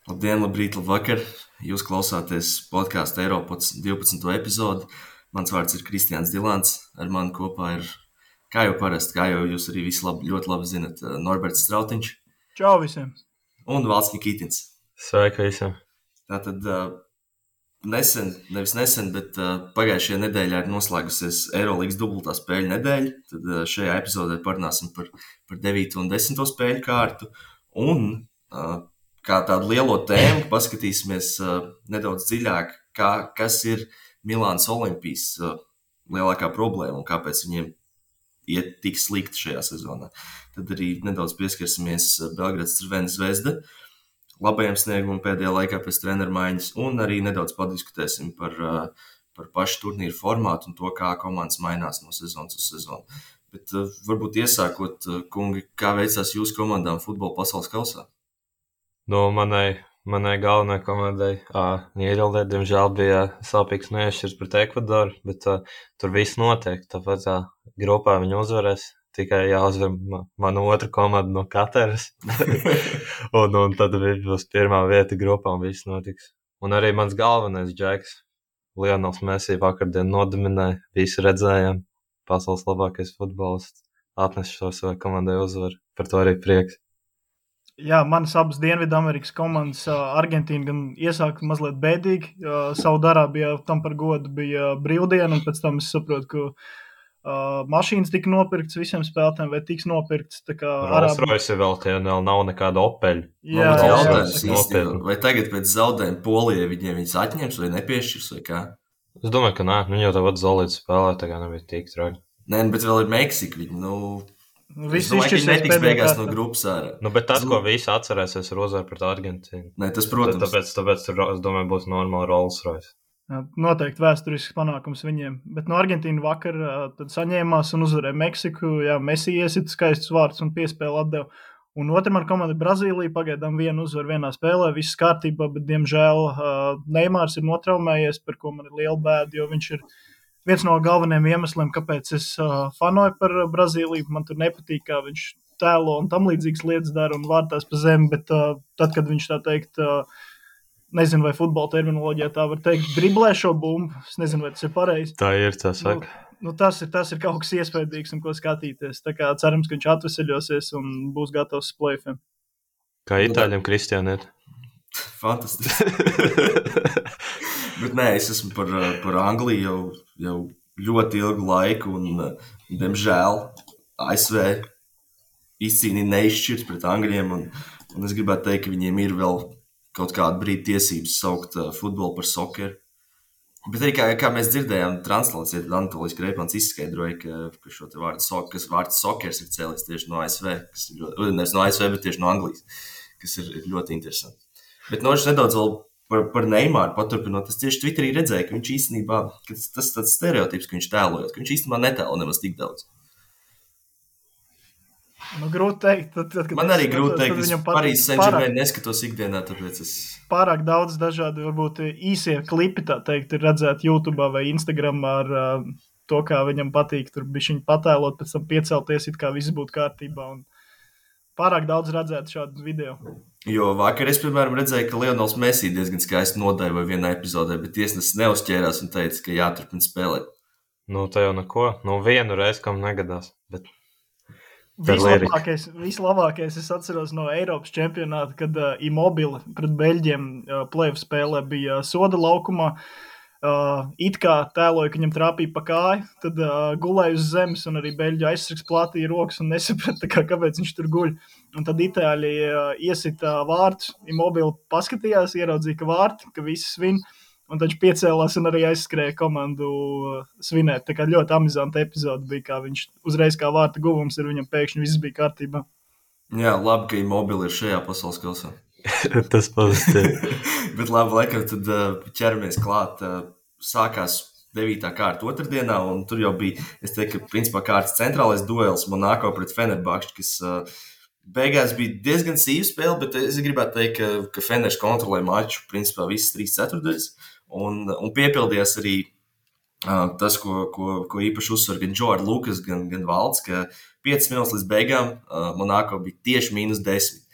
Labdien, labrīt, labvakar! Jūs klausāties podkāstu Eiropods 12. epizodi. Mans vārds ir Kristiāns Dilants. Ar mani kopā ir, kā jau parasti, kā jau jūs arī visi ļoti labi zinat, Norberts Strautiņš. Čau visiem! Un Valds Nikitins. Sveiki visiem! Tātad nesen, bet pagājušajā nedēļā ir noslēgusies Eirolīgas dubultā spēļu nedēļa. Tad šajā epizodē parunāsim par 9. un 10. spēļu kārtu. Un kā tādu lielo tēmu paskatīsimies nedaudz dziļāk, kas ir Milānas Olimpijas lielākā problēma un kāpēc viņiem iet tik slikti šajā sezonā. Tad arī nedaudz pieskarsimies Belgrads Crvena Zvezda labajam sniegumam pēdējā laikā pēc treneru maiņas un arī nedaudz padiskutēsim par pašu turnīru formātu un to, kā komandas mainās no sezonas uz sezonu. Bet varbūt iesākot, kungi, kā veicās jūsu komandām futbola pasaules kausā? Manai galvenajai komandai Nīderlandē, diemžēl, bija sāpīgs nešķirs pret Ekvadoru, bet tur viss notiek. Tāpēc grupā viņi uzvarēs. Tikai jāuzvar mana otra komanda no Kataras. un tad būs pirmā vieta grupā un viss notiks. Un arī mans galvenais džeks, Lionels Messi, vakardien nodominēja. Visi redzējām, pasaules labākais futbolists. Atnes šo savai komandai uzvaru. Par to arī prieks. Jā, manas abas Dienvidamerikas komandas, Argentīna gan iesāka mazliet bēdīgi. Saudārābijā tam par godu bija brīvdiena, un pēc tam es saprotu, ka mašīnas tika nopirktas visiem spēlētājiem, vai tiks nopirktas. Rolls-Royce vēl nav nekāda Opeļa. Vai tagad pēc zaudējuma Polijai viņas atņems vai nepiešķirs vai kā? Es domāju, ka nē, viņi jau tāpat Zolīts spēlē, tā kā nebija tik traki. Nē, bet vēl ir Meksika. Visi izšķirsies netiks beigās no grupas ārā. Bet tas, ko visi atcerēsies, ir uzvar pret Argentīnu. Nē, tas, protams. Tāpēc tur, es domāju, būs normāli Rolls-Royce. Noteikti vēsturisks panākums viņiem. Bet no Argentīna vakar tad saņēmās un uzvarēja Meksiku. Jā, Messi iesit skaistus vārdus un piespēli atdeva. Un otrā komanda Brazīlija pagaidām vienu uzvaru vienā spēlē, viss kārtībā, bet diemžēl Neimārs ir notraumējies, par ko man ir liela bēda, jo viņš ir viens no galvenajiem iemesliem, kāpēc es fanoju par Brazīliju. Man tur nepatīk, kā viņš tēlo un tam līdzīgas lietas dara un vārtās pa zemi, bet tad, kad viņš tā teikt, nezinu, vai futbola terminoloģijā tā var teikt, driblē šo bumbu, es nezinu, vai tas ir pareizi. Tā ir, tā saka. Tas ir kaut kas iespaidīgs un ko skatīties. Tā kā cerams, ka viņš atveseļosies un būs gatavs play-offiem. Kā itāļiem Kristiāniet? Fantastiski. Bet nē, es esmu par Angliju jau ļoti ilgu laiku un, diemžēl, ASV izcīnīja neizšķirt pret Angļiem un es gribētu teikt, ka viņiem ir vēl kaut kādu brīdi tiesības saukt futbolu par sokeru. Bet arī, kā mēs dzirdējām, translācijā Anatolijas Kreipmans izskaidroja, ka šo te vārds sokers ir cēlies tieši no ASV, nevis no ASV, bet tieši no Anglijas, kas ir ļoti interesanti. Bet nedaudz vēl par Neimāru paturpinot, es tieši Twitterī redzēju, ka viņš īstenībā, tas tāds stereotips, ka viņš tēlojot, ka viņš īstenībā netēlo nemaz tik daudz. Grūti teikt. Man arī grūti teikt, es Parīzes Saint-Germain neskatos ikdienā, tāpēc es... Pārāk daudz dažādi, varbūt īsie klipi, tā teikt, ir redzēti YouTube'ā vai Instagramā ar to, kā viņam patīk tur bišķiņ patēlot, pēc tam piecelties, it kā viss būtu kārtībā. Un pārāk daudz redzēt šādu video. Jo vakar es, piemēram, redzēju, ka Lionels Messi diezgan skaisti nodaivoja vienā epizodē, bet tiesnesis neuzķērās un teica, ka jāturpina spēlēt. Tā jau neko. Vienu reizi, kam negadās, bet... Vislabākais es atceros no Eiropas čempionāta, kad Immobile pret Beļģiem play-off spēlē bija soda laukumā. It kā tēloja, ka viņam trāpīja pa kāju, tad gulēja uz zemes un arī Beļģu aizsargs plātīja rokas un nesaprata, kāpēc viņš tur guļ. Un tad Itāļi iesita vārtus, Immobile paskatījās, ieraudzīja, ka vārti, ka visi svin. Un tad viņš piecēlās un arī aizskrēja komandu svinēt. Tā kā ļoti amizanta epizode bija, kā viņš uzreiz kā vārta guvums ir viņam pēkšņi viss bija kārtībā. Jā, labi, ka Immobile ir šajā pasaules kausā. Tas pozitīvi. Bet labi, laikam tad ķeramies klāt. Sākās 9. kārta otrdienā, un tur jau bija, es teiktu, ka principā kārtas centrālais duels Monako pret Fenerbahču, kas beigās bija diezgan sīva spēle, bet es gribētu teikt, ka Feners kontrolē maču principā visas 3/4. Un piepildījās arī tas, ko īpaši uzsver gan Džo ar Lukas, gan Valds, ka 5 minūtes līdz beigām Monako bija tieši -10.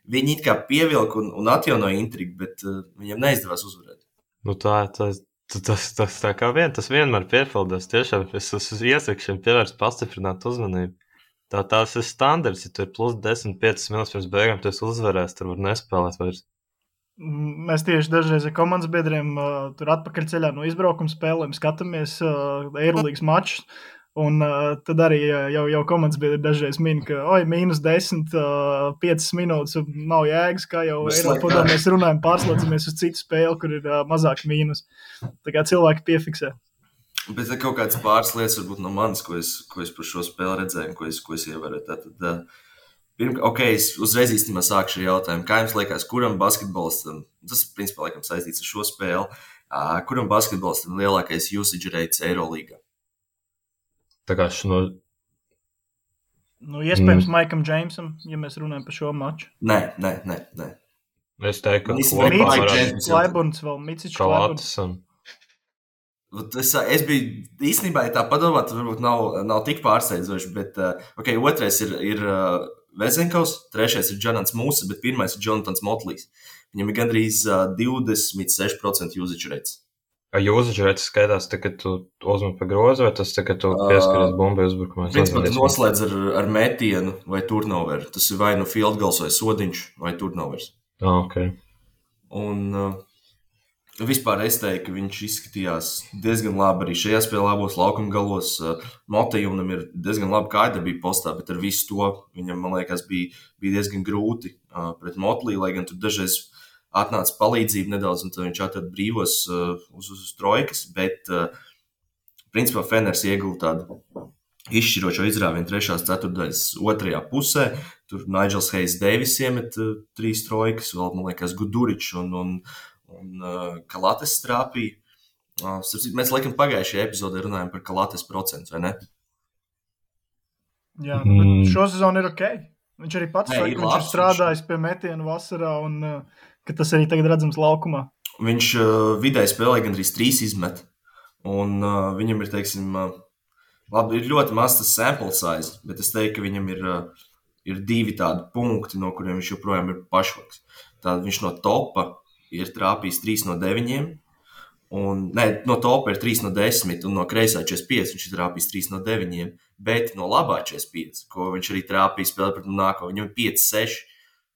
viņi it kā pievilka un atjaunoja intrigu, bet viņiem neizdevās uzvarēt. Nu tas tā kā tas vienmēr piepildās. Tiešām es iesaku šiem pievērst pastiprināt uzmanību. Tas ir standarts, ja tur ir plus 10-5 minūtes pirms beigām, tu esi uzvarējis, tur var nespēlēt vairs. Mēs tieši dažreiz ar komandas biedriem tur atpakaļ ceļā no izbraukuma spēlēm skatāmies Eirolīgas mačus. Un tad arī jau komandas biedri dažreiz min, ka -10, 5 minūtes nav jēgas, kā jau Eiropā mēs runājam, pārslēdzamies uz citu spēli, kur ir mazāk mīnus. Tā kā cilvēki piefiksē. Bet ir kaut kādas pāris lietas, varbūt no manis, ko es par šo spēli redzēju, ko es ievēroju. Tātad, es uzreiz īstenībā sākšu ar jautājumu, kā jums liekas, kuram basketbolistam, tas ir principā laikam saistīts ar šo spēli, kuram basketbolistam lielākais usage rates Eirolīgā? Tā kā iespējams Maikam Džeimsam, ja mēs runājam par šo maču. Nē. Es teiktu, ka Klaiburns vēl, Micičs Klaiburns. Es biju īstenībā, ja tā padomāt, varbūt nav tik pārsteidzoši, bet otrais ir Vezenkovs, trešais ir Džanants Mūsa, bet pirmais ir Jonatans Motlīs. Viņam ir gandrīz 26% usage rates. Usage rates skaitās, kad tu uzmet pa grozu, vai tas, kad tu pieskaries bumbai uzbrukumā? Principā tu noslēdz ar metienu vai turnoveru. Tas ir vai nu field goals vai sodiņš vai turnovers. Okay. Un vispār es teiktu, ka viņš izskatījās diezgan labi arī šajā spēlē abos laukuma galos. Motejunam ir diezgan laba kājdarbība postā, bet ar visu to viņam, man liekas, bija diezgan grūti pret Motlī, lai gan tur dažreiz atnāca palīdzība nedaudz, un tad viņš atrada brīvos uz trojkas, bet principā Feners ieguva tādu izšķirošo izrāvienu 3. ceturtdaļas otrajā pusē. Tur Nigels Hayes Davis iemet 3 trojkas, vēl, man liekas, Guduričs un Kalates trāpīja. Mēs laikam pagājušajā epizodē runājam par Kalates procentu, vai ne? Jā, bet šo sezonu ir ok. Viņš arī pats saka, viņš ir strādājis pie metienu vasarā un ka tas arī tagad redzams laukumā. Viņš vidēji spēlē gandrīz 3 izmet, un viņam ir, teiksim, labi, ir ļoti maz tas sample size, bet es teiktu, ka viņam ir 2 tādi punkti, no kuriem viņš joprojām ir pašvaks. Tātad viņš no topa ir trāpījis 3 no 9, no topa ir 3 no 10, un no kreisā 45 viņš ir trāpījis 3 no 9, bet no labā 45, ko viņš arī trāpīja spēlē pret nāko, viņam ir 5-6,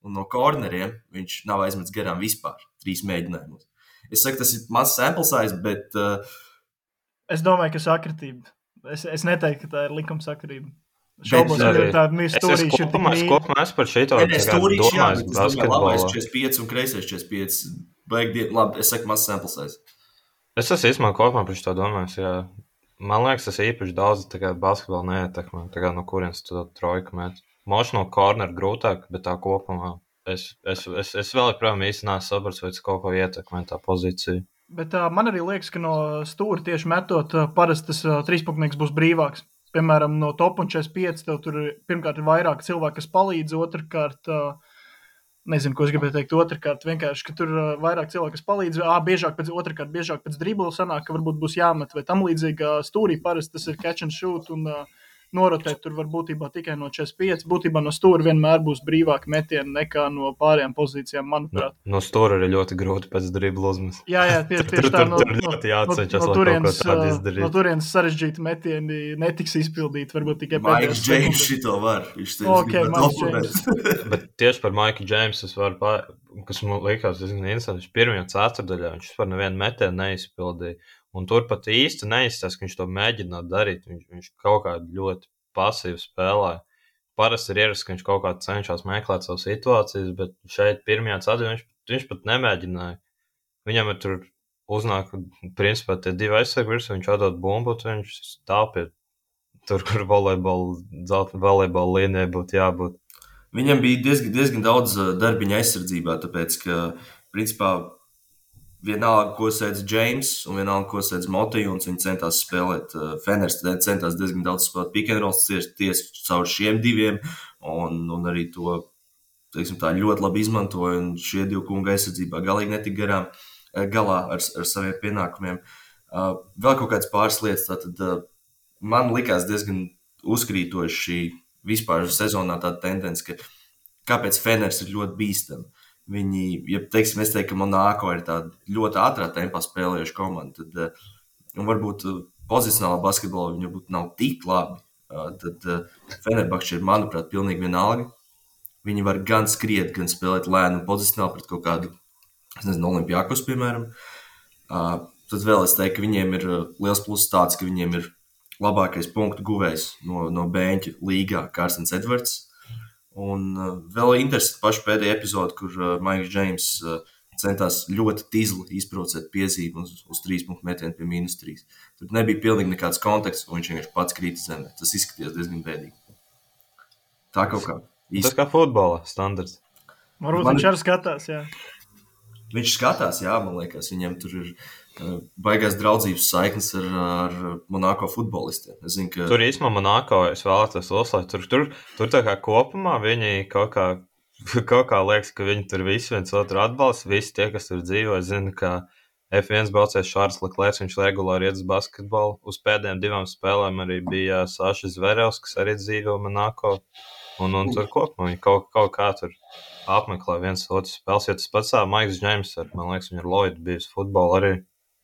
un no korneriem viņš nav aizmetis garām vispār 3 mēģinājumus. Es saku, tas ir mazs sample size, bet es domāju, ka sakritība. Es neteiktu, ka tā ir likumsakarība. Šaubos, ka ir tāda stūrīša ir tik mīļa. Es kopumā par šeito domāju labais 45 un kreisais 45. Labi, es saku, mazs sample size. Es esmu īstenībā kopumā par šito domājis, jā. Man liekas, tas īpaši daudz basketbolu neietekmē, no kurienes tu trojku met. Moši no corner grūtāk, bet tā kopumā es vēl joprojām īsti neesmu sapratis, vai tas kaut ko ietekmē tā pozīcija. Bet man arī liekas, ka no stūra tieši metot parasti tas trīspunktnieks būs brīvāks. Piemēram, no top un 45 tev tur pirmkārt ir vairāk cilvēku, kas palīdz, otrkārt, nezinu, ko es gribēju teikt, otrkārt vienkārši, ka tur vairāk cilvēku, kas palīdz, biežāk pēc dribla sanāk, ka varbūt būs jāmet vai tam līdzīgi stūrī parasti tas ir catch and shoot un norotēt tur var būtībā tikai no 45. Būtībā no stūra vienmēr būs brīvāki metieni nekā no pārējām pozīcijām, manuprāt. No stūra ir ļoti grūti pēc dribla uzmest. Jā, tieši tā. No turienes sarežģīti metieni netiks izpildīti, varbūt tikai pēdējās sekundes. Maiks Džeims šito var. Maiks Džeims. Bet tieši par Maiku Džeimsu es varu kas man likās, viņš pirmajā ceturtdaļā, viņš par nevienu metienu neizpildīja. Un tur pat īsti neizstāsta, ka viņš to mēģinātu darīt. Viņš kaut kā ļoti pasīvi spēlēja. Parasti ir ierasts, ka viņš kaut kā cenšas meklēt savu situācijas, bet šeit pirmajā ceturtdaļā viņš pat nemēģināja. Viņam ir tur uznāk, principā, tie 2 aizsargi virsū, viņš atdod bumbu, viņš stāv pie tur, kur volejbola līnijai būtu jābūt. Viņam bija diezgan daudz darbiņa aizsardzībā, tāpēc, ka, principā, vienalga, ko sēdz Džeims un vienalga, ko sēdz Motejuns, viņi centās spēlēt. Feners centās diezgan daudz spēlēt pick and rolls tieši caur šiem 2, un arī to, teiksim tā, ļoti labi izmantoja, un šie 2 kunga aizsardzībā galīgi netika galā ar saviem pienākumiem. Vēl kaut kāds pāris lietas, tātad man likās diezgan uzkrītoši šī vispār sezonā tāda tendence, ka kāpēc Feners ir ļoti bīstami. Viņi, ja teiksim, es teiktu, ka Monako ir tāda ļoti ātrā tempā spēlējuša komanda, tad varbūt pozicionālā basketbolā viņi varbūt nav tik labi. Tad Fenerbahče ir, manuprāt, pilnīgi vienalga. Viņi var gan skriet, gan spēlēt lēnu un pozicionāli pret kaut kādu, es nezinu, Olimpiakos, piemēram. Tad vēl es teiktu, ka viņiem ir liels pluss tāds, ka viņiem ir labākais punktu guvējs no Bēņķa līgā Kārsens Edvards. Un vēl interesanti pašu pēdējā epizode, kur Maiks Džeims centās ļoti tizli izprovocēt piezīmi uz 3 punktu metienu pie -3. Tur nebija pilnīgi nekāds konteksts, un viņš vienkārši pats krīt zemē. Tas izskatījās diezgan bēdīgi. Tā kaut kā. Tas kā futbolā standarts. Varbūt viņš arī skatās, jā. Viņš skatās, jā, man liekas, viņam tur ir baigās draudzības saiknes ar Monako futbolistiem. Es zinu, ka Tur īstenībā Monako es vēlētos uzslavēt. Tur tā kā kopumā viņi kaut kā liekas, ka viņi tur visi viens otru atbalsta. Visi tie, kas tur dzīvo, es zinu, ka F1 braucējs Šārls Leklērs, viņš regulāri iet uz basketbolu. Uz pēdējām 2 spēlēm arī bija Saša Zverevs, kas arī dzīvo Monako. Un tur kopumā viņi kaut kā tur apmeklē viens otru spēles. Ja tas pats Maiks Džeims, man liekas, viņa ir Lloyd bijis futbola arī.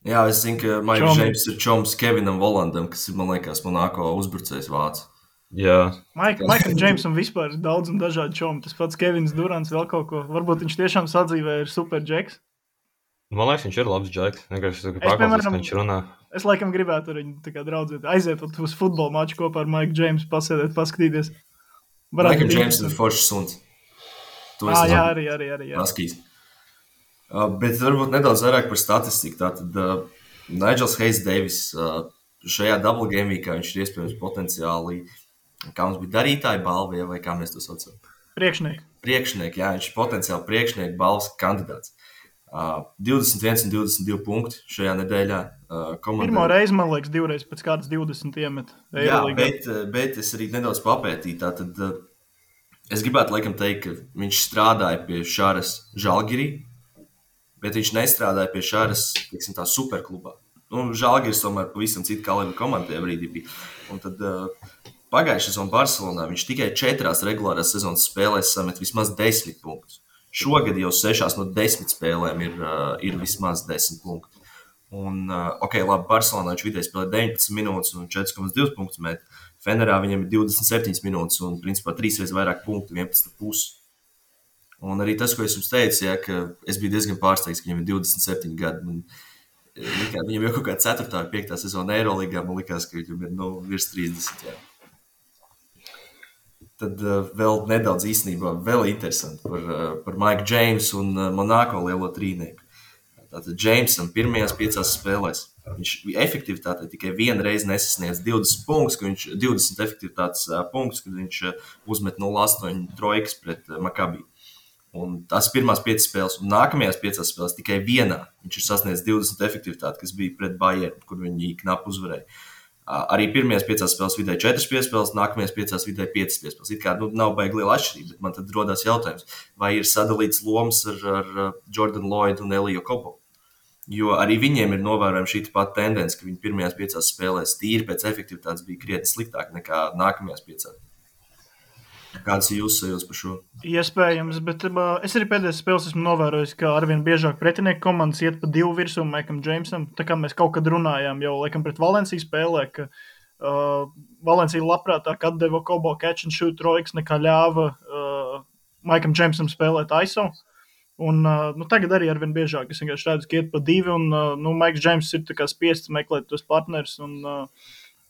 Jā, es zinu, ka Maiks Džeims ir čoms Kevinam Volandam, kas ir, man liekas, Monako uzbrucējs vācu. Jā. Maikam Džeimsam vispār ir daudz un dažādi čomi. Tas pats Kevins Durants vēl kaut ko. Varbūt viņš tiešām sadzīvē ir super džeks. Man liekas, viņš ir labs džeks. piemēram, Viņš runā. Es laikam gribētu ar viņu tā kā draudzēt. Aiziet uz futbola maču kopā ar Maiku Džeimsu, pasēdēt, paskatīties. Maikam Džeims ir foršs suns. Jā, arī. Paskīs. Bet varbūt nedaudz vairāk par statistiku. Tātad Nigels Hayes Davis šajā double game weekā viņš ir iespējams potenciāli, kā mums bija darītāja balva, vai kā mēs to saucam? Priekšnieki, jā, viņš ir potenciāli priekšnieku balvas kandidāts. 21 un 22 punkti šajā nedēļā. Pirmo reizi, man liekas, 2 reizes pēc kādas 20 iemet. Jā, bet es arī nedaudz papētīju. Tātad es gribētu laikam teikt, ka viņš strādāja pie Šāras Žalgirī, bet viņš nestrādāja pie Šāras, teiksim tā, superklubā. Žalgiris tomēr pavisam cita kalibra komanda tajā brīdī bija. Un tad pagājušajā sezonā Barcelonā viņš tikai 4 regulārās sezonas spēlēs samet vismaz 10 punktus. Šogad jau 6 no 10 spēlēm ir vismaz 10 punkti. Un, labi, Barcelonā viņš vidēji spēlē 19 minūtes un 4,2 punktus met. Fenerā viņam ir 27 minūtes un, principā, 3 reizes vairāk punktu, 11,5. Un arī tas, ko es jums teicu, ja, ka es biju diezgan pārsteigts, ka viņam ir 27 gadi. Viņam jau kaut kā 4. vai 5. sezona Eirolīgā, man likās, ka viņam ir virs 30. Jā. Tad vēl nedaudz īstenībā vēl interesanti par Maiku Džeimsu un Monako lielo trīnieku. Tātad Džeimsam pirmajās 5 spēlēs viņš efektivitātē tikai 1 reizi nesasniedz 20 punktus, 20 efektivitātes punktus, kad viņš uzmet 0,8 trojkas pret Maccabi. Un tās pirmās 5 spēles, un nākamajās 5 spēles tikai vienā viņš ir sasniedzis 20 efektivitāti, kas bija pret Bayern, kur viņi knapi uzvarēja. Arī pirmajās 5 spēles vidēji 4 piespēles, nākamajās 5 vidēji 5 piespēles. It kā nav baigi liela atšķirība, bet man tad rodās jautājums, vai ir sadalīts lomas ar Jordan Lloyd un Eliju Kobo. Jo arī viņiem ir novērojama šī pat tendence, ka viņi pirmajās 5 spēlēs tīri pēc efektivitātes bija krietni sliktāk nekā nākamajās 5. Kāds ir jūsu sajūtas par šo? Iespējams, bet es arī pēdējās spēles esmu novērojis, ka arvien biežāk pretinieku komandas iet pa 2 virsū Maikam Džeimsam. Tā kā mēs kaut kad runājām jau laikam pret Valenciju spēlē, ka Valencija labprātāk atdeva Kobo catch and shoot trojkas nekā ļāva Maikam Džeimsam spēlēt ISO. Un tagad arī arvien biežāk es vienkārši redzu, ka iet pa 2 un Maiks Džeims ir tā kā spiests meklēt tos partners un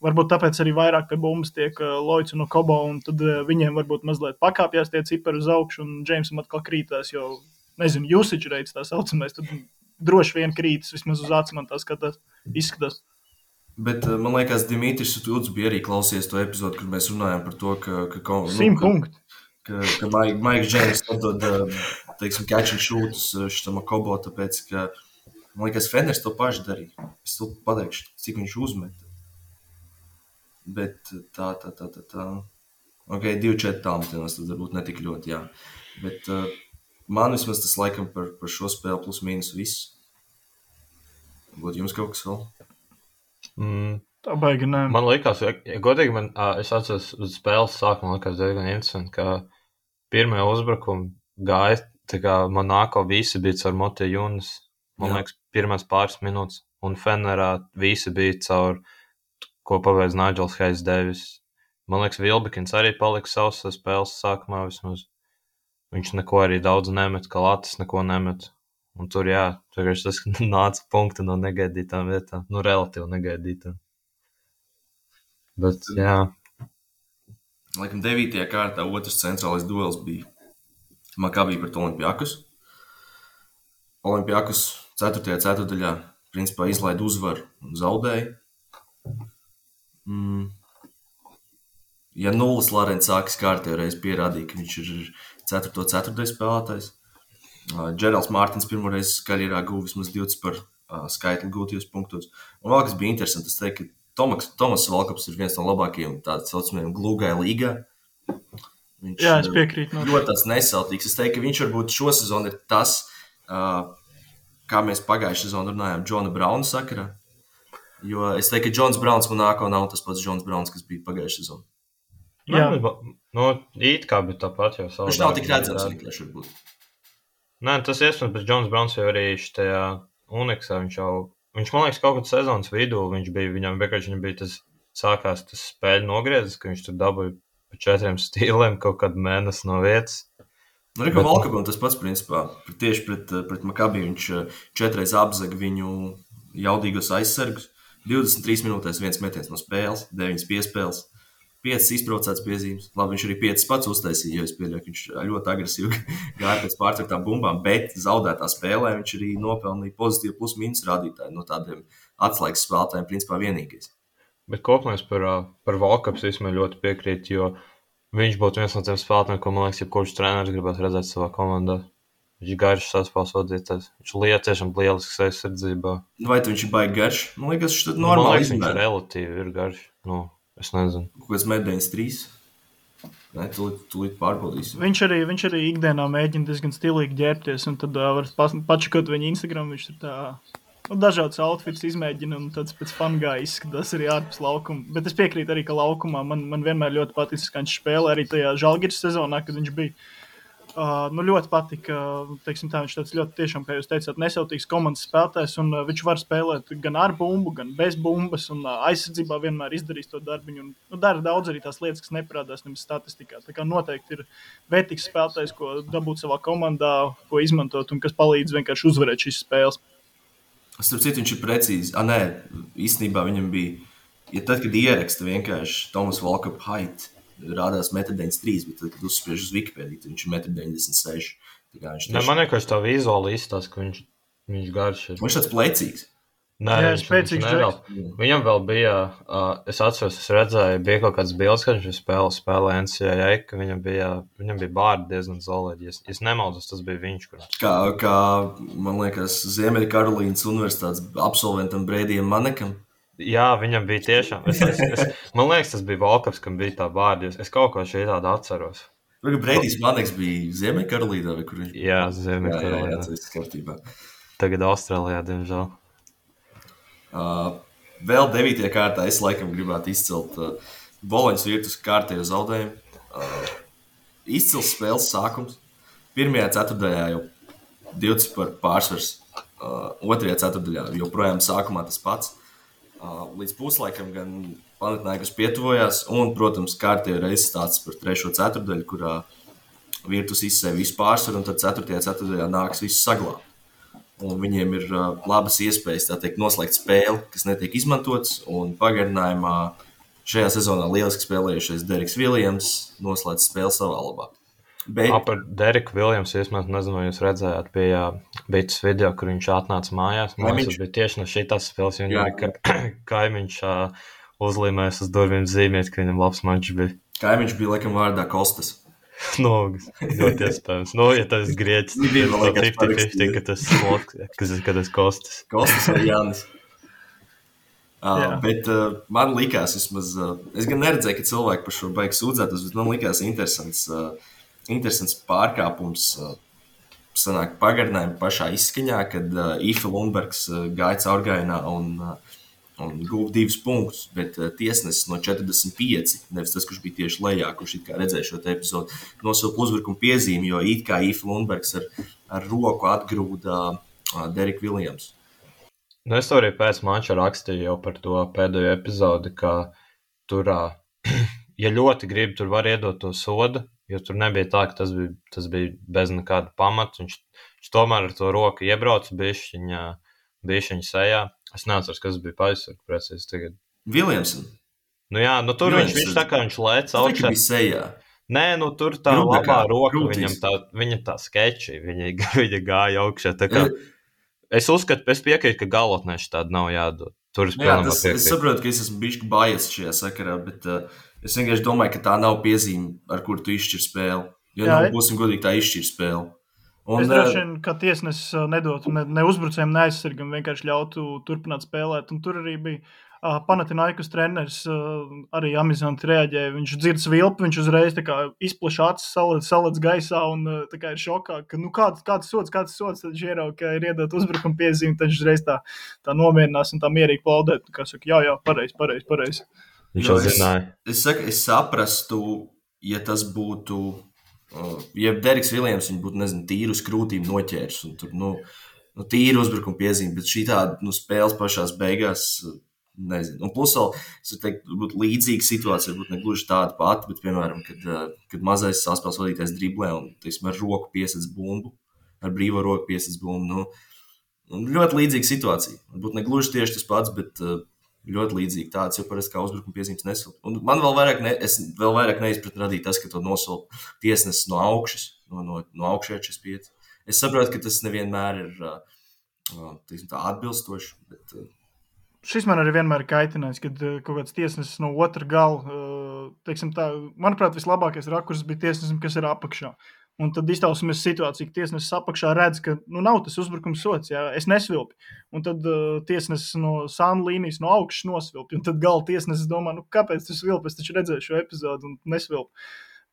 varbūt tāpēc arī vairāk pie bumbas tiek Lloyds un Kobo, un tad viņiem varbūt mazliet pakāpjās tie cipari uz augšu, un Džeimsam atkal krītās, jo, nezinu, usage rates tā saucamais, tad droši vien krītas, vismaz uz acis man tā izskatās. Bet man liekas, Dimitris Uts bija arī klausies to epizodu, kur mēs runājām par to, ka 100 punkti. Ka Maiks Džeims atdod, teiksim, catch and shootus šitam Kobo, tāpēc, ka, man liekas, Feners to paši darīja. Es to pateikšu, cik viņš uzmet. Bet tā. Ok, 2-4 tālmetienos tad varbūt netik ļoti, jā. Bet man vismaz tas laikam par šo spēli plus mīnus viss. Būtu jums kaut kas vēl? Tā baigi, nē. Man liekas, godīgi, es atceros uz spēles sākumu, man liekas diezgan interesanti, ka pirmie uzbrukumi gāja, tā kā Monako visi bija caur Motiju Junas, man liekas, pirmās pāris minūtes, un Fenerā visi bija caur, ko pabeidz Nigels Hayes Davis. Man liekas, Vilbekins arī palika savs spēles sākumā vismaz. Viņš neko arī daudz nemet, kā Latis neko nemet. Un tur, vienkārši tas nāca punkti no negaidītām vietām, relatīvi negaidītām. Bet, Laikam 9. kārtā otrs centrālais duels bija Makabi pret Olimpiakus. Olimpiakus 4. ceturtdaļā principā izlaida uzvaru un zaudēja. Ja nulles Larents sākas kārtējo reizi pierādīja, ka viņš ir 4. ceturtdaļas spēlētājs. Džerals Mārtins pirmoreiz karjerā guva vismaz 20 par skaitli gūtajos punktos. Un vēl kas bija interesanti, es teiktu, ka Tomas Valkaps ir viens no labākajiem tādā saucamajiem glūgai līgā. Viņš es piekrītu. Ļoti tāds nesautīgs. Es teiktu, ka viņš varbūt šo sezonu ir tas, kā mēs pagājušajā sezonā runājām Džona Brauna sakarā. Jo es teiktu, ka Džons Brauns Monako nav tas pats Džons Brauns, kas bija pagājušajā sezonā. It kā bija tāpat jau savā. Viņš nav tik redzams vienkārši varbūt. Nē, tas iespējams, bet Džons Brauns jau arī šajā Uniksā, viņš man liekas kaut kādā sezonas vidū, viņam bija tas sākās tas spēļu nogriezis, ka viņš tur dabūja pa 4 stīliem kaut kādu mēnesi no vietas. Kā Valkapam tas pats principā, tieši pret Makabi viņš 4 reizes apzaga viņu jaudīgos aizsargus, 23 minūtēs 1 metiens no spēles, 9 piespēles. 5 izbraucēts piezīmes. Labi, viņš arī 5 pats uztaisīja, jo es pieļauju, ka viņš ļoti agresīvi gāja pēc pārtraktām bumbām, bet zaudētā spēlē viņš arī nopelnīja pozitīvu plus-mínus rādītāju no tādiem atslēgas spēlētājiem, principā vienīgais. Bet kopumēs par Valkaps vismaz ļoti piekrīt, jo viņš būtu viens no tiem spēlētājiem, ko, man liekas, jebkurš treneris gribētu redzēt savā komandā. Viņš garš saspēles vadītājs. Viņš tiešām lielisks aizsardzībā. Vai viņš ir baigi garš? Man liekas, viņš tad normāli izmēr. Viņš relatīvi ir garš. Es nezinu. Kaut kāds mēdienis 3. Nē, tūlīt pārbaudīsim. Viņš arī ikdienā mēģina diezgan stilīgi ģērbties, un tad var pačakot viņa Instagram, viņš tur tā dažādas outfits izmēģina, un tāds pēc fangā izskatās arī ārpus laukuma. Bet es piekrītu arī, ka laukumā man vienmēr ļoti patīk, ka viņš spēlē arī tajā Žalgiris sezonā, kad viņš bija. Ļoti patika, teiksim tā, viņš tāds ļoti tiešām, kā jūs teicāt, nesautīgs komandas spēlētājs, un viņš var spēlēt gan ar bumbu, gan bez bumbas, un aizsardzībā vienmēr izdarīs to darbiņu, un dara daudz arī tās lietas, kas neparādās nemaz statistikā. Tā kā noteikti ir vērtīgs spēlētājs, ko dabūt savā komandā, ko izmantot, un kas palīdz vienkārši uzvarēt šīs spēles. Starp citu, viņš ir precīzi. Īstenībā viņam bija, tad, kad ieraksta vienkārši Tomas Valkapa height, rādās 1,93 m, bet tad, kad uzspiež uz Wikipēdiju, viņš ir 1,96 m. Man vienkārši tā vizuāli izstāsta, ka viņš garš ir. Viņš tāds plecīgs. Nē, viņš nedaudz. Viņam vēl bija, es atceros, es redzēju, bija kaut kāds bildes, kad viņš spēlē NCAA, ka viņam bija bārdi diezgan zolēdi. Es nemaldos, tas bija viņš, kurš. Kā man liekas, Ziemeļkarolīnas universitātes absolventam Breidijam Manekam. Jā, viņam bija tiešām. Man liekas, tas bija Valkaps, kam bija tā bārdi. Es kaut ko šī tāda atceros. Breidijs Maneks bija Ziemeļkarolīnā, vai kur viņš bija? Jā, Ziemeļkarolīnā. Jā, tas ir kārtībā. Tagad Austrālijā, diemžēl. Vēl 9. kārtā es laikam gribētu izcelt Boloņas Virtus kārtējo zaudējumu. Izcils spēles sākums. 1. ceturtdaļā jau 20 par pārsvars. 2. ceturtdaļā joprojām sākumā tas pats. Līdz puslaikam gan Panathinaikos pietuvojās, un, protams, kārtējo reizi stāsts par 3. ceturtdaļu, kurā Virtus izsēja visu pārsvaru, un tad 4. ceturtdaļā nāks visu saglābt. Un viņiem ir labas iespējas, tā teikt, noslēgt spēli, kas netiek izmantots, un pagarinājumā šajā sezonā lieliski spēlējušies Deriks Viljams noslēdz spēli savā labā. Par Deriku Viljamsu, es nezinu, vai jūs redzējāt, bija tas video, kur viņš atnāca mājās. Tas bija tieši no šitās spēles, jo viņam kaimiņš uzlīmēs uz durvīm zīmēt, ka viņam labs mačs bija. Kaimiņš bija, laikam, vārdā Kostas. Ļoti iespējams. Ja tas grieķis, tad 50-50, ka tas Kostas. Kostas vai Jānis. Bet man likās, vismaz, es gan neredzēju, ka cilvēki par šo baigi sūdzētos, bet man likās interesants pārkāpums sanāk pagarinājumi pašā izskaņā, kad Ife Lundbergs gāja caurgājienā un un guva 2 punktus, bet tiesnesis no 45, nevis tas, kurš bija tieši lejā, kurš it kā redzēja šo te epizodu, nosilpa uzbrukuma piezīmi, jo it kā Īfa Lundbergs ar roku atgrūda Derek Williams. Nu, es arī pēc mača rakstīju jau par to pēdējo epizodi, ka tur, ja ļoti grib, tur var iedot to sodu, jo tur nebija tā, ka tas bija bez nekāda pamata. Viņš tomēr ar to roku iebrauca bišķiņa sejā. Es neatceros, kas bija paizsargs precīzi tagad. Williamson? Nu jā, nu tur viņš tā kā viņš lēc augšā. Tas bija sejā. Nē, nu tur tā labā roka, viņa tā skeči, viņa gāja augšā. Tā kā, es uzskatu, es piekrītu, ka galotnēši tāda nav jādod. Tur es saprotu, ka es esmu bišķi biased šajā sakarā, bet es vienkārši domāju, ka tā nav piezīme, ar kuru tu izšķir spēli. Jo būsim godīgi, tā izšķir spēli. Es droši vien, ka tiesnesis nedotu ne uzbrucējiem, ne aizsargam, vienkārši ļautu turpināt spēlēt. Un tur arī bija Panathinaikos treneris, arī amizanti reaģēja. Viņš dzird svilpi, viņš uzreiz tā kā izplaša acis, salec gaisā un tā kā ir šokā, ka nu kāds sods, tad viņš ierauga, ka ir iedot uzbrukuma piezīmi, tad viņš uzreiz tā mierinās un tā mierīgi plaudēt. Kā saka, jā, pareizi. Viņš jau zināja. Es saprastu, ja tas būtu... Ja Dereks Viljams viņu būtu, tīru uz krūtīm noķērs un tur, tīru uzbrukuma piezīme, bet šī tāda, spēles pašās beigās, nezinu. Un plus vēl, es teiktu, būtu līdzīga situācija, varbūt ne gluži tāda pati, bet, piemēram, kad mazais saspēles vadītājs driblē un, teiksim, ar roku piesedz bumbu, ar brīvo roku piesedz bumbu, ļoti līdzīga situācija. Varbūt ne gluži tieši tas pats, bet ļoti līdzīgi tāds, jo parasti kā uzbrukuma piezīmes nesilpa. Un man vēl vairāk neizpratni radīja tas, ka to nosilpa tiesnesis no augšas, no augšējā 45. Es saprotu, ka tas nevienmēr ir tā atbilstoši, bet... Šis man arī vienmēr ir kaitinājis, kad kaut kāds tiesnesis no otra gala, teiksim tā, manuprāt, vislabākais rakurs bija tiesnesim, kas ir apakšā. Un tad iztausimies situāciju, ka tiesnesis apakšā redz, ka nav tas uzbrukums sots, jā, es nesvilpi. Un tad tiesnesis no sānu līnijas no augšas nosvilpi. Un tad gala tiesnesis domā, kāpēc tu svilpi? Es taču redzēju šo epizodu un nesvilpi.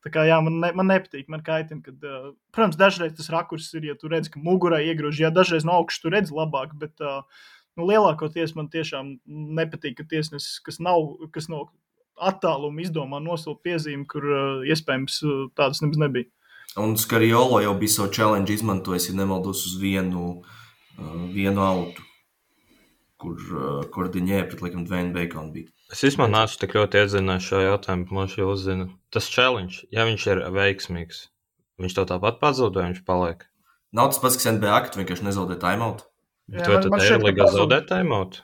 Tā kā jā, man nepatīk, man kaitina, kad, protams, dažreiz tas rakurs ir, ja tu redz, ka mugurā iegrož, jā, dažreiz no augšas tu redz labāk, bet lielākoties man tiešām nepatīk, ka tiesnesis, kas no attāluma izdomā nosilpa piezīmi, kur iespējams tādas nebūs nebija. Un Skariolo jau bija savu challenge izmantojis, ja nemaldos uz vienu autu, kur Diņē pret laikam Dwayne Bacon bija. Es vispār nācu tik ļoti iedzināju šo jautājumu, man šī uzzina. Tas challenge, ja viņš ir veiksmīgs, viņš to tāpat pazūd, vai viņš paliek? Nav tas pats, kas NBA, ka tu vienkārši nezaudē timeout. Bet vai tad Eirolīgā zaudē timeout?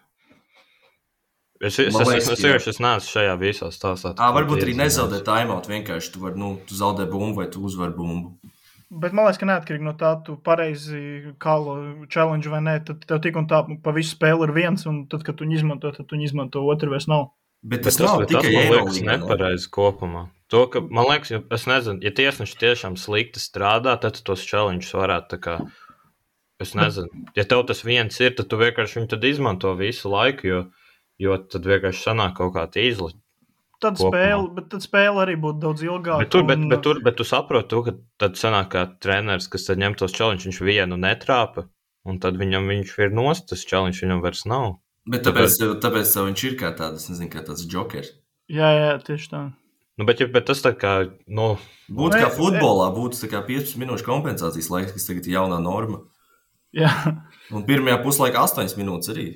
Es neesmu šajā visā stāstā. Varbūt arī nezaudē timeout, vienkārši tu tu zaudē bumbu vai tu uzvar bumbu. Bet man liekas, ka neatkarīgi no tā, tu pareizi kālo challenge vai nē, tad tev tik un tā pa visu spēli ir viens, un tad, kad tu izmanto, tad tu izmanto, otru vairs nav. Bet tas nav tikai Eirolīgā. Nepareizi kopumā. To, ka, man liekas, es nezinu, ja tiesneši tiešām slikti strādā, tad tos challenges varētu tā kā, es nezinu, ja tev tas viens ir, tad tu vienkārši viņu tad izmanto visu laiku, jo tad vienkārši sanāk kaut kā tīzli. Tad spēle arī būtu daudz ilgāka. Bet tu saproti, ka tad sanāk kā treneris, kas tad ņem tos challenge, viņš vienu netrāpa, un tad viņš ir nost, tas challenge viņam vairs nav. Bet tāpēc tev viņš ir kā tāds, nezinu, kā tāds jokers. Jā, tieši tā. Bet tas tā kā, Būtu kā futbolā, būtu tā kā 15 minūšu kompensācijas laiks, kas tagad ir jaunā norma. Jā. Un pirmajā puslaikā 8 minūtes arī.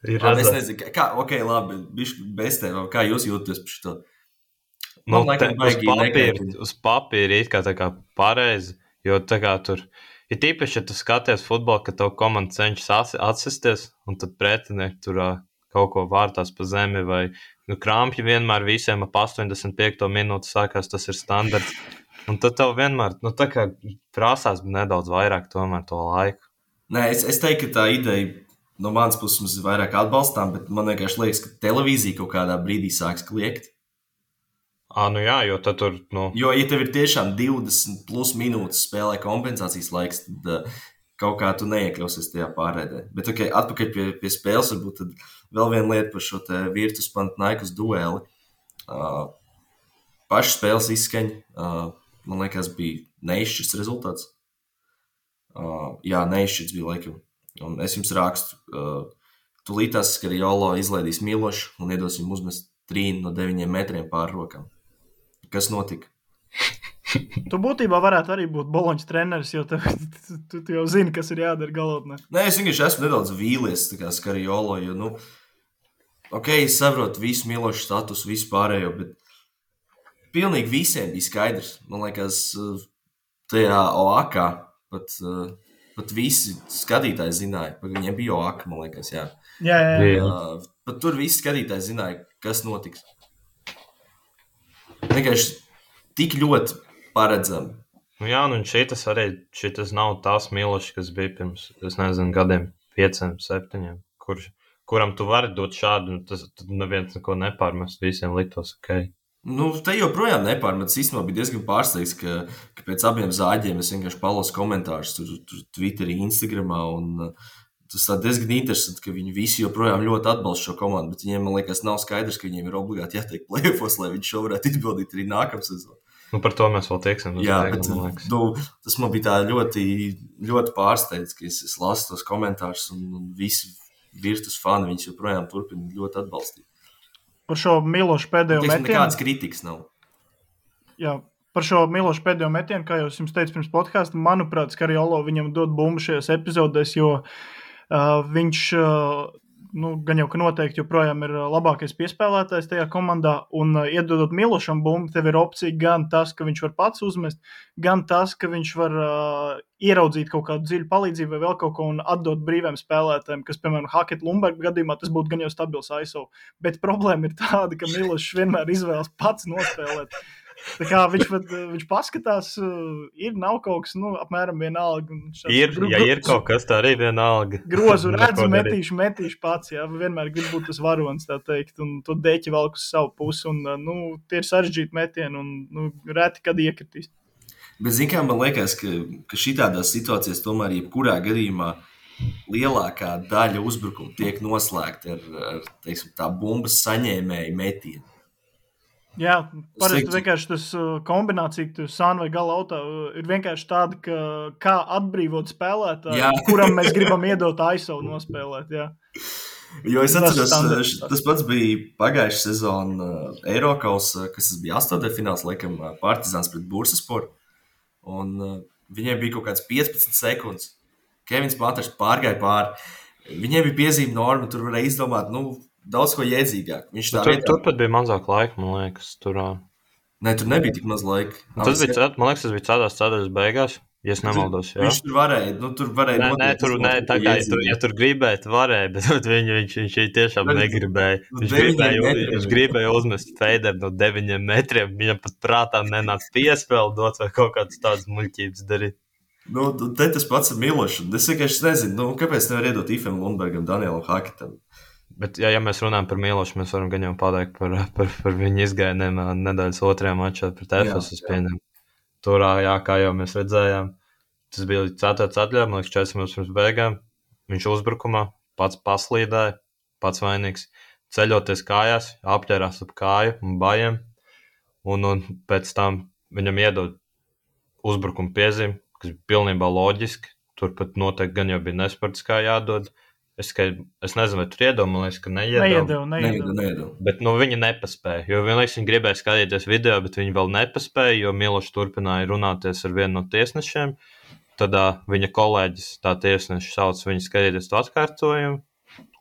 Es nezinu, labi, bišķi bez tev, kā jūs jūtaties par šito? Uz papīra it kā tā kā pareizi, jo tā kā tur, ir tīpaši, ja tu skaties futbolu, ka tev komanda cenšas atsisties, un tad pretinieki tur kaut ko vārtās pa zemi, vai krampji vienmēr visiem ap 85. minūti sākās, tas ir standarts. Un tad tev vienmēr, tā kā prasās nedaudz vairāk tomēr to laiku. Nē, es teiktu, ka tā ideja no manas puses mums ir vairāk atbalstām, bet man vienkārši liekas, ka televīzija kaut kādā brīdī sāks kliegt. Jā, jo tad tur, Jo, ja tev ir tiešām 20 plus minūtes spēlē kompensācijas laiks, tad kaut kā tu neiekļausies tajā pārēdē. Bet, atpakaļ pie spēles, varbūt tad vēl viena lieta par šo te Virtus Panathinaikos dueli. Paši spēles izskaņa, man liekas, bija neizšķirts rezultāts. Jā, neizšķirts bija laikam. Un es jums rakstu, Tūlītās Skariolo izlaidīs Milošu un iedos viņam uzmest 3 no 9 metriem pār rokām. Kas notika? Tu būtībā varētu arī būt Boloņas treneris, jo tu jau zini, kas ir jādara galotnē. Nē, es vienkārši esmu nedaudz vīlies, tā kā Skariolo, jo, es saprotu visu Milošu statusu, visu pārējo, bet pilnīgi visiem bija skaidrs. Man liekas, tajā OAKā pat visi skatītāji zināja, ka viņiem bija OAKA, man liekas, jā. Jā. Pat tur visi skatītāji zināja, kas notiks. Vienkārši tik ļoti paredzami. Jā, un šitas nav tās Milošs, kas bija pirms, es nezinu, gadiem 5, 7, kuram tu vari dot šādu, un tad neviens neko nepārmest, visiem liktos ok. Te joprojām nepārmetas. Īstenībā bija diezgan pārsteigts, ka pēc abiem zāģiem es vienkārši palasu komentārus tur Twitterī, Instagramā, un tas tā diezgan interesanti, ka viņi visi joprojām ļoti atbalsta šo komandu, bet viņiem, man liekas, nav skaidrs, ka viņiem ir obligāti jātiek play-offos, lai viņi šo varētu izpildīt arī nākamsezon. Par to mēs vēl tieksim. Jā, bet tas man bija tā ļoti, ļoti pārsteidz, ka es lasu tos komentārus un visi Virtus fani viņus joprojām turpina ļoti atbalstīt. Par šo Milošu pēdējo metienu. Nekādas kritikas nav. Jā, par šo Milošu pēdējo metienu, kā jau es jums teicu pirms podkāsta, manuprāt, Skariolo viņam dod bumbu šajās epizodēs, jo viņš, gan jau, ka noteikti joprojām ir labākais piespēlētājs tajā komandā, un iedodot Milošam bumbu, tev ir opcija gan tas, ka viņš var pats uzmest, gan tas, ka viņš var ieraudzīt kaut kādu dziļu palīdzību vai vēl kaut ko un atdot brīviem spēlētājiem, kas, piemēram, Hackett Lundberga gadījumā, tas būtu gan jau stabils ISO. Bet problēma ir tāda, ka Milošs vienmēr izvēlas pats nospēlēt. Tā kā viņš paskatās, nav kaut kas, apmēram vienalga. Ir kaut kas, tā arī vienalga. Grozu redzu, metīšu pats, jā, vienmēr grib būt tas varonis, tā teikt, un to deķi valk uz savu pusi, un, tie ir sarežģīti metieni, un, reti, kad iekritīs. Bet, zin kā, man liekas, ka šitādās situācijās tomēr jebkurā gadījumā lielākā daļa uzbrukuma tiek noslēgta ar teiksim, tā bumbas saņēmēju metienu. Jā, parasti vienkārši tas kombinācija, ka tu sāni vai gala autā ir vienkārši tāda, ka kā atbrīvot spēlētāju, kuram mēs gribam iedot ISO nospēlēt, jā. Jo es atceros, tas pats bija pagājušā sezona Eirokausā, kas tas bija 8. fināls, laikam, Partizāns pret Bursasporu, un viņiem bija kaut kāds 15 sekundes. Kevins Panters pārgāja pāri. Viņiem bija piezīme norma, tur varēja izdomāt, daudz ko jēdzīgāk. Tur pat bija mazāk laika, man liekas. Nē, tur nebija tik maz laika. Man liekas, tas bija cēdās beigās, ja es nemaldos. Jā. Viņš tur varēja. Ja tur gribēt, varēja, bet viņš tiešām negribēja. Viņš gribēja uzmest feideru no 9 metriem. Viņam pat prātā nenāca piespēle dot vai kaut kādas tādas muļķības darīt. Te tas pats ar Milošu. Es vienkārši nezinu, kāpēc nevar iedot Ifem Lundbergam, Danielam Haketam. Bet, ja mēs runājam par Milošu, mēs varam gan jau pateikt par viņu izgājieniem nedēļas 2. mačā pret Efesu. Tur, kā jau mēs redzējām, tas bija 4. atļauja, man liekas, 4 minūtes pirms beigām. Viņš uzbrukumā pats paslīdēja, pats vainīgs. Ceļoties kājās, apķērās ap kāju un bajiem. Un pēc tam viņam iedod uzbrukuma piezīmi, kas bija pilnībā loģiski. Tur pat noteikti gan jau bija nesportiskā jādod. Es nezinu, vai tur iedomājies, ka neiedeva. Bet viņi nepaspēja, jo vienlaiks viņi gribēja skatīties video, bet viņi vēl nepaspēja, jo Milošs turpināja runāties ar vienu no tiesnešiem. Tad viņa kolēģis, tā tiesneša sauc viņu skatīties to atkārtojumu,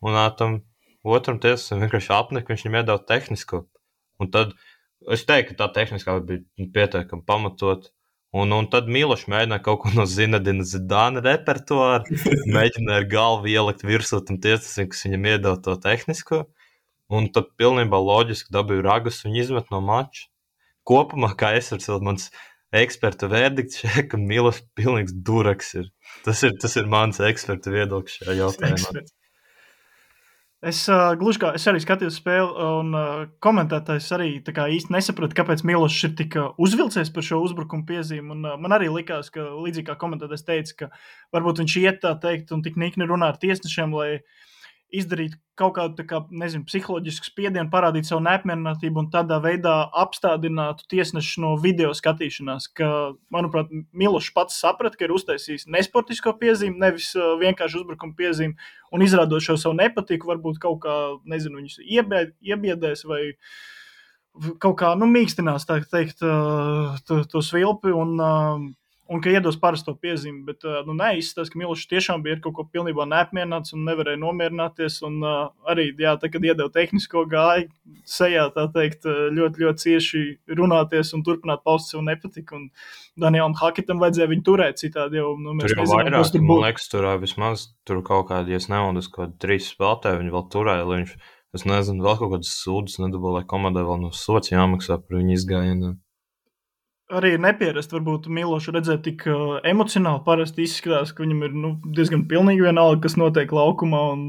un tam otram tiesnešam vienkārši apnika, viņš viņam iedod tehnisko. Un tad es teiktu, ka tā tehniskā bija pietiekami pamatot. Un tad Milošs mēģināja kaut ko no Zinedina Zidāna repertuāra, mēģināja ar galvu ielikt virsū tam tiesnesim, kas viņam iedod to tehnisko, un tad pilnībā loģiski dabīja ragus un izmet no mača. Kopumā, kā es varu mans eksperta verdikts šeit, ka Milošs pilnīgs duraks ir. Tas ir mans eksperta viedoklis šajā jautājumā. Es arī skatījos spēli, un komentētājs arī īsti nesaprata, kāpēc Milošs ir tik uzvilcies par šo uzbrukumu piezīmi. Un man arī likās, ka līdzīgi kā komentētājs teica, ka varbūt viņš iet tā teikt un tik nikni runā ar tiesnešiem, lai izdarīt kaut kādu, tā kā, nezinu, psiholoģisku spiedienu, parādīt savu neapmierinātību un tādā veidā apstādinātu tiesnešu no video skatīšanās, ka, manuprāt, Milošs pats saprata, ka ir uztaisījis nesportisko piezīmi, nevis vienkārši uzbrukuma piezīmi, un izrādot šo savu nepatiku, varbūt kaut kā, nezinu, viņus iebiedēs vai kaut kā, mīkstinās, tā teikt, to svilpi un ka iedos parasto piezīmi, bet nē, izskatās, ka Milošs tiešām bija ar kaut ko pilnībā neapmierināts un nevarēja nomierināties, un arī, jā, tā, kad iedeva tehnisko gāju sejā, tā teikt, ļoti, ļoti cieši runāties un turpināt paust savu nepatiku, un Danielam Haketam vajadzēja viņu turēt citādi jau, mēs nezinām, vairāk, kas tur būtu. Man liekas, tur vismaz tur kaut kādi, ja es nemaldos, kaut 3 spēlētāji viņi vēl turēja, lai viņš, es nezinu, vēl kaut kādas sūdas nedabū, lai komandai vēl no sots jāmaksā par viņu izgājieniem. Arī ir nepierast, varbūt Milošu redzēt tik emocionāli, parasti izskatās, ka viņam ir diezgan pilnīgi vienalga, kas notiek laukumā. Un,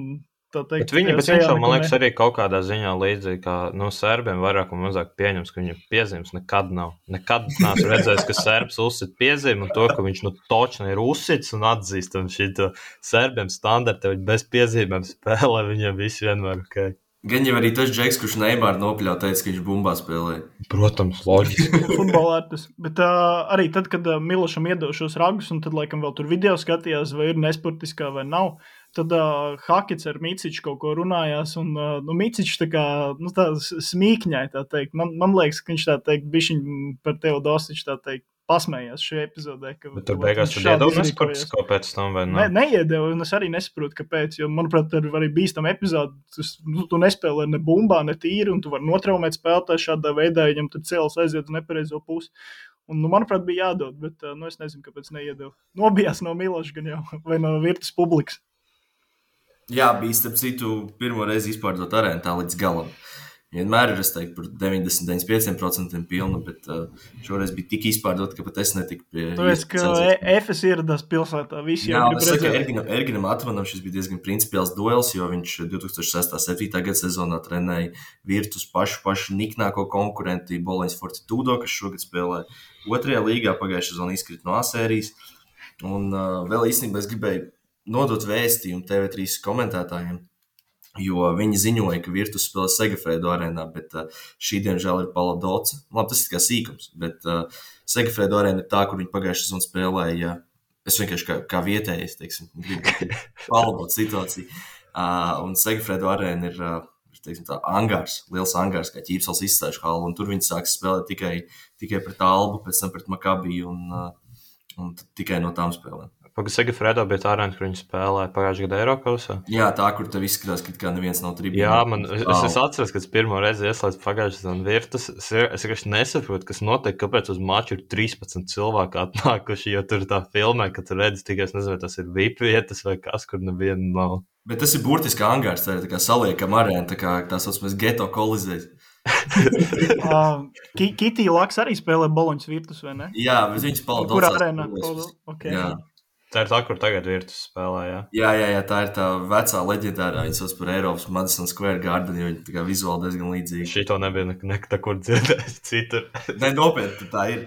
tā teikt, bet viņš jau, man liekas, arī kaut kādā ziņā līdzīgi, kā serbiem vairāk un mazāk pieņems, ka viņam piezīmes nekad nav. Nekad neesmu redzējis, ka serbs uzsit piezīmi un to, ka viņš točni ir uzsits un atzīst, un šito serbiem standarti, viņi bez piezīmēm spēlē, viņiem visi vienmēr ok. Gan jau arī tas Džeks, kurš Neimāru nopļauj, teica, ka viņš bumbā spēlē. Protams, loģiski. Futbolārtis. Bet arī tad, kad Milošam iedeva šos ragus, un tad, laikam, vēl tur video skatījās, vai ir nesportiskā vai nav, tad Hakets ar Miciču kaut ko runājās, un Micičs tā kā, tā smīkņai, tā teikt. Man liekas, ka viņš tā teikt, bišķiņ par Teodosiču, tā teikt, pasmējās šajā epizodē. Bet tur beigās tu iedeva nesportisko pēc tam, vai ne? Neiedeva, un es arī nesaprotu, kāpēc, jo, manuprāt, tur arī bīstam epizodi, tu nespēlē ne bumbā, ne tīri, un tu vari notraumēt spēlētāju šādā veidā, viņam tur cēlas aiziet uz nepareizo pusi. Un, manuprāt, bija jādod, bet, es nezinu, kāpēc neiedeva. Nobijās no Miloša gan jau, vai no Virtus publikas. Jā, bija, starp citu, pirmo reizi izpārdot arēnu tā līdz galam. Vienmēr ir, es teiktu, par 90-95% pilnu, bet šoreiz bija tik izpārdota, ka pat es netiku pie... Tāpēc, ka Efes ieradās pilsētā, visi jau grib redzēt. Jā, es saku, Erginam Atvanam šis bija diezgan principiāls duels, jo viņš 2006-2007. Gada sezonā trenēja Virtus pašu niknāko konkurenti Boloņas Fortitudo, kas šogad spēlē 2. līgā, pagājušajā sezonā izkrita no A-sērijas. Un vēl īstenībā es gribēju nodot vēstījumu TV3 komentētājiem, jo viņi ziņoja, ka Virtus spēlē Segafredo arēnā, bet šī diemžēl ir Paladoca. Labi, tas ir kā sīkums, bet Segafredo arēna ir tā, kur viņi pagājušajā sezonā spēlēja. Es vienkārši kā vietējais, teiksim, gribu palabot situāciju. Un Segafredo arēna ir, teiksim, tā angārs, liels angārs, kā Ķīpsels izstāžu halu, un tur viņi sāks spēlēt tikai pret Albu, pēc tam pret Makabiju un tikai no tām spēlēm. Segafredo bija tā arēna, kur viņi spēlēja pagājušajā gadā Eirokausā. Jā, tā, kur tev izskatās, ka neviens nav tribīnā. Jā, es atceros, kad pirmo reizi ieslēdzu pagājušajā sezonā Virtus. Es vienkārši nesaprotu, kas notiek, kāpēc uz maču ir 13 cilvēki atnākuši, jo tur tā filmē, ka tu redzi tikai, es nezinu, tas ir VIP vietas vai kas, kur neviena nav. Bet tas ir burtiski angārs, tā ir tā kā saliekam arēna, tā saucamais geto kolizēs. Kitī Laks arī spēlē Boloņas Virtus, vai ne? Jā, bet viņš Paladoca. Kur arēnā? Okay. Jā. Tā ir tā, kur tagad Virtus spēlē, jā? Jā, tā ir tā vecā leģendārā, viņa sauc par Eiropas Madison Square Garden, jo viņa tā kā vizuāli diezgan līdzīga. Šito nebija nekur dzirdējis citur. Ne, nopietni, tā ir.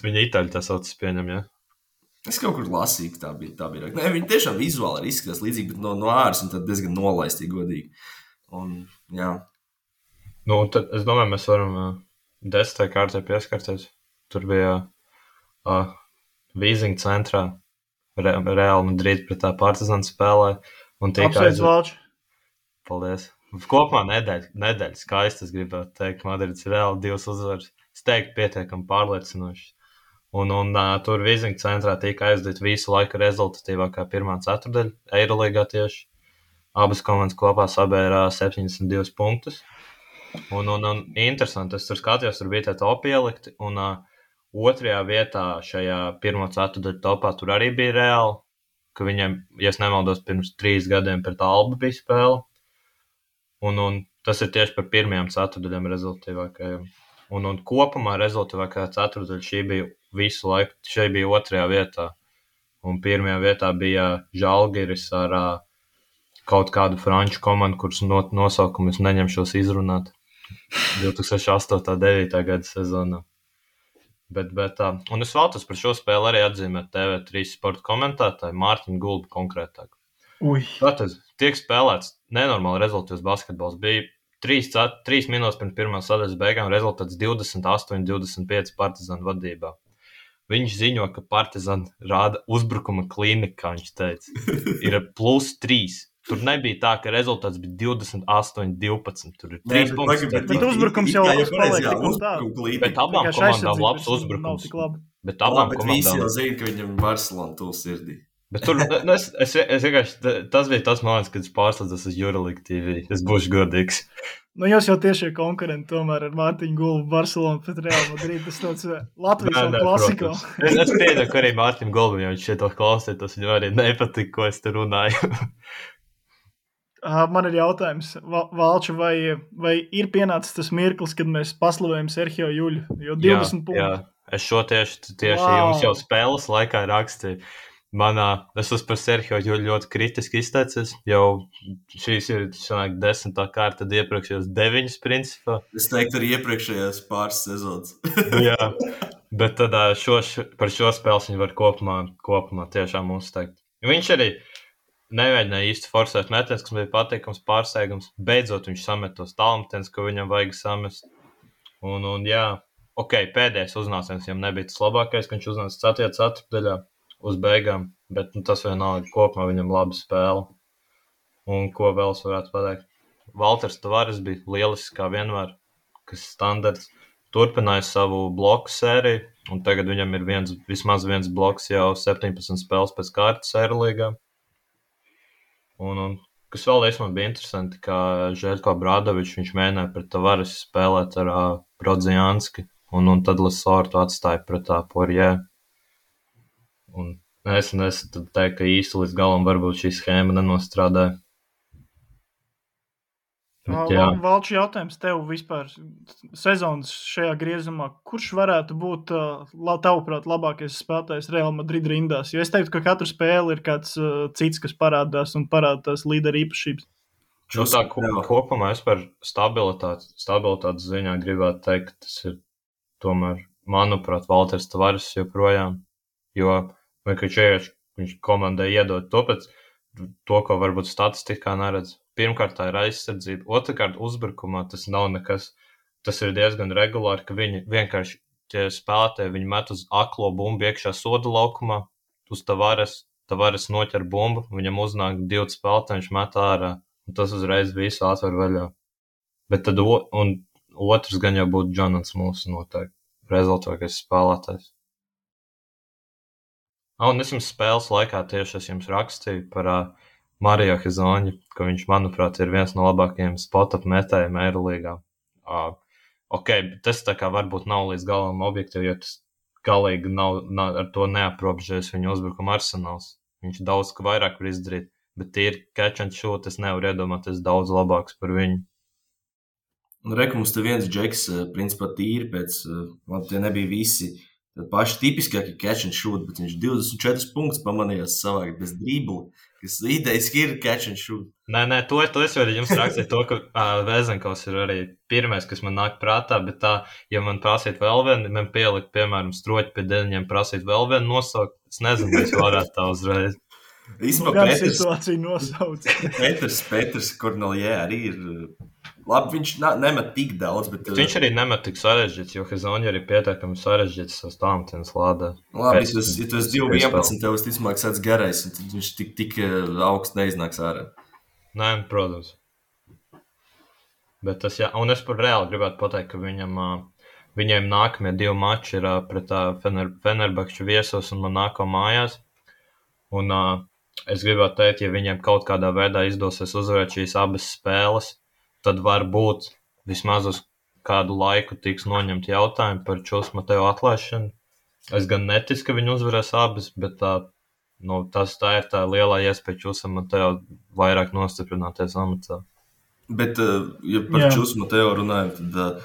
Viņa itāļi tā sauc, pieņem, jā? Es kaut kur lasīju, ka tā bija. Ne, viņa tiešām vizuāli ir izskatās līdzīgi, bet no āras viņa tad diezgan nolaistīgi godīgi. Un, jā. Tad es domāju, mēs varam 10. kārtē pieskarties. Tur bija Vīzinga centrā. Real Madrid pret tā Partizan spēlē. Apsveic Valči. Paldies. Kopumā nedēļa skaisti, es gribētu teikt. Madrids Real 2 uzvaras. Es teiktu pietiekami pārliecinoši. Un tur Vīzinga centrā tika aizdot visu laiku rezultatīvākā pirmā ceturdaļa Eirolīgā tieši. Abas komandas kopā sabērā 72 punktus. Un interesanti, es tur skatījos, tur bija tā topi ielikti. Un 2. vietā šajā pirmo ceturdaļu topā tur arī bija Reāli, ka viņiem, ja es nemaldos, pirms 3 gadiem pret Albu bija spēle. Un tas ir tieši par pirmajām ceturdaļām rezultatīvākajām. Un kopumā rezultatīvākā ceturdaļa šī bija visu laiku, šeit bija 2. vietā. Un 1. vietā bija Žalgiris ar kaut kādu franču komandu, kuras nosaukumu es neņemšos izrunāt 2008.-2009. gada sezonā. Bet, un es vēlos par šo spēli arī atzīmēt TV3 sporta komentētāju Mārtiņu Gulbu konkrētāk. Ui. Tātad tiek spēlēts nenormāli rezultāts basketbols. Bija 3 minūtes pirms pirmās sadaļas beigām rezultāts 28-25 Partizānu vadībā. Viņš ziņo, ka Partizāni rāda uzbrukuma klīnika, kā viņš teica. Ir +3. Tur nebija tā, ka rezultāts bija 28-12. Tur ir 3 punkti. Bet uzbrukums jau paliek tik un tā. Bet abām komandām labs uzbrukums. Bet abām visi komandām. jau zina, ka viņam Barcelona tuvu sirdī. Bet tur, es vienkārši, tas bija tas moments, kad es pārslēdzos uz Euroleague TV. Es būšu godīgs. Nu, jūs jau tiešie konkurenti tomēr ar Mārtiņu Gulbu, Barcelonu pret Real Madrid. Tas tāds Latvijas klasiko. Es pieņemu, ka arī Mārtiņu Gulbam, ja viņš šeit klausīja, tas viņam arī nepatika, ko es te runāju. Man ir jautājums, Valča, vai ir pienācis tas mirklis, kad mēs paslavējam Serhio Juļu? Jo 20 punkti. Jā, es šo tieši jums jau spēles laikā rakstīju. Es esmu par Serhio Juļu ļoti kritiski izteicies. Jau šīs ir 10. kārta, tad iepriekšējos 9 principā. Es teiktu, arī iepriekšējās pāris sezonas. Jā, bet tad par šo spēles viņi var kopumā tiešām uzteikt. Viņš arī nemēģināja īsti forsēt metienus, kas bija patīkams pārsteigums. Beidzot viņš samet tos tālmetienus, ko viņam vajag samest. Un jā, pēdējais uznāciens viņam nebija tas labākais, ka viņš uznāca 4. ceturtdaļā uz beigām, bet tas vienalga kopumā viņam laba spēle. Un ko vēl es varētu pateikt? Valters Tavares bija lielisks kā vienmēr, kas standarts. Turpināja savu bloku sēriju, un tagad viņam ir vismaz viens bloks jau 17 spēles pēc kārtas Eirolīgā. Un kas vēl bija interesanti, ka Žeļko Bradovičs, viņš mēģināja pret Tavares spēlēt ar Brodzianski, un tad Lesortu atstāja pret Poirier. Un es teiktu, ka īsti līdz galam varbūt šī schēma nenostrādāja. Valču jautājums tev vispār sezonas šajā griezumā. Kurš varētu būt, tavuprāt, labākais spēlētājs Real Madrid rindās? Jo es teiktu, ka katru spēli ir kāds cits, kas parādās un parādās līdera īpašības. Tā kopumā es par stabilitātes ziņā gribētu teikt, ka tas ir tomēr, manuprāt, Valters Tavares joprojām. Jo viņš komandai iedod to, ko varbūt statistikā neredz. Pirmkārt, tā ir aizsardzība. Otrakārt, uzbrukumā tas nav nekas. Tas ir diezgan regulāri, ka viņi vienkārši tie spēlētāji, viņi met uz aklo bumbu iekšā soda laukumā, uz Tavares noķer bumbu, viņam uznāk 2 spēlētāji, viņš met ārā, un tas uzreiz visu atver vaļā. Bet tad otrs gan jau būtu Džonans mūsu noteikti rezultātais spēlētājs. Un es jums spēles laikā tieši es jums rakstīju par Mario Hizoņu, ka viņš, manuprāt, ir viens no labākajiem spot-up metējiem Eirolīgā. Tas tā kā varbūt nav līdz galam objektīvi, jo tas galīgi nav ar to neaprobežojas viņa uzbrukuma arsenāls. Viņš daudz vairāk var izdarīt, bet tīri catch and shoot es nevaru iedomāties daudz labāks par viņu. Un mums te viens džeks, principā tīri pēc, tie nebija visi paši tipiskākie catch and shoot, bet viņš 24 punktus pamanījās savākt bez dribla, kas idejiski ir catch and shoot. Nē, to es varu jums rakstīt to, ka Vēzenkovs ir arī pirmais, kas man nāk prātā, bet ja man prasīt vēl vienu, man pielikt, piemēram, stroķi pie deņiem prasīt vēl vienu nosaukt, es nezinu, vai es varētu tā uzreiz. Gan situāciju nosauc. Petrs Korneljē arī ir labi, viņš nemet tik daudz, bet viņš arī nemet tik sarežģīts, jo Hizoņa arī pietiekami sarežģīts savas tālmetienas lādē. Labi, ja tu esi 2-11, tev visticamāk sāc garais, un tad viņš tik augsts neiznāks ārā. Nē, protams. Bet tas, jā, un es par Reāli gribētu pateikt, ka viņiem nākamie 2 mači ir pret Fenerbahču viesos un Monako mājās. Un es gribētu teikt, ja viņiem kaut kādā veidā izdosies uzvarēt šīs abas spēles, tad varbūt vismaz uz kādu laiku tiks noņemt jautājumu par Čus Mateo atlaišanu. Es gan neticu, ka viņi uzvarēs abas, bet tā ir tā lielā iespēja Čusam Mateo vairāk nostiprināties amatā. Bet, ja par Čusu Mateo runājam, tad,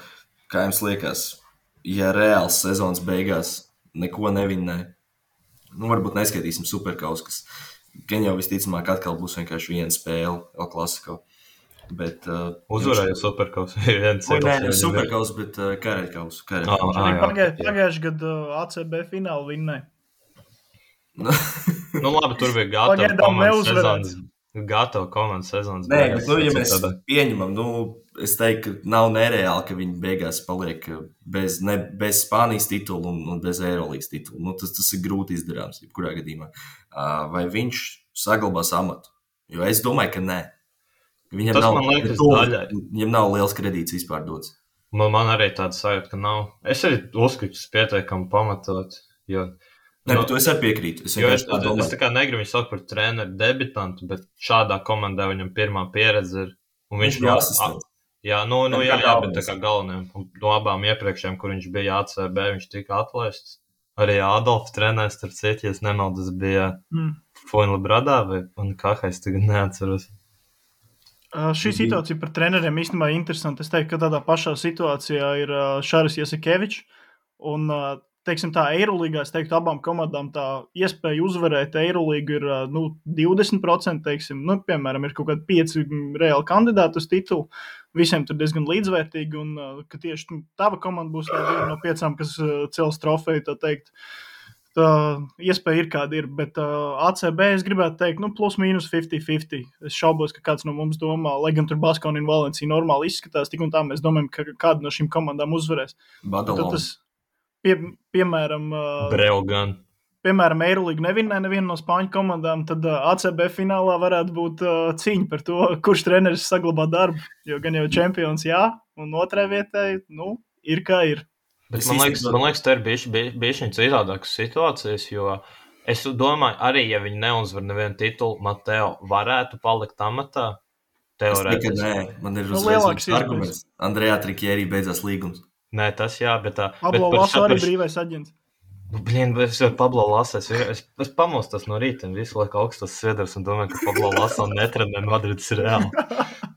kā jums liekas, ja Reāls sezonas beigās neko nevinnē, varbūt neskaitīsim Superkaus, kas gan jau visticamāk atkal būs vienkārši viena spēle El Clasico. Bet, uzvarēja Superkaus. Nē, Superkaus, bet Kareļkaus. Pagājuši gadu ACB finālu vinnēja. Labi, tur bija gatava komandas sezonas. gatava komandas sezonas Nē, beigās. bet, ja mēs pieņemam, es teiktu, ka nav nereāli, ka viņi beigās paliek bez Spānijas titula un bez Eirolīgas titula. Tas ir grūti izdarāms, jebkurā gadījumā. Vai viņš saglabās amatu? Jo es domāju, ka nē. Viņam Tas nav, man liekas daļai. Viņam nav liels kredīts vispār dots. Man arī tāda sajūta, ka nav. Es arī uzskatu, ka tas pietiekami pamatot, jo... Nē, bet to es arī piekrītu. Es tā kā negribu viņu saukt par treneru debitantu, bet šādā komandā viņam pirmā pieredze ir. Un viņš bija asistents. Jā, bet tā kā galvenajam. Un no abām iepriekšējām, kur viņš bija ACB, viņš tika atlaists. Arī Adolfs trenēs, starp citu, ja es nemaldos, bija Fuenla Bradā un Kahais, tagad neatceros. Šī situācija par treneriem īstenībā ir interesanta. Es teiktu, ka tādā pašā situācijā ir Šaris Jasikevičs un teiksim tā, Eirolīgā, es teiktu, abām komandām tā iespēja uzvarēt Eirolīgu ir 20%, teiksim, piemēram, ir kaut kādi 5 reāli kandidāti uz titulu, visiem tur diezgan līdzvērtīgi, un ka tieši tava komanda būs tā viena no 5, kas cels trofeju, tā teikt. Tā iespēja ir kāda ir, bet ACB es gribētu teikt, plus mīnus 50-50. Es šaubos, ka kāds no mums domā, lai gan tur Baskoni un Valencija normāli izskatās, tik un tā mēs domājam, ka kāda no šīm komandām uzvarēs. Badalons. Piemēram, Breogan. Piemēram, Eirolīgu neviena no Spāņu komandām, tad ACB finālā varētu būt cīņa par to, kurš treneris saglabā darbu, jo gan jau čempions jā, un otrai vietai, ir kā ir. Bet man liekas, tā ir bišķiņ citādākas situācijas, jo es domāju, arī, ja viņi neuzvar nevienu titulu, Mateo varētu palikt amatā. Teorētiski. Nē, man ir uzreiz arguments. Andrejā Trikjērī beidzās līgums. Nē, tas jā, bet tā... Pablo Laso arī brīvais aģents. Es jau Pablo Laso, es pamostos no rīta un visu laiku augstos sviedrus un domāju, ka Pablo Laso netrenē Madrids Reāli.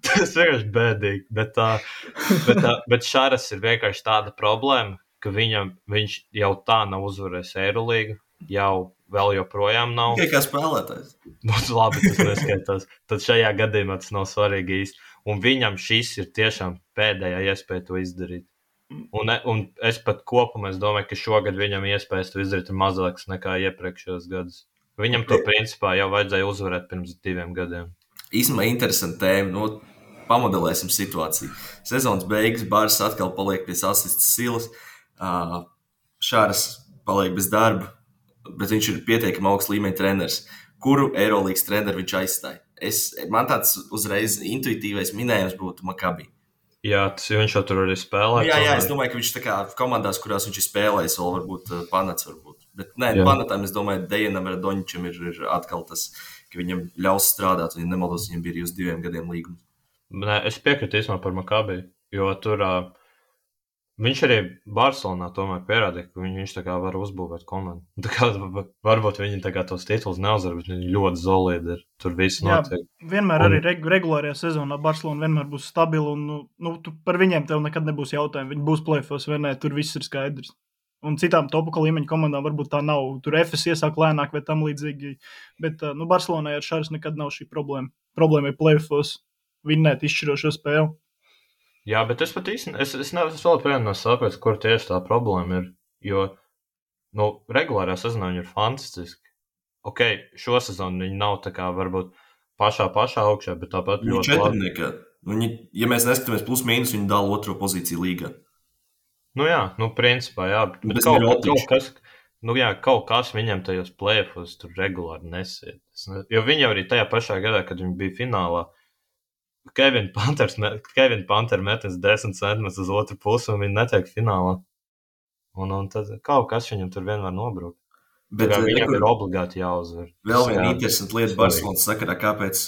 Tas vienkārši bēdīgi, bet Šaras ir vienkārši tāda problēma, ka viņš jau tā nav uzvarējis Eirolīgu, vēl joprojām nav. Tikai kā spēlētājs. Labi, tas neskaitās. Tad šajā gadījumā tas nav svarīgi īsti. Un viņam šis ir tiešām pēdējā iespēja to izdarīt. Un es pat kopumā domāju, ka šogad viņam iespējas to izdarīt ir mazāks nekā iepriekšējos gadus. Viņam to principā jau vajadzēja uzvarēt pirms 2 gadiem. Īstenībā interesanti tēma. Pamodelēsim situāciju. Sezonas beigas, Bārs atkal paliek pie sasistas silas. Šāras paliek bez darba, bet viņš ir pietiekami augsts līmeņa treneris. Kuru Eirolīgas treneru viņš aizstāja? Man tāds uzreiz intuitīvais minējums būtu Maccabi. Jā, viņš jau tur arī spēlē. Jā, es domāju, ka viņš tā kā komandās, kurās viņš ir spēlējis, vēl varbūt Panats varbūt. Bet nē, Panatam, es domāju, Dejanam Radoničam ir atkal tas, ka viņam ļaus strādāt, un ja nemaldos, viņam bija uz 2 gadiem līgums. Nē, es piekrītu īstenībā par Maccabi, jo tur viņš arī Barcelonā tomēr pierādīja, ka viņš tā kā var uzbūvēt komandu. Tā kā varbūt viņi tā kā tos tituls neuzvar, bet viņi ļoti solidi ir. Tur viss notiek. Vienmēr arī regulārajā sezonā Barcelona vienmēr būs stabila un par viņiem tev nekad nebūs jautājumu. Viņi būs play-offs vai nē, tur viss ir skaidrs. Un citām topuka līmeņa komandām varbūt tā nav. Tur FS iesāk lēnāk vai tam līdzīgi. Bet Barcelonai ar Šaras nekad nav šī problēma. Problēma ir play-offs. Vinnēt izšķirošo spēli. Jā, bet es pat īsti, es vēl prienu saprotu, kur tieši tā problēma ir, jo, regulārā sezonā viņi ir fantastiski. Ok, šo sezonu viņi nav tā kā varbūt pašā augšā, bet tāpat ļoti labi. Ja mēs neskatāmies plus mīnus, viņi dala 2. pozīciju līgā. Principā, jā, bet kaut kas viņam tajos play-offos tur regulāri nesiet. Jo viņi jau arī tajā pašā gadā, kad viņi bija finālā, Kevin Panter metas 10 centimetrus uz otru pusi un viņi netiek finālā. Un tad kaut kas viņam tur vienmēr nobrūk. Bet viņam ir obligāti jāuzvar. Vēl viena interesanta lieta Barcelonas sakarā, kāpēc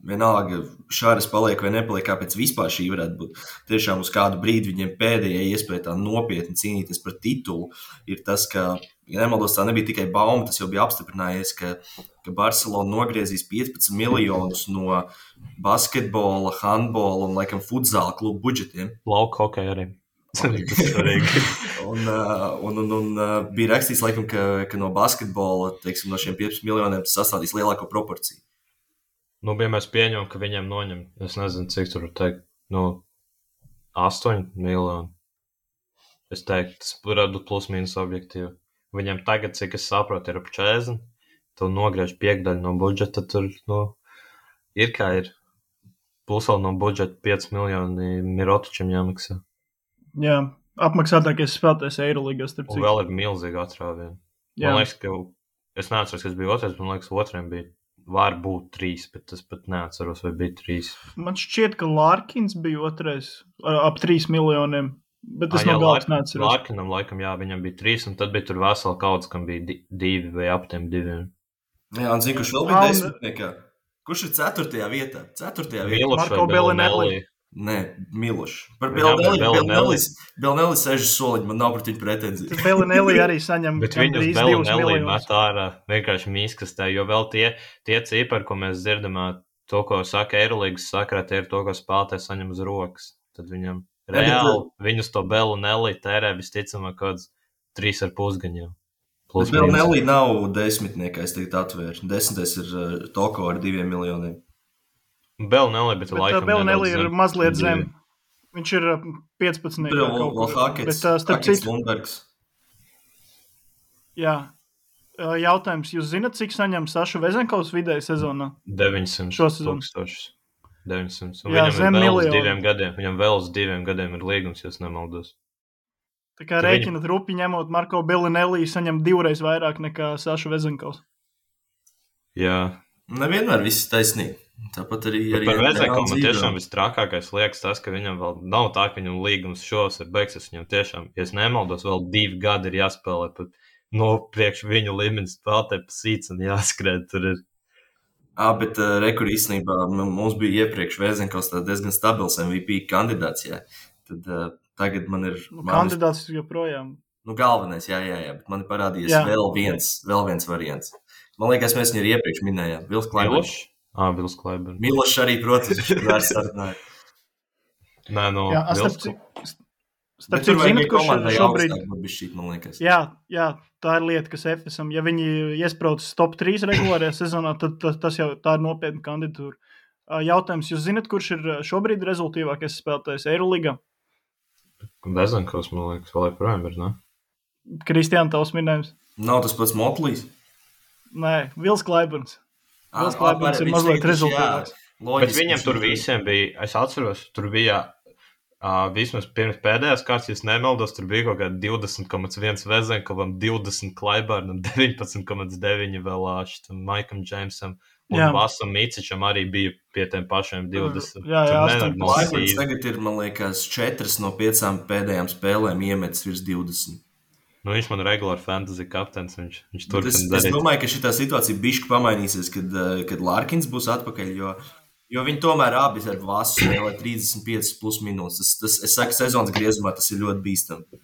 vienalga Šāras paliek vai nepaliek, kāpēc vispār šī varētu būt. Tiešām uz kādu brīdi viņiem pēdējā iespēja tā nopietni cīnīties par titulu ir tas, ka, ja nemaldos, tā nebija tikai bauma, tas jau bija apstiprinājies, ka Barcelona nogriezīs 15 miljonus no basketbola, handbola un, laikam, futzāla klubu budžetiem. Lauka hokeja arī. un bija rakstīts, laikam, ka no basketbola, teiksim, no šiem 15 miljoniem tas sastādīs lielāko proporciju. Ja mēs pieņemam, ka viņiem noņem, es nezinu, cik tur teikt, 8 miljoni. Es teiktu, tas varētu būt plus mīnus objektīvi. Viņam tagad, cik es saprotu, ir ap 40, tu nogriež 5% no budžeta, tur, ir kā ir. Plus vēl no budžeta 5 miljoni Mirotičam jāmaksā. Jā, apmaksātākais spēlētājs Eirolīgā, starp Un citu. vēl ir milzīga atrāviena. Jā. Man liekas, ka es neatceros, kas bija otrais, man liekas, otriem bija var būt 3, bet es pat neatceros, vai bija 3. Man šķiet, ka Larkins bija otrais ap 3 miljoniem, bet es no galvas neatceros. Larkinam laikam, jā, viņam bija 3, un tad bija tur vesela kauds, kam bija 2 vai ap tiem 2. Jā, un zinu, kurš vēl bija desmitniekā. Kurš ir 4. vietā? 4. vietā. Miloš Marko vai Bellinelli. Nē, Miloš. Par Bellinelli. Bellinelli 6 soliņi, man nav pret viņu pretenziju. Bellinelli arī saņem Bet viņus gandrīz 2 Bellinelli miljonus. met ārā vienkārši mīskastē, jo vēl tie cipari, ko mēs dzirdam, to, ko saka Eirolīgas sakarā, tie ir to, ko spēlētājs saņem uz rokas. Tad viņam reāli viņus to Bellinelli tērē visticamāk kāds 3,5 gan jau. Bet Bellinelli nav desmitniekā, es tagad atvēru. 10. ir Toko ar 2 miljoniem. Bellinelli, bet laikam Bellinelli nedaudz ir mazliet zem. Viņš ir 15. Vēl Hakets, Hakets Lundbergs. Jā. Jautājums, jūs zināt, cik saņem Saša Vezenkovs vidēji sezonā? 900 Šo sezonu. tūkstošus. 900. Un Jā, viņam zem ir vēl uz miljonu. 2 gadiem. Viņam vēl uz 2 gadiem ir līgums, ja es nemaldos. Tā kā rēķinat rupi ņemot, Marko Bellinelli saņem 2 reizes vairāk nekā Saša Vezenkovs. Jā. Nevienmēr viss taisnīgi. Tāpat arī Par Vezenkovu man tiešām vistrakākais liekas tas, ka viņam vēl nav tā, ka viņam līgums šos ir beigsies. Viņam tiešām, ja es nemaldos, vēl 2 gadi ir jāspēlē pat priekš viņu līmenis spēlētāji pa sīts un jāskrēd tur ir. Bet rekur īstenībā mums bija iepriekš Vezenkovs diezgan stabils MVP kandidāts, jā. Tad tagad man ir... Kandidāts joprojām. Galvenais, jā, bet man ir parādījies vēl viens variants. Man liekas, mēs viņu arī iepriekš minējām. Vils Klaiberns. Vils Klaiberns. Milošs arī, protams, viņš ir sarunāja. Nē, no Vils. Starp citu, zināt, kurš ir šobrīd... Man liekas. Jā, tā ir lieta, kas FSM. Ja viņi iesprauc top 3 regulārajā sezonā, tad tas jau tā ir nopietna kandidatūra. Jautājums, jūs zināt, kurš ir šobrīd rezultīvākais spēlētājs Eirolīgā? Vezenkovs, man liekas, vēl joprojām ir, ne? Kristiāna, tavs minējums? Nav tas pats Motlīs? Nē, Vils Klaiberns. Vils Klaiberns ir mazliet rezultāts. Bet viņam tur visiem bija, es atceros, tur bija vismaz pirms pēdējās kārtas, ja es nemaldos, tur bija kaut kā 20,1 Vezenkovam, 20 Klaibernam, 19,9 vēl šitam Maikam Džeimsam un Vasam Micičam arī bija pie tiem pašiem 20. Jā, Klaiberns tagad ir, man liekas, 4 no 5 pēdējām spēlēm iemetis virs 20. Viņš man regulāri fantasy kaptens, viņš turpina darīt. Es domāju, ka šitā situācija bišķi pamainīsies, kad Larkins būs atpakaļ, jo viņi tomēr abi ar Vasu spēlē 35 plus minūtes. Es saku, sezonas griezumā tas ir ļoti bīstami.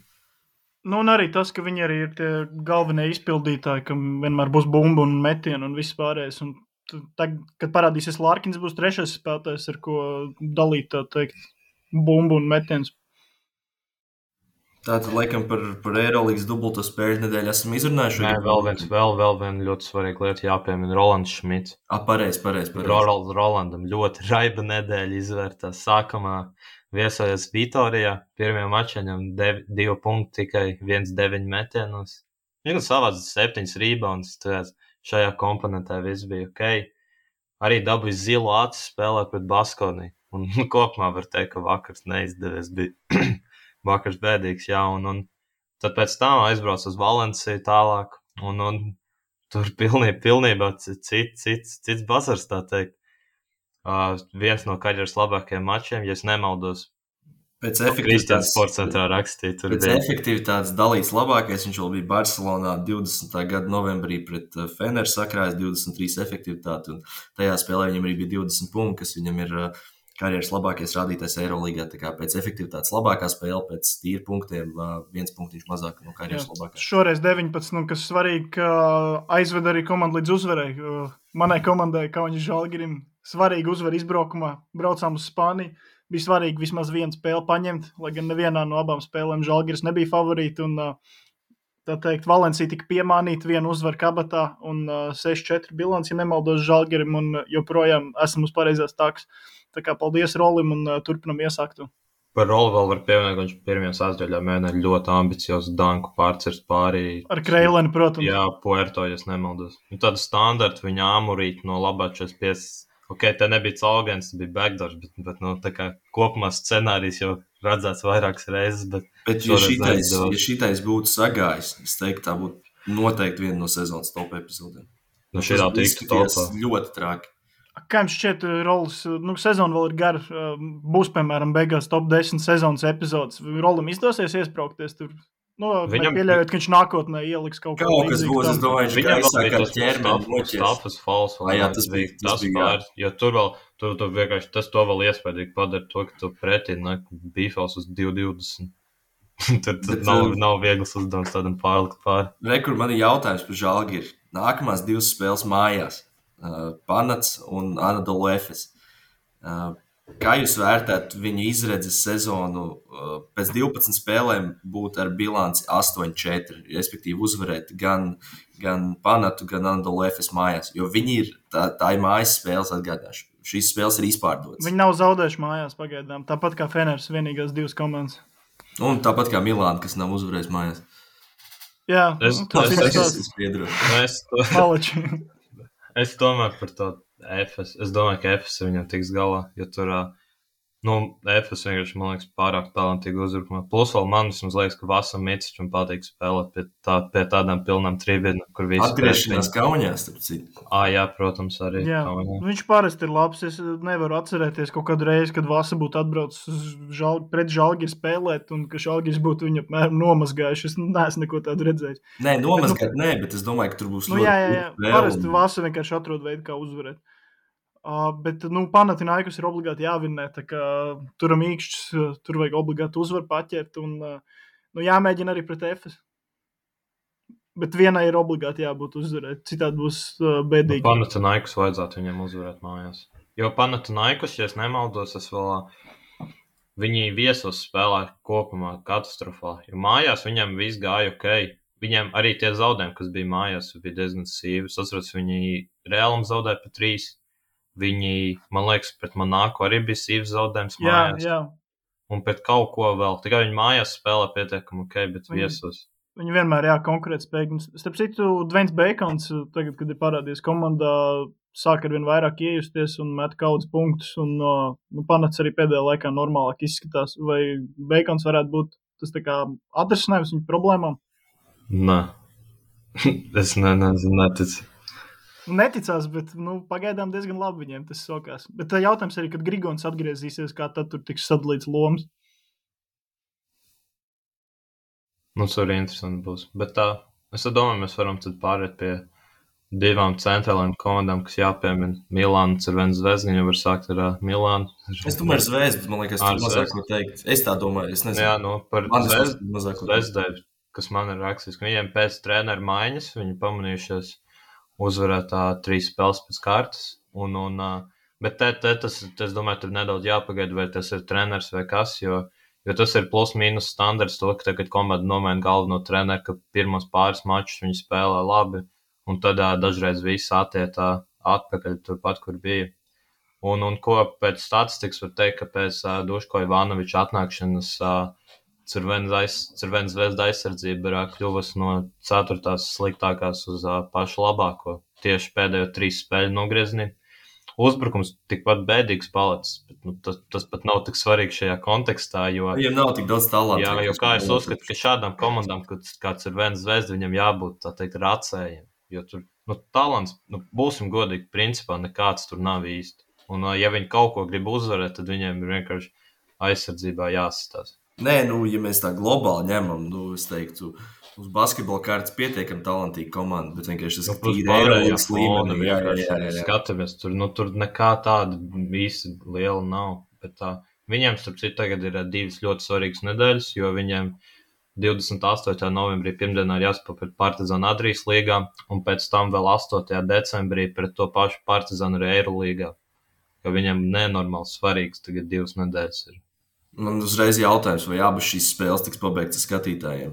Un arī tas, ka viņi arī ir tie galvenie izpildītāji, kam vienmēr būs bumba un metiena un viss pārējais. Un tad, kad parādīsies Larkins, būs 3. spēlētājs, ar ko dalīt, tā teikt, bumbu un metiens. Tātad, laikam, par Eirolīgas dubulto spēļu nedēļu esam izrunājuši. Nē, vēl viena ļoti svarīga lieta jāpiemina Rolands Šmits. Pareizi. Rolandam ļoti raiba nedēļa izvērtās. Sākumā viesojas Vitorijā, pirmajā mačā viņam 2 punkti, tikai 1,9 metienos. Viņš savāc 7 rebounds, šajā komponentē viss bija ok. Arī dabūja zilu acu spēlē pret Baskoniju. Un kopumā var teikt, ka vakars neizdevies bija. Vakars bēdīgs, jā, un tad pēc tam aizbrauc uz Valenciju tālāk, un tur pilnībā cits bazars, tā teikt. Viens no karjeras labākajiem mačiem, ja es nemaldos, Kristiāns sportcentrā rakstīja. Pēc efektivitātes dalīts labākais, viņš vēl bija Barcelonā 20. gada novembrī pret Feneru sakrājis 23 efektivitāti, un tajā spēlē viņam arī bija 20 punkti, kas viņam ir karjeras labākais rādītājs Eirolīgā, tā kā pēc efektivitātes labākā spēle, pēc tīri punktiem 1 punktiņš mazāk no karjeras labākā. Šoreiz 19, kas svarīgi, ka aizved arī komandu līdz uzvarai. Manai komandai, Kauņas Žalgirim, svarīgi uzvar izbraukumā, braucām uz Spāniju. Bija svarīgi vismaz vienu spēli paņemt, lai gan nevienā no abām spēlēm Žalgiris nebija favorīti, un tā teikt, Valencija tika piemānīta, vienu uzvaru kabatā, un 6-4 bilanci, ja nemaldos Žalgirim, un joprojām esam uz pareizās takas. Tā kā paldies Rolim un turpinam iesāktu. Par Rolu vēl var pievienot, ka viņš pirmajā sasdaļā mēģināja ļoti ambiciozu danku pārcirst pārī. Ar Kreileni, protams. Jā, Puerto, ja nemaldos. Un tādu standartu viņa āmurīt no labā 45 te nebija caurgājums, tas bija backdoors, bet tā kā kopumā scenārijs jau redzēts vairākas reizes. Bet ja šitais būtu sagājis, es teiktu, tā būtu noteikti viena no sezonas top epizodēm. Šitā tiktu topā. Ļoti traki. Kā jums šķiet, Rolis, sezona vēl ir gara, būs, piemēram, beigās top 10 sezonas epizodes. Rolim izdosies iespraukties tur? Viņam pieļaujot, ka viņš nākotnē ieliks kaut ko līdzīgu. Kaut kas būs, es domāju, viņš kā izsāk ar ķermeni noķers. Stafas fals. Jā, tas bija. Jo tur vienkārši tas to vēl iespējīgi padara to, ka tu pretī bīfals uz 2.20. Tur nav viegls uzdevums tādam pārlikt pāri. Kur man ir jautājums par Žalgiri. Nākamās 2 spēles mājās. Panats un Anadolu Efes. Kā jūs vērtētu viņu izredzes sezonu pēc 12 spēlēm būt ar bilanci 8-4, respektīvi uzvarēt gan Panatu, gan Anadolu Efes mājās, jo viņi ir tā ir mājas spēles atgādāšu. Šīs spēles ir izpārdotas. Viņi nav zaudējuši mājās pagaidām, tāpat kā Feners vienīgās 2 komandas. Un tāpat kā Milāna, kas nav uzvarējis mājās. Jā, Es domāju par to Efes. Es domāju, ka Efes viņam tiks galā, jo tur, Efes vienkārši, man liekas, pārāk talantīgi uzbrukumā. Plus vēl man vismaz liekas, ka Vasam Micičam patīk spēlēt pie tādām pilnām trībiem, kur visi atgriešanās Kaunijā, starp citu. Jā, protams, arī Kaunijā. Viņš parasti ir labs. Es nevaru atcerēties kaut kādu reizi, kad Vasa būtu atbraucis pret Žalgiri spēlēt un ka Žalgiris būtu viņu apmēram nomazgājuši. Es neesmu neko tādu redzējis. Nē, nomazgāt bet es domāju, ka tur būs jā. Parasti Vasa vienkārši atrod veidu, kā uzvarēt. Bet, Panathinaikos ir obligāti jāvinnē, tā kā turam īkšķis, tur vajag obligāti uzvaru paķert un, jāmēģina arī pret Efes. Bet vienai ir obligāti jābūt uzvarēt, citādi būs bēdīgi. Panathinaikos vajadzētu viņiem uzvarēt mājās. Jo Panathinaikos, ja es nemaldos, viņi viesos spēlē kopumā katastrofā, jo mājās viņiem viss gāja ok. Viņiem arī tie zaudējumi, kas bija mājās, bija diezgan sīvi. Es atceros, viņi Realam zaudēja pa 3. Viņi, man liekas, pret Monako arī bija sīvs zaudējums mājās. Jā. Un pret kaut ko vēl. Tikai viņi mājās spēlē pietiekami ok, bet viesos. Viņi vienmēr, konkrēt spēju. Starp citu, Dvains Beikons, tagad, kad ir parādījies komandā, sāk arvien vairāk iejusties un met kaudzes punktus. Un Panats arī pēdējā laikā normālāk izskatās. Vai Beikons varētu būt tas tā kā atrisinājums viņu problēmām? Nē. Es neticu. Neticās, bet pagaidām diezgan labi viņiem tas sokās. Bet jautājums arī, kad Grigons atgriezīsies, kā tad tur tiks sadalīts lomas? Tas arī interesanti būs. Bet es domāju, mēs varam tad pārēt pie 2 centrālajām komandām, kas jāpiemina. Milāna, Cervena Zvezda, viņi var sākt ar Milānu. Es domāju ar Zvezdu, man liekas, tur mazāk ko teikt. Es tā domāju, es nezinu. Jā, par Zvezdai, kas man ir rakstīts, ka viņiem pēc treneru maiņas, viņi pamanījušies uzvarēt 3 spēles pēc kārtas. Bet es domāju, tur nedaudz jāpagaida, vai tas ir treneris vai kas, jo tas ir plus mīnus standarts to, ka tagad komanda nomaina galveno treneru, ka pirmos pāris mačus viņi spēlē labi, un tad dažreiz viss attiet atpakaļ turpat, kur bija. Un ko pēc statistikas var teikt, ka pēc Duško Ivanoviča atnākšanas Cervena Zvezda aizsardzība ir kļuvusi no 4. sliktākās uz pašu labāko. Tieši pēdējo 3 spēļu nogriezienī. Uzbrukums tikpat bēdīgs palicis, bet tas pat nav tik svarīgi šajā kontekstā, jo... Viņam nav tik daudz talantu. Jā, jo kā es uzskatu, ka šādām komandām, kā Cervena Zvezda, viņam jābūt, tā teikt, racējiem. Jo tur, talants, būsim godīgi, principā nekāds tur nav īsti. Un ja viņi kaut ko grib uzvarēt, tad viņiem ir vienkārši aizsardzībā jāsastās. Nē, ja mēs tā globāli ņemam, es teiktu, uz basketbola kārtas pietiekami talantīga komanda, bet vienkārši tas tīri Eirolīgas līmenī. Jā. Skatāmies, tur nekā tāda īsti liela nav, bet viņiem, starp citu, tagad ir 2 ļoti svarīgas nedēļas, jo viņiem 28. novembrī pirmdienā ir jāspēlē pret Partizānu Adrijas līgā, un pēc tam vēl 8. decembrī pret to pašu Partizānu arī Eirolīgā, jo viņiem nenormāli svarīgas tagad 2 nedēļas ir. Man uzreiz jautājums, vai abas šīs spēles tiks pabeigtas skatītājiem?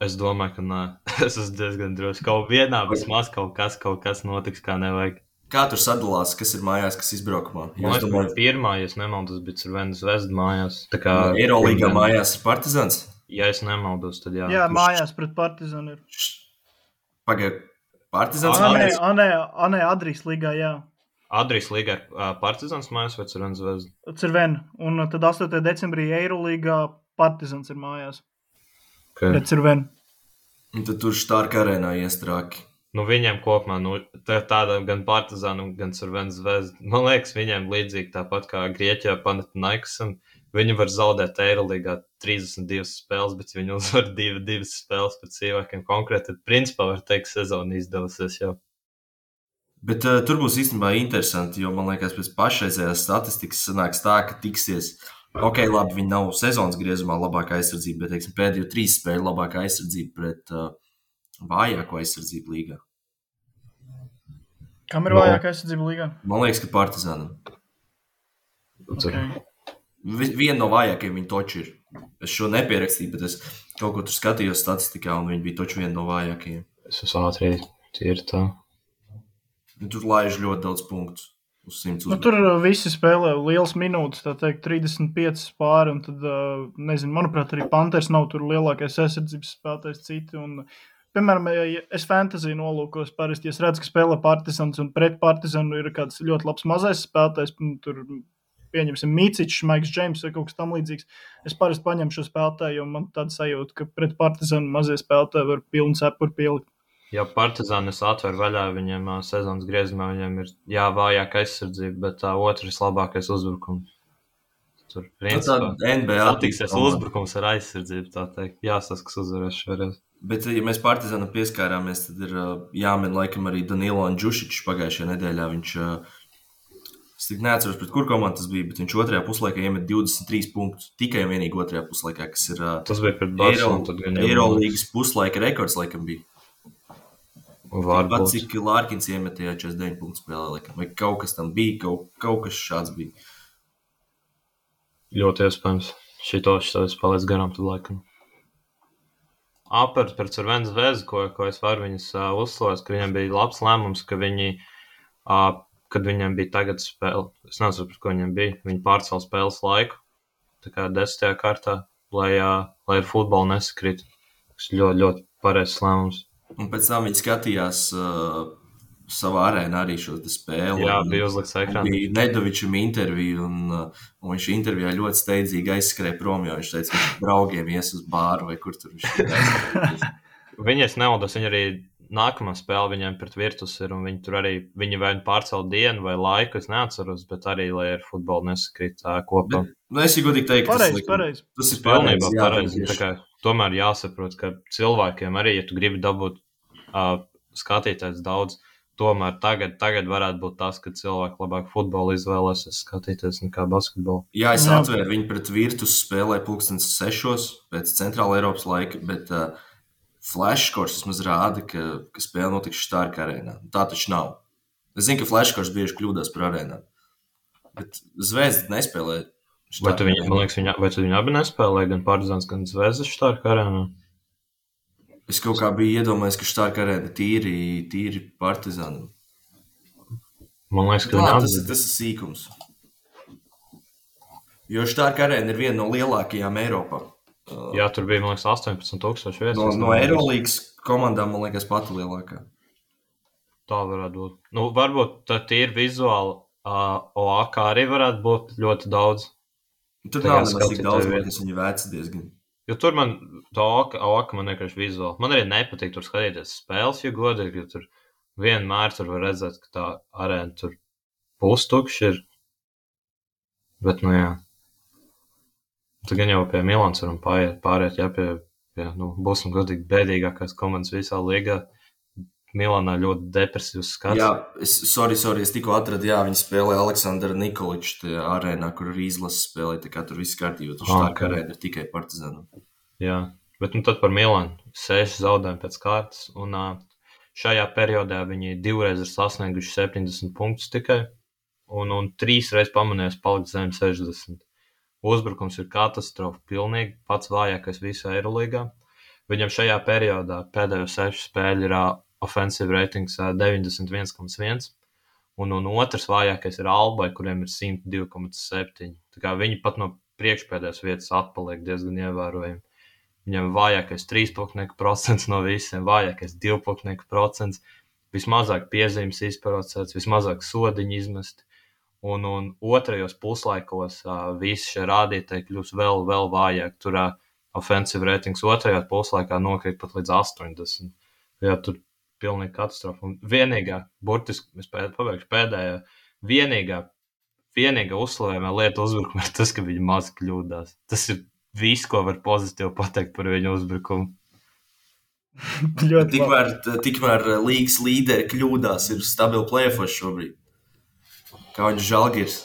Es domāju, ka nē. Es esmu diezgan droši. Kaut vienā vismaz kaut kas notiks, kā nevajag. Kā tur sadalās, kas ir mājās, kas izbraukumā? Man liekas, pirmā, ja es nemaldos, bija Cervena Zvezda mājās. Eirolīgā mājās ir Partizāns? Ja es nemaldos, tad jā. Jā, mājās pret Partizānu ir. Pagaid, Partizāns mājās? Nē, Adrijas līgā, jā. Adrijas līga ar Partizans mājās vai Cervena Zvezda? Cervena. Un tad 8. decembrī Eirolīgā Partizans ir mājās. Okay. Pret Cervenu. Un tad tur Štārka arēnā iestrāki. Viņiem kopumā, tāda gan Partizana, gan Cervena Zvezda. Man liekas, viņiem līdzīgi tāpat kā Grieķijā Panathinaikosam. Viņi var zaudēt Eirolīgā 32 spēles, bet viņi uzvar 2 spēles pēc cilvēkiem konkrēti. Tad principā var teikt, sezona izdevusies jau. Bet tur būs īstenībā interesanti, jo man liekas, pēc pašreizējās statistikas sanāks tā, ka tiksies. Ok, labi, viņi nav sezonas griezumā labākā aizsardzība, bet, teiksim, pēdējo 3 spēļu labākā aizsardzība pret vājāko aizsardzību līgā. Kam ir vājākā aizsardzība līgā? Man liekas, ka Partizanam. Okay. Viena no vājākajiem viņi toči ir. Es šo nepierakstīju, bet es kaut ko tur skatījos statistikā, un viņi bija toči viena no vājākajiem. Es esmu ātri, tie ir tā. Tur laiž ļoti daudz punktus uz 100 uzbrukumu. Tur visi spēlē liels minūtes, tā teikt, 35 pāri, un tad, nezinu, manuprāt, arī Panthers nav tur lielākais aizsardzības spēlētājs citi, un, piemēram, ja es fantasy nolūkos parasti, ja es redzu, ka spēlē Partizans, un pret Partizanu ir kāds ļoti labs mazais spēlētājs, tur, pieņemsim, Micičs, Maiks Džeims vai kaut kas tam līdzīgs, es parasti paņemu šo spēlētāju, jo man tāda sajūta, ka pret Partizanu mazie spēlētāji var pilnu cepuru pielikt. Ja Partizānis atver vaļā, viņiem sezonas griezumā, viņiem ir vājāka aizsardzība, bet otrs labākais uzbrukums. Tur principā satiksies uzbrukums ar aizsardzību, tā teikt. Jāsaskas uzvarēs šoreiz. Bet, ja mēs Partizānam pieskārāmies, tad ir jāmin laikam arī Danilo un Džušičs pagājušajā nedēļā. Viņš, es tik neatceros, pret kur komandu tas bija, bet viņš otrajā puslaikā iemet 23 punktus. Tikai un vienīgi otrajā puslaikā, kas ir tas bija pret Barcelonu. Eirolīgas puslaika rekords laikam bija. Pat cik Lārkins iemetījā 49 punktu spēlē, vai kaut kas tam bija, kaut kas šāds bija. Ļoti iespējams. Šito es palaidu garām tad laikam. Par Cervena Zvezdu, ko es varu viņas uzslavēt, ka viņiem bija labs lēmums, ka viņi, kad viņiem bija tagad spēle, es nezinu, par ko viņiem bija, viņi pārcēla spēles laiku, tā kā 10. kārtā, lai ar futbolu nesakrīt. Tas ļoti, ļoti pareizs lēmums. Un pēc tam viņi skatījās savā arēnā arī šo spēli. Jā, bija uzlikts ekrānā. Bija Nedovičam interviju, un viņš intervijā ļoti steidzīgi aizskrēja prom, jo viņš teica, ka viņš draugiem ies uz bāru vai kur tur viņš ir. Viņi, es nevaldos, viņi arī nākamā spēle viņiem pret Virtus ir, un viņi tur arī, viņi vai pārcēl dienu vai laiku, es neatceros, bet arī, lai ar futbolu nesakrīt kopā. Es godīgi teiktu, tas ir pilnībā pareizi. Tā kā tomēr jāsaprot, ka cilvēkiem arī, ja tu gribi dabūt skatītājs daudz, tomēr tagad varētu būt tas, ka cilvēki labāk futbolu izvēlēsies skatīties nekā basketbolu. Jā, es atvēru viņu pret Virtus spēlē 6:00 pēc Centrāla Eiropas laika, bet flashkors vismaz rāda, ka spēle notiks Štārka arēnā. Tā taču nav. Es zinu, ka flashkors bieži kļūdās par arēnām, bet Zvezda nespēlē. Vai tu viņi abi nespēlē, gan Partizans, gan Zvezda Štārka arēnā? Es kaut kā biju iedomājies, ka Štārka arēna tīri Partizanam. Man liekas, ka tas ir sīkums. Jo Štārka arēna ir viena no lielākajām Eiropā. Jā, tur bija, man liekas, 18,000 vietas. No Eirolīgas komandām, man liekas, pati lielākā. Tā varētu būt. Varbūt tā tīri vizuāli OAK arī varētu būt ļoti daudz. Tur nav nemaz tik daudz, kas viņi vēca diezgan. Jo tur man tā OAK man vienkārši vizuāli. Man arī nepatīk tur skatīties spēles, jo godīgi, jo tur vienmēr tur var redzēt, ka tā arēna tur pustukši ir. Bet, jā. Tad gan jau pie Milāns varam pāriet, pie būsim godīgi bēdīgākās komandas visā līgā. Milānā ļoti depresīvs skats. Jā, es tikko atradu, viņi spēlē Aleksandra Nikoliča arēnā, kur arī izlases spēlē, tā kā tur viss kārtībā, tur Štārka arēna ir tikai Partizanam. Jā, bet tad par Milānu 6 zaudējumi pēc kārtas, un šajā periodā viņi 2 reizes ir sasnieguši 70 punktus tikai, un 3 reizes pamanījās palikt zem 60. Uzbrukums ir katastrofa, pilnīgi pats vājākais visā Eirolīgā. Viņam šajā periodā pēdējo 6 spēļu ir offensive ratings 91,1, un otrs vājākais ir Albai, kuriem ir 102,7. Tā kā viņi pat no priekšpēdējās vietas atpaliek diezgan ievērojami. Viņam vājākais 3% no visiem, vājākais 2% vismazāk piezīmes izprocēts, vismazāk sodiņu izmest. Un otrajos puslaikos visi šie rādītāji kļūs vēl vājāk. Tur offensive ratings otrajā puslaikā nokrīt pat līdz 80. Jā, tur pilnīgi katastrofa. Un vienīgā, burtiski, es pabeigšu pēdējā, vienīgā uzslavējumā lieta uzbrukuma ir tas, ka viņi maz kļūdās. Tas ir viss, ko var pozitīvi pateikt par viņu uzbrukumu. Tikmēr līgas līderi kļūdās, ir stabili play-offs šobrīd. Kā viņš Žalgiris.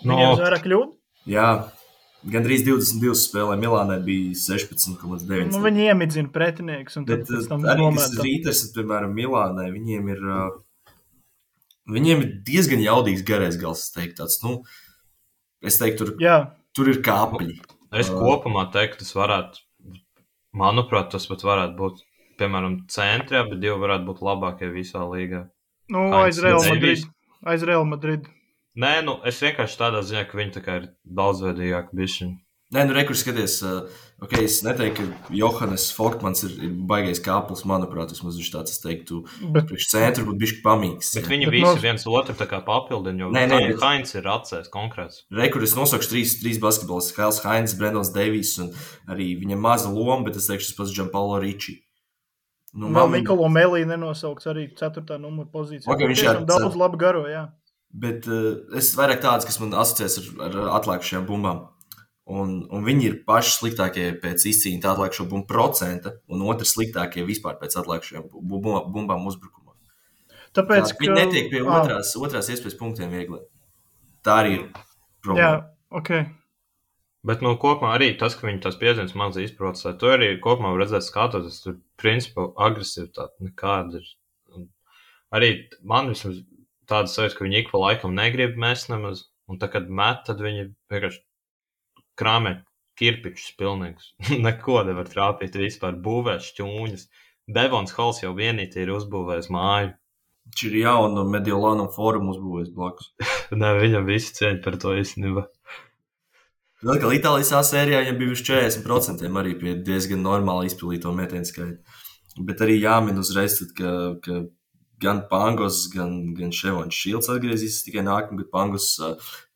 Viņiem vairāk kļūdu? Jā, gandrīz 22 spēlē, Milānai bija 16,9. Viņi iemidzina pretinieks. Bet arī tas Rīters, piemēram, Milānai, viņiem ir diezgan jaudīgs garais gals, es teiktu, tur ir kāpļi. Es kopumā teiktu, tas varētu, manuprāt, tas pat varētu būt, piemēram, centri, bet divi varētu būt labākie visā līgā. Aiz Real Madrid. Nē, es vienkārši tādā ziņā, ka viņi tā kā ir daudzveidīgāki bišķiņi. Nē, rekur skaties, es neteiktu, ka Johannes Folkmans ir baigais kāplis, manuprāt, vismaz viņš tāds, es teiktu, priekš centru būtu bišķi pamīgs. Bet viņi visi viens otru tā kā papildina, jo Hainz ir atcēs konkrēts. Rekur es nosaukšu trīs basketbolists, Hails Hainz, Brendons Deivijs un arī viņam maza loma, bet es teikšu, tas pats Gianpaolo Ricci. Nikolo Melī nenosaukts arī 4. numura pozīcijā. Tiešām daudz labi garo, jā. Bet es vairāk tāds, kas man asociēs ar atlēkušajām bumbām. Un viņi ir paši sliktākie pēc izcīņa atlēkušo bumbu procenta un otri sliktākie vispār pēc atlēkušajām bumbām uzbrukumā. Tāpēc, viņi netiek pie otrās iespējas punktiem viegli. Tā arī ir problēma. Jā, ok. Bet kopumā arī tas, ka viņi tās piezīmes maz izprocē, to arī kopumā var redzēt skatoties, tur principā agresivitāte nekāda ir. Arī man vismaz tāda sajūta, ka viņi ik pa laikam negrib mest nemaz, un tā, kad met, tad viņi vienkārši krāmē kirpičus pilnīgus. Neko nevar trāpīt vispār, būvē šķūņas. Devons Halls jau vienīgi ir uzbūvējis māju. Viņš ir jaunu Mediolānu forumu uzbūvējis blakus. Nē, viņam visi cieņi par to īstenībā. Vēl kā Itālijas sērijā viņam bija uz 40% arī pie diezgan normāli izpildīto metienu skaitu. Bet arī jāmin uzreiz, ka gan Pangos, gan Ševons Šilds atgriezīs tikai nākamgad Pangos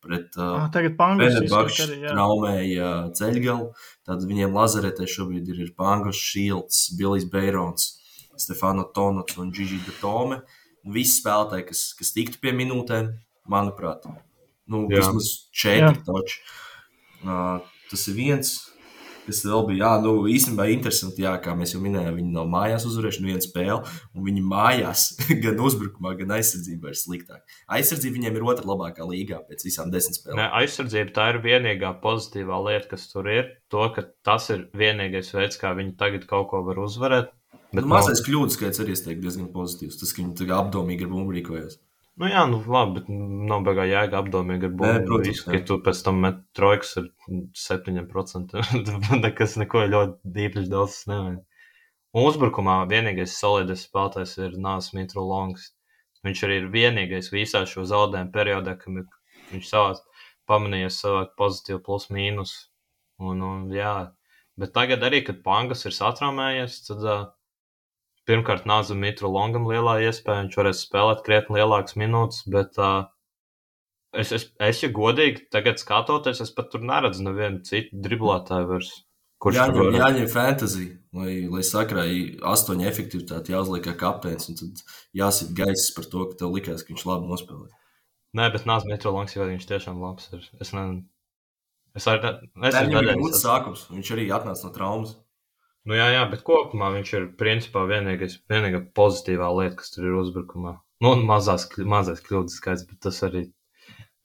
pret Fenerbahču traumēja ceļgalu. Tad viņiem lazaretē šobrīd ir Pangos, Šilds, Bilijs Beirons, Stefano Tonots un Gigi Datome. Visi spēlētāji, kas tiktu pie minūtēm, manuprāt. Vismaz 4 toči. Tas ir viens, kas vēl bija, īstenībā interesanti, kā mēs jau minējām, viņi nav mājās uzvarējuši vienu spēli, un viņi mājās gan uzbrukumā, gan aizsardzībā ir sliktāk. Aizsardzība viņiem ir otra labākā līgā pēc visām 10 spēlēm. Nē, aizsardzība tā ir vienīgā pozitīvā lieta, kas tur ir, to, ka tas ir vienīgais veids, kā viņi tagad kaut ko var uzvarēt. Mazais kļūdas skaits arī, es teiktu, diezgan pozitīvs, tas, ka viņi tagad apdomīgi ar bumbu rīkojas. Labi, bet nav beigā jēga apdomīgi ar bumbu. Ka tu pēc tam met trojkas ar 7%. Neko ļoti īpaši daudz nevajag. Un uzbrukumā vienīgais solidais spēlētājs ir Nācis Mitru Longs. Viņš arī ir vienīgais visā šo zaudējumu periodā, ka viņš pamanījies savāk pozitīvu plus mīnus. Bet tagad arī, kad Pangas ir satraumējies, tad pirmkārt Nāzam Mitru Longam lielā iespēja, viņš varēs spēlēt krietni lielākas minūtes, bet es ja godīgi tagad skatoties, es pat tur neredzu nevienu citu driblētāju vairs. Jāņem fantasy, lai sakrāja 8 efektivitāti jāuzliek kā kapteinis, un tad jāsit gaiss par to, ka tev likās, ka viņš labi nospēlē. Nē, bet Nāzam Mitru Longs jau viņš tiešām labs ir. Viņam ir gudrs sākums, viņš arī atnāca no traumas. Jā, bet kopumā viņš ir principā vienīgā pozitīvā lieta, kas tur ir uzbrukumā. Mazais kļūdas skaits, bet tas arī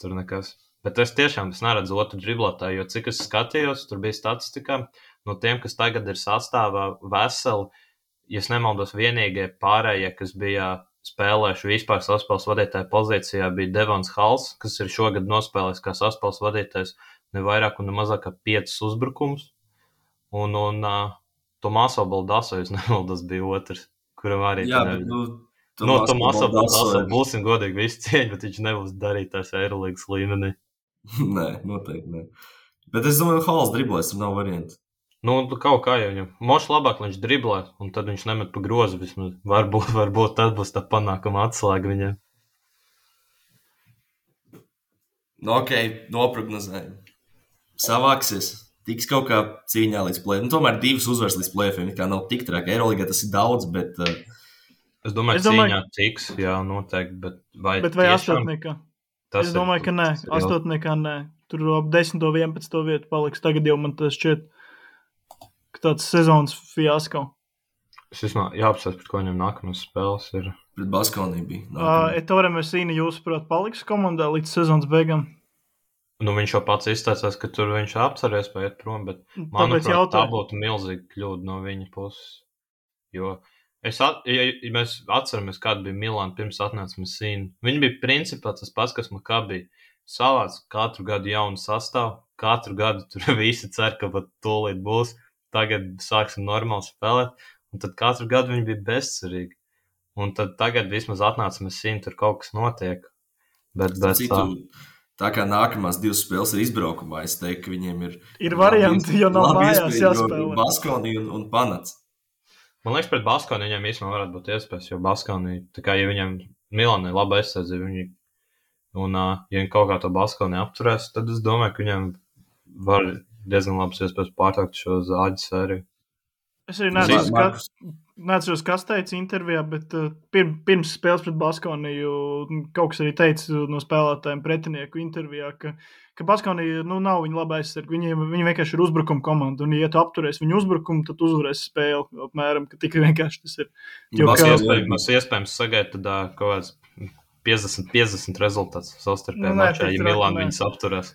tur nekas. Bet es neredzu otru driblētāju, jo cik es skatījos, tur bija statistikā, no tiem, kas tagad ir sastāvā veseli, ja es nemaldos vienīgie pārējie, kas bija spēlējuši vispār saspēles vadītāja pozīcijā, bija Devons Halls, kas ir šogad nospēlējis kā saspēles vadītājs ne vairāk un ne mazāk kā 5 uzbrukums. Un Tomaso Baldaso, jūs nemaldos, bija otrs, kuram arī Tomaso Baldaso, būsim godīgi visi cieņi, bet viņš nebūs darītājs Eirolīgas līmenī. Nē, noteikti nē. Bet es domāju, Halls driblēs, tur nav variantu. Nu, kaut kā jau viņam. Mošs labāk, viņš driblē, un tad viņš nemet pa grozu vismaz. Varbūt tad būs tā panākuma atslēga viņam. Nu, ok, noprognozējam. Savāksies. Tiks kaut kā cīņā līdz play. Nu, tomēr 2 uzvaras līdz play-offiem. Kā nav tik traki. Eiroligā tas ir daudz, bet... Es domāju, cīņā tiks, jā, noteikti. Bet vai astotniekā? Es domāju, ka nē. Astotniekā nē. Tur ap 10. 11. vietu paliks. Tagad jau man tas šķiet, ka tāds sezonas fiasko. Es vismaz jāapsver, pret ko viņam nākamās spēles ir. Pret Baskoniju bija. Ettore Messina, jūsuprāt, paliks komandā līdz sezonas beigām? Nu, viņš jau pats izteicās, ka tur viņš apceries paiet prom, bet manuprāt, tā būtu milzīga kļūda no viņa puses. Jo ja mēs atceramies, kāda bija Milāna pirms atnāca Messina. Viņi bija principā tas pats, kas Maccabi. Savāc katru gadu jaunu sastāvu, katru gadu tur visi cer, ka pat tūlīt būs. Tagad sāksim normāli spēlēt, un tad katru gadu viņi bija bezcerīgi. Un tad tagad vismaz atnāca Messina, tur kaut kas notiek. Bet tā kā nākamās 2 spēles ir izbraukumā, es teiktu, ka viņiem ir varianti, jo nav mājās jāspēlē. Baskonija un Panats. Man liekas, pret Baskoniju viņiem īstenībā varētu būt iespējas, jo Baskonija, tā kā ja viņiem Milānai laba aizsardzība, un ja viņi kaut kā to Baskoniju apturēs, tad es domāju, ka viņiem var diezgan labas iespējas pārtraukt šo zāģu sēriju. Es arī neatceros, kas teica intervijā, bet pirms spēles pret Baskoniju kaut kas arī teica no spēlētājiem pretinieku intervijā, ka Baskonija nav viņa laba aizsarga. Viņi vienkārši ir uzbrukuma komanda, un ja tu apturēs viņu uzbrukumu, tad uzvarēs spēli. Apmēram, ka tikai vienkārši tas ir. Mēs iespējams sagaidīt tad kaut kāds 50-50 rezultāts savstarpējā mačā, ja Milāna viņus apturēs.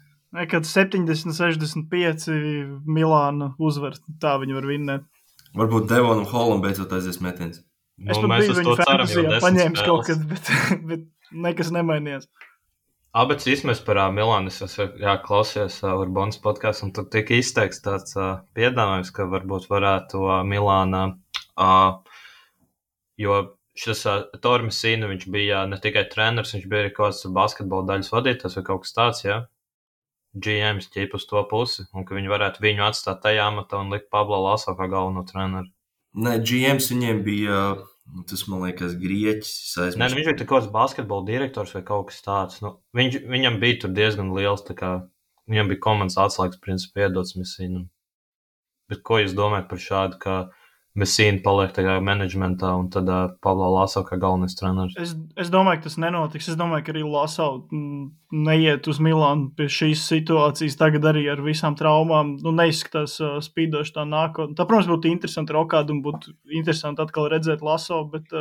Kad 70-65 Milāna uzvar, tā viņi var vinnēt. Varbūt Devonam Holam beidzot aizies metiens. Es pat biju viņu fantasijā paņēmis kaut kad, bet nekas nemainījās. Bet īstenībā par Milānu es klausījos Urbanas podcastu, un tur tika izteikts tāds piedāvājums, ka varbūt varētu Milāna, jo šis Ettore Messina, viņš bija ne tikai treneris, viņš bija arī kaut kāds basketbola daļas vadītājs vai kaut kas tāds, jā. GMs ķip uz to pusi, un ka viņi varētu viņu atstāt tajā amatā un likt Pablo Laso kā galveno treneru. Nē, GMs viņiem bija, tas man liekas, grieķis. Nē, viņš bija kaut kāds basketbola direktors vai kaut kas tāds. Viņam bija tur diezgan liels, tā kā viņam bija komandas atslēgas principā iedots Messinam. Bet ko jūs domājat par šādu, ka Messina paliek tajā menedžmentā un tad Pablo Laso kā galvenais treneris? Es domāju, ka tas nenotiks. Es domāju, ka arī Laso neiet uz Milānu pie šīs situācijas. Tagad arī ar visām traumām neizskatās spīdoši tā nākotnē. Tā, protams, būtu interesanti rokāt un būtu interesanti atkal redzēt Laso, bet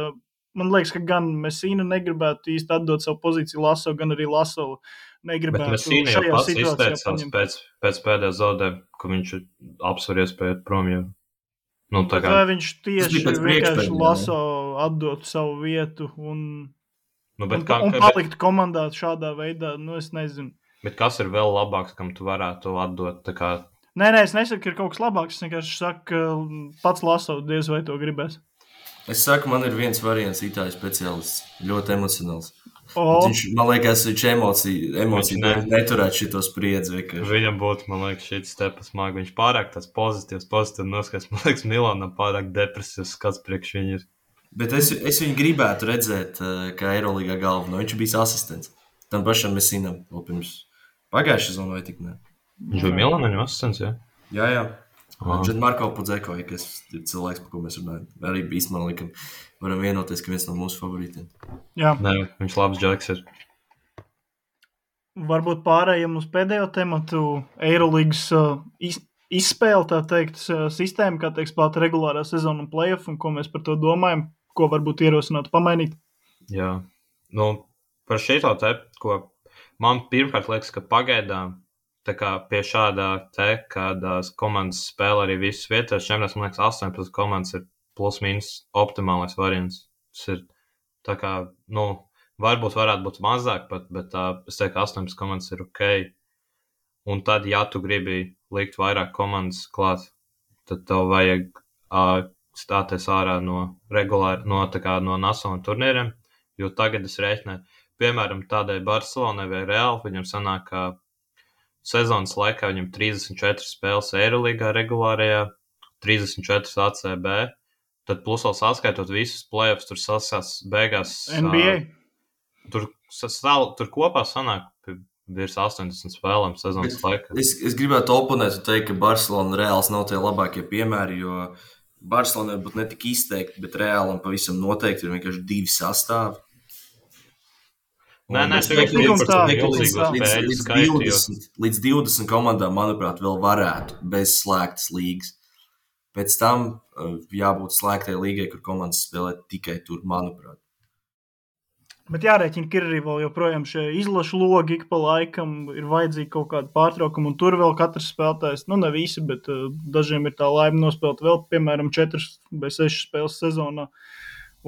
man liekas, ka gan Messina negribētu īsti atdot savu pozīciju Laso, gan arī Laso negribētu šajā situācijā. Bet Messina jau pats izteicās pēc pēdējā zaudējuma, ka viņš apsver iespēju prom jau. Vai viņš tieši vienkārši Laso atdot savu vietu un palikt komandā šādā veidā, es nezinu. Bet kas ir vēl labāks, kam tu varētu atdot? Nē, es nesaku, ka ir kaut kas labāks. Es vienkārši saku, ka pats Laso diez vai to gribēs. Es saku, man ir viens variants itāļu speciālists, ļoti emocionāls. Viņš, man liekas, viņš emociju neturētu šito spriedzi. Viņam būtu, man liekas, šī stepa smagi. Viņš pārāk tāds pozitīvs noskats. Man liekas, Milānam pārāk depresīvs skats priekš viņu ir. Bet es viņu gribētu redzēt, kā Eiroligā galveno. Viņš bija asistents. Tam pašam Messinam vēl pirms pagājušā sezonā vai tik ne. Viņš bija Milāna asistents, jā? Jā. Marko Pudzeko, kas ir cilvēks, par ko mēs runājam. Arī īstenībā likam, varam vienoties, ka viens no mūsu favorītiem. Jā. Nē, viņš labs džeks ir. Varbūt pārējiem uz pēdējo tematu Eirolīgas izspēle, tā teikt, sistēma, kā tiek spēlēta regulārā sezona un play-off, un ko mēs par to domājam, ko varbūt ierosinātu pamainīt. Jā. Par šito te, ko man pirmkārt liekas, ka pagaidām tā kā pie šādā kādās komandas spēle arī visas vietās, čempionāts, man liekas, 18 komandas ir plus-mínus optimālais variants. Tas ir tā kā, varbūt varētu būt mazāk pat, bet es teiktu, ka 18 komandas ir ok. Un tad, ja tu gribi likt vairāk komandas klāt, tad tev vajag stāties ārā no nacionālajiem turnīriem, jo tagad es rēķināju, piemēram, tādai Barcelonai vai Real, viņam sanāk, ka sezonas laikā viņam 34 spēles Eirolīgā regulārajā, 34 ACB, tad plus vēl saskaitot visus playoffs, tur sasās beigās. NBA. Tur kopā sanāk virs 80 spēlēm sezonas laikā. Es gribētu oponēt un teikt, ka Barcelona Reāls nav tie labākie piemēri, jo Barcelona būtu ne tik izteikti, bet Reālam pavisam noteikti ir vienkārši divi sastāvi. Nē, es domāju, ka līdz 20 komandām, manuprāt, vēl varētu bez slēgtas līgas. Pēc tam jābūt slēgtai līgai, kur komandas spēlē tikai tur, manuprāt. Bet jārēķina, ka ir arī vēl joprojām šie izlašu logi, ik pa laikam ir vajadzīgi kaut kāda pārtraukuma, un tur vēl katrs spēlētājs, ne visi, bet dažiem ir tā laime nospēlēt vēl, piemēram, 4 vai 6 spēles sezonā.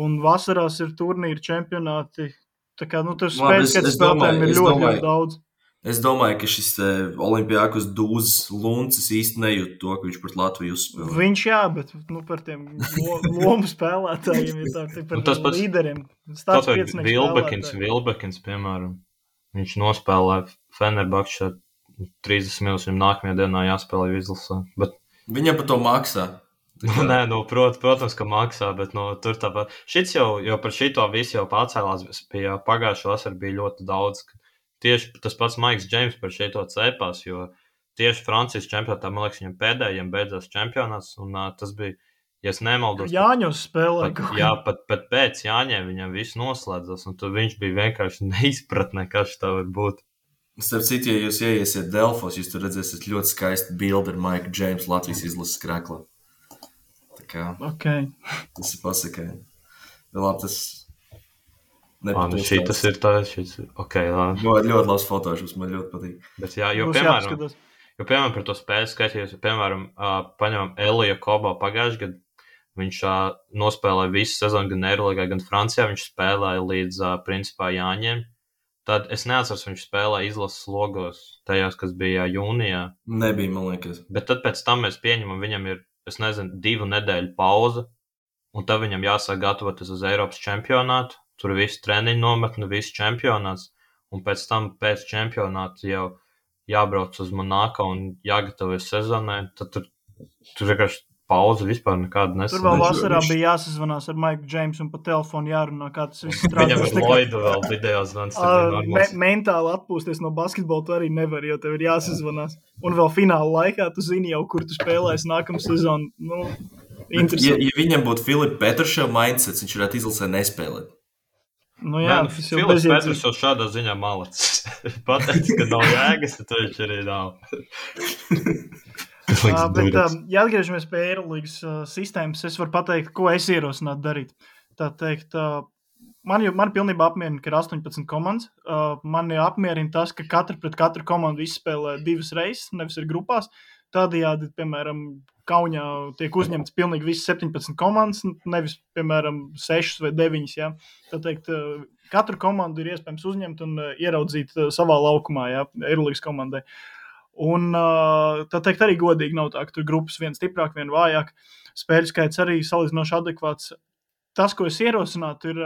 Un vasarās ir turnīri, čempionāti. Tā kā, tur spēles, kad spēlētājiem ir ļoti daudz. Es domāju, ka šis Olimpiakos Dūzes Luncis īsti nejūt to, ka viņš pret Latviju uzspēlē. Viņš bet par tiem lomu spēlētājiem ir tā, par līderiem. Tas vai Vilbekins, piemēram. Viņš nospēlē Fenerbahčā 30 minūtes, viņam nākamajā dienā jāspēlē izlasē. Bet... Viņam par to maksā. Nē, protams, ka maksā, bet tur tāpat. Šits jau par šito visu jau pacēlās, pie pagājušā vasara bija ļoti daudz. Tieši tas pats Maiks Džeims par šito cepās, jo tieši Francijas čempionātā, man liekas, viņam pēdējiem beidzās čempionāts, un tas bija, ja es nemaldos... Jāņos spēlē. Pat pēc Jāņiem viņam viss noslēdzās, un tur viņš bija vienkārši neizpratnē, kas tā var būt. Starp citu, ja jūs ieiesiet Delfos, jūs tur redzēsiet ļoti skaistu bildi ar Maiku Džeims Latvijas izlases krēklā. Tā kā... Okay. Tas ir pasakaini. Labi, tas... Šitas ir tā, ļoti labs fotošus, man ļoti patīk. Bet jo piemēram par to spēles skaitījos, piemēram, paņemam Elija Kobo pagājuši gadu, viņš nospēlēja visu sezonu gan Eirolīgā, gan Francijā, viņš spēlēja līdz principā Jāņiem. Tad es neatceros, viņš spēlēja izlases logos tajās, kas bija jūnijā. Nebija, man liekas. Bet tad pēc tam mēs pieņemam, viņam ir, 2 nedēļu pauza, un tad viņam jāsāk gatavoties uz Eiropas čempionātu. Tur viss treniņu nometne, viss čempionāts, un pēc tam pēc čempionāta jau jābrauc uz Monako un jāgatavojas sezonai, tad tur vienkārši pauze vispār nekāda nesanāca. Tur vēl vasarā bija jāsazvanās ar Maiku Džeimsu un pa telefonu jārunā, kā tas viss strādā. Viņam ir Loidu vēl video zvans. Mentāli atpūsties no basketbola tu arī nevar, jo tev ir jāsazvanās. Un vēl fināla laikā tu zini jau, kur tu spēlēsi nākamu sezonu. Interesanti. Ja viņam būtu Filipa Petrševa mindsets, viņš varētu izlasē nespēlēt. Filips Petrs jau šādā ziņā malacis. Pateicis, ka nav jēgas, tad viņš arī nav. Bet, ja atgriežamies pie Eirolīgas sistēmas, es varu pateikt, ko es ierosinātu darīt. Tā teikt, man pilnībā apmierina, ka ir 18 komandas. Man apmierina tas, ka pret katru komandu izspēlē 2 reizes, nevis ir grupās. Tādējādi, piemēram, Kaunijā tiek uzņemts pilnīgi visas 17 komandas, nevis, piemēram, 6 vai 9. Ja? Tā teikt, katru komandu ir iespējams uzņemt un ieraudzīt savā laukumā, ja? Eirolīgas komandai. Un tā teikt, arī godīgi nav tā, ka tur grupas viena stiprāk, viena vājāk. Spēļu skaits arī salīdzinoši adekvāts. Tas, ko es ierosinātu, ir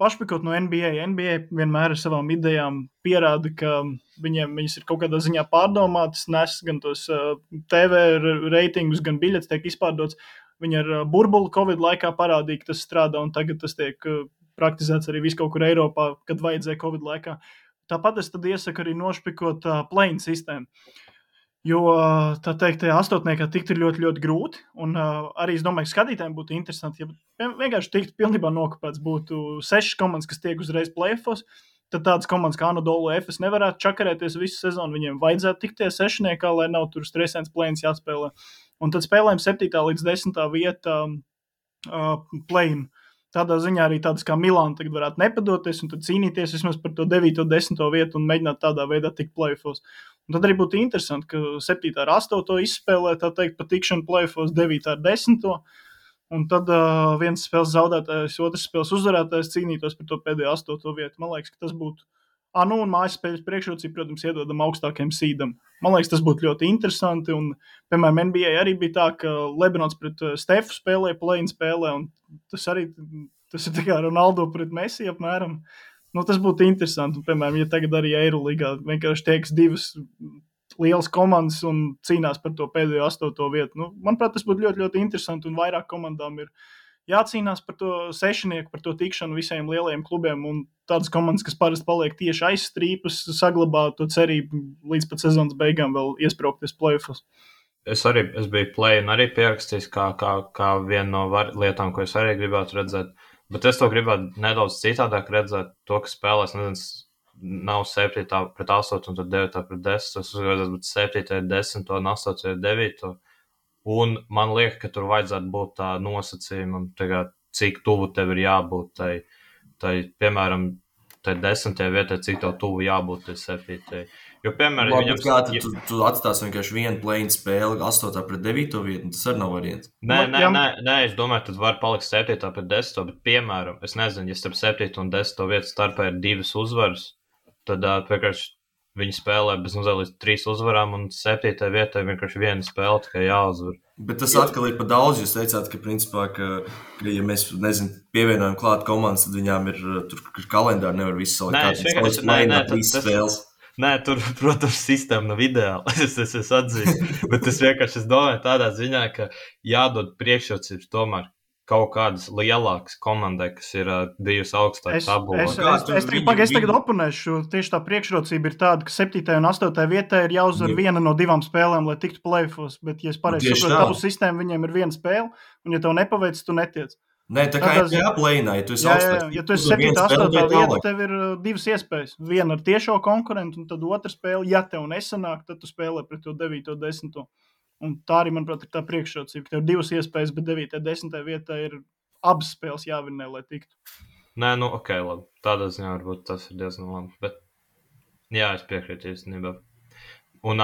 pašpikot no NBA. NBA vienmēr ar savām idejām pierāda, ka viņas ir kaut kādā ziņā pārdomātas, nes gan tos TV reitingus, gan biļetes tiek izpārdots. Viņi ar burbuli Covid laikā parādīja, ka tas strādā, un tagad tas tiek praktizēts arī visu kaut kur Eiropā, kad vajadzēja Covid laikā. Tāpat es tad iesaku arī nošpikot play-in sistēmu. Jo, tā teikt, astotniekā tikt ir ļoti, ļoti grūti, un arī es domāju, ka skatītājiem būtu interesanti, ja vienkārši tikt pilnībā nokopēts būtu 6 komandas, kas tiek uzreiz play-offos, tad tādas komandas kā Anadolu Efes nevarētu čakarēties visu sezonu, viņiem vajadzētu tikt tie sešniekā, lai nav tur stresēns play-ins jāspēlē. Un tad spēlējam 7. līdz 10. vieta play-in. Tādā ziņā arī tādas kā Milāna tagad varētu nepadoties un tad cīnīties vismaz par to 9. un 10. vietu un mēģināt tādā veidā tikt play-offos. Un tad arī būtu interesanti, ka 7. ar 8. izspēlē, tā teikt, pa tikšanu play-offos 9. ar 10. Un tad viens spēles zaudētājs, otrs spēles uzvarētājs cīnītos par to pēdējo 8. vietu. Man liekas, ka tas būtu... un mājas spēļas priekšrocība, protams, iedodam augstākiem seedam. Man liekas, tas būtu ļoti interesanti. Un, piemēram, NBA arī bija tā, ka Lebrons pret Stefu spēlēja, play-in spēlē, un tas ir tā kā Ronaldo pret Messi apmēram. Tas būtu interesanti. Un, piemēram, ja tagad arī Eirolīgā vienkārši tieks 2 lielas komandas un cīnās par to pēdējo 8. vietu. Nu, manuprāt, tas būtu ļoti, ļoti interesanti, un vairāk komandām ir jācīnās par to sešnieku, par to tikšanu visiem lielajiem klubiem, un tādas komandas, kas parasti paliek tieši aiz strīpas, saglabā to cerību līdz pat sezonas beigām vēl iesprāgties play-offos. Es biju play un arī pierakstījis kā vienu no lietām, ko es arī gribētu redzēt, bet es to gribētu nedaudz citādāk redzēt, to, ka spēlēs, nav 7. pret 8 un tad 9. pret 10. Es uzskatu, bet 7. ir 10 un 8. ir 9. Un man liekas, ka tur vajadzētu būt tā nosacījuma, cik tuvu tev ir jābūt tai piemēram, tai 10. vietai, cik tev tuvu jābūt tai 7. Jo, piemēram, Labi, tu atstāsi vienkārši vienu play-in spēli 8. pret 9. vietu, tas arī nav variants. Nē, es domāju, tad var palikt 7. pret 10. Bet, piemēram, es nezinu, ja starp 7. un 10. vietu starpā ir 2 uzvaras, tad vienkārši viņi spēlē bez līdz 3 uzvarām, un 7. vietā vienkārši viena spēle tikai jāuzvar. Bet tas atkal ir pa daudz. Jūs teicāt, ka, principā, ka ja mēs, pievienojam klāt komandas, tad viņām ir tur kalendāri, nevar visu spēles. Nē, tur, protams, sistēma nav ideāla. Es atzīstu, bet es vienkārši domāju tādā ziņā, ka jādod priekšrocības tomēr kaut kādas lielākas komandai, kas ir bijusi augstāk tabulā. Es tagad oponēšu. Tieši tā priekšrocība ir tāda, ka 7. un 8. vietā ir jāuzvar viena no 2 spēlēm, lai tiktu play-offos. Bet, ja es pareizi saprotu, tavu sistēmu, viņiem ir 1 spēle, un ja tev nepaveic, tu netiec. Nē, tā kā ir jāplēnā, ja tu esi augstāk. Ja tu esi 7. 8. vietā, tev ir 2 iespējas. Viena ar tiešo konkurentu, un tad otra spēle. Ja tev nesanāk, tad tu spēlē pret to 9. 10. Un tā arī, manuprāt, ir tā priekšrocība, ka tev ir 2 iespējas, bet 9. 10. vietā ir abas spēles jāvinnē, lai tiktu. Nē, ok, labi. Tādā ziņā varbūt tas ir diezgan labi. Bet, jā, es piekrītu īstenībā. Un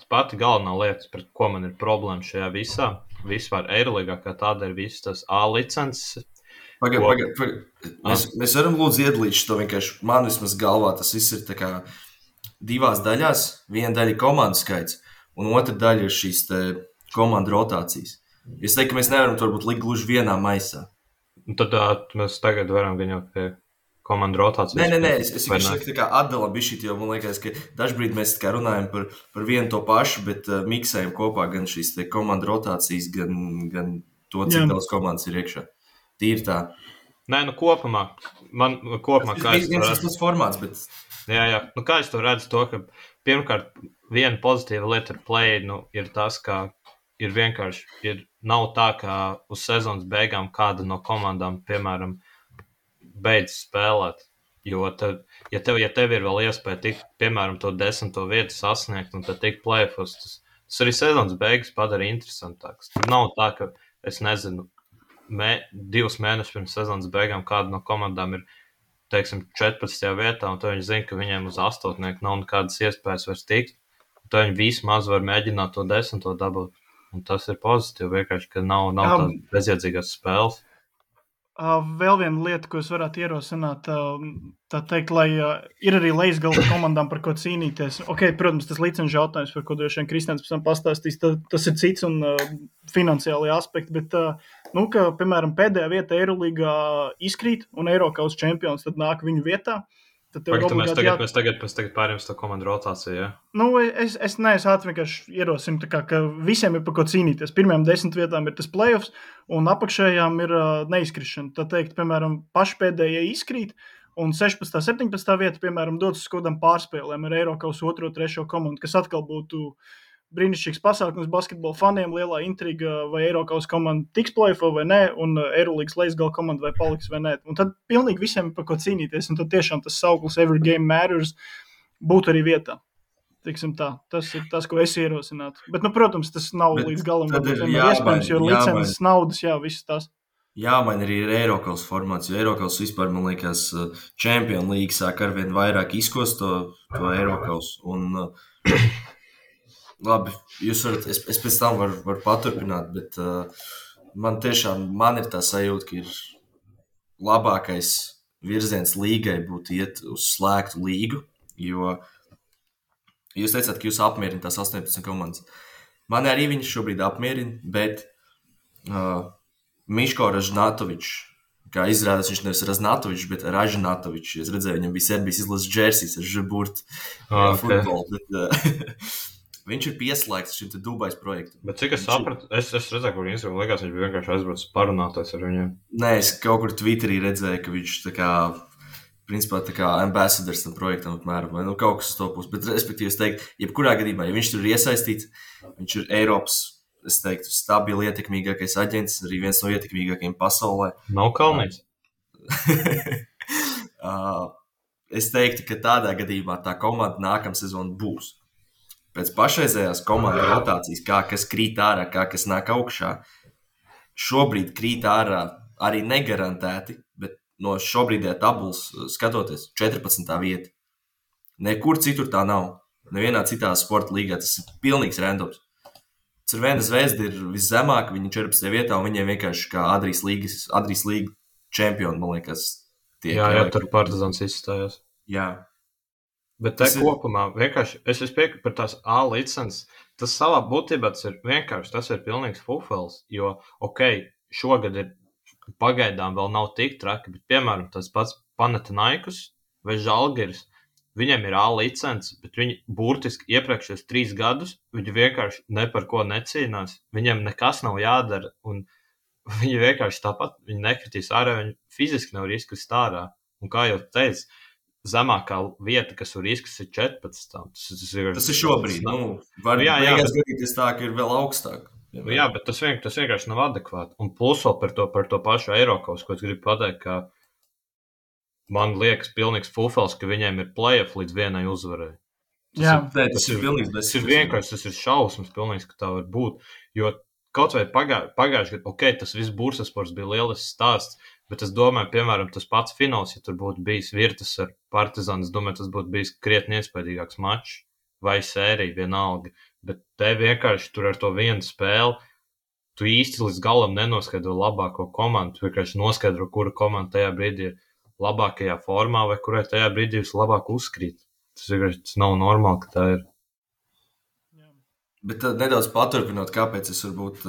pati galvenā lieta, pret ko man ir problēma šajā visā, vispār Eirolīgā, kā tāda ir visas tas A licences. Mēs varam lūdzu iedalīt to vienkārši. Man vismaz galvā tas viss ir tā kā 2 daļās. Viena daļa ir komandu skaits. Un otra daļa ir šīs komandu rotācijas. Es teiktu, ka mēs nevaram to varbūt likt gluži vienā maisā. Un tad mēs tagad varam gan jau pie komandu rotācijas. Nē, es vienkārši atdalam bišķīt, jo man liekas, ka dažbrīd mēs runājam par vienu to pašu, bet miksējam kopā gan šīs komandu rotācijas, gan to, cik daudz komandas ir iekšā. Tīri tā. Nē, kopumā kā es to redzu. Tas formāts, bet... Jā. Kā es to redzu to, ka pirmkārt, viena pozitīva lieta ar play, ir tas, ka ir vienkārši, nav tā, ka uz sezonas beigām kāda no komandām, piemēram, beidz spēlēt. Jo ja tev ir vēl iespēja tikt, piemēram, to 10. vietu sasniegt un tad tikt play-offos, tas arī sezonas beigas padara interesantāks. Tur nav tā, ka, es nezinu, 2 mēnešus pirms sezonas beigām kāda no komandām ir, teiksim, 14. vietā, un tad viņi zina, ka viņiem uz 8. nav nekādas iespējas vairs tikt. Tad viņi vismaz var mēģināt to 10. dabūt. Un tas ir pozitīvi, vienkārši, ka nav tādas bezjēdzīgās spēles. Vēl viena lieta, ko es varētu ierosināt, tā teikt, lai ir arī lejas-galda komandām par ko cīnīties. Ok, protams, tas licenču jautājums, par ko droši vien Kristians pēc tam pastāstīs, tas ir cits un finansiāli aspekti, bet, ka, piemēram, pēdējā vieta Eirolīgā izkrīt un Eirokaus čempions tad nāk viņu vietā. Mēs tagad pārējām to komandu rotāciju, jā? Es ātri vienkārši ierosinu, ka visiem ir par ko cīnīties. Pirmajām 10 vietām ir tas playoffs, un apakšējām ir neizkrišana. Tā teikt, piemēram, pašpēdējie izkrīt, un 16. 17. vieta, piemēram, dodas uz kodam pārspēlēm ar Eirokaus 2. 3. komandu, kas atkal būtu brīnišķīgs pasākums basketbola faniem, lielā intriga, vai Eirokaus komanda tiks play-offā vai nē, un Eirolīgas lejas-galda komanda vai paliks vai nē. Un tad pilnīgi visiem ir par ko cīnīties, un tad tiešām tas sauklis Every Game Matters būtu arī vietā. Tiksim tā, tas ir tas, ko es ierosinātu. Bet, protams, tas nav līdz galam iespējams, jo licences, naudas, viss tas. Man arī ir Eirokaus formāts, jo Eirokaus vispār, man liekas, Champions League sāk arvien vairāk izkost to Eirokaus, un... Labi, jūs varat, es pēc tam varu paturpināt, bet man ir tā sajūta, ka ir labākais virziens līgai būtu iet uz slēgtu līgu, jo jūs teicāt, ka jūs apmierina tās 18 komandas. Man arī viņš šobrīd apmierina, bet Miško Ražnatovičs, kā izrādās, viņš nevis Ražnatovičs, bet Ražnatovičs. Es redzēju, viņam bija Serbijas izlases džersijas ar žeburtu futbolu, bet... Viņš ir pieslēgts šim te Dubais projektam. Bet cik es sapratu, es redzēju, kur Instagram likās, viņš bija vienkārši aizbraucis parunāties ar viņiem. Nē, es kaut kur Twitterī redzēju, ka viņš tā kā, principā tā kā ambassadors tam projektam apmēram, vai kaut kas uz to pusi. Bet, respektīvi, es teiktu, jebkurā gadījumā, ja viņš tur ir iesaistīts, viņš ir Eiropas, es teiktu, stabili ietekmīgākais aģents, arī viens no ietekmīgākajiem pasaulē. Nav Kalnīts. Es teiktu, ka tādā gadījumā tā komanda nākamā sezona būs. Pēc pašreizējās komandas rotācijas, kā kas krīt ārā, kā kas nāk augšā, šobrīd krīt ārā arī negarantēti, bet no šobrīdējā tabulas skatoties 14. vieta. Nekur citur tā nav. Nevienā citā sporta līgā tas ir pilnīgs randoms. Cervena Zvezda ir viszemāk, viņi 14. vietā, un viņiem vienkārši kā Adrijas līga čempioni, man liekas, tiek. Jā, tur Partizans izstājās. Jā. Bet te kopumā vienkārši, es piekrītu par tās A licences, tas savā būtībā tas ir vienkārši, tas ir pilnīgs fufels, jo, šogad ir pagaidām vēl nav tik traki, bet, piemēram, tas pats Panathinaikos vai Žalgiris, viņiem ir A licence, bet viņi burtiski iepriekšējos 3 gadus, viņi vienkārši ne par ko necīnās, viņiem nekas nav jādara, un viņi vienkārši tāpat, viņi nekritīs ārā, viņi fiziski nevar izkrist ārā, un kā jau teicu, zemākā vieta, kas var izkrist, ir 14. Tas ir šobrīd. Var gadīties tā, ka ir vēl augstāk. Jā, bet tas vienkārši nav adekvāti. Un plus vēl par to pašu Eirokaus, ko es gribu pateikt, ka man liekas pilnīgs fufels, ka viņiem ir play-off līdz vienai uzvarai. Tas ir pilnīgs. Tas ir vienkārši, tas ir šausmas pilnīgs, ka tā var būt. Jo kaut vai pagājuši gadu, tas viss Bursasports bija lielisks stāsts, bet es domāju, piemēram, tas pats fināls, ja tur būtu bijis Virtus ar Partizanu, es domāju, tas būtu bijis krietni iespaidīgāks mačs vai sērija vienalga. Bet te vienkārši tur ar to vienu spēli, tu īsti līdz galam nenoskaidro labāko komandu, tu vienkārši noskaidro, kura komanda tajā brīdī ir labākajā formā vai kurai tajā brīdī vislabāk uzkrīt. Tas nav normāli, ka tā ir. Bet nedaudz paturpinot, kāpēc es varbūt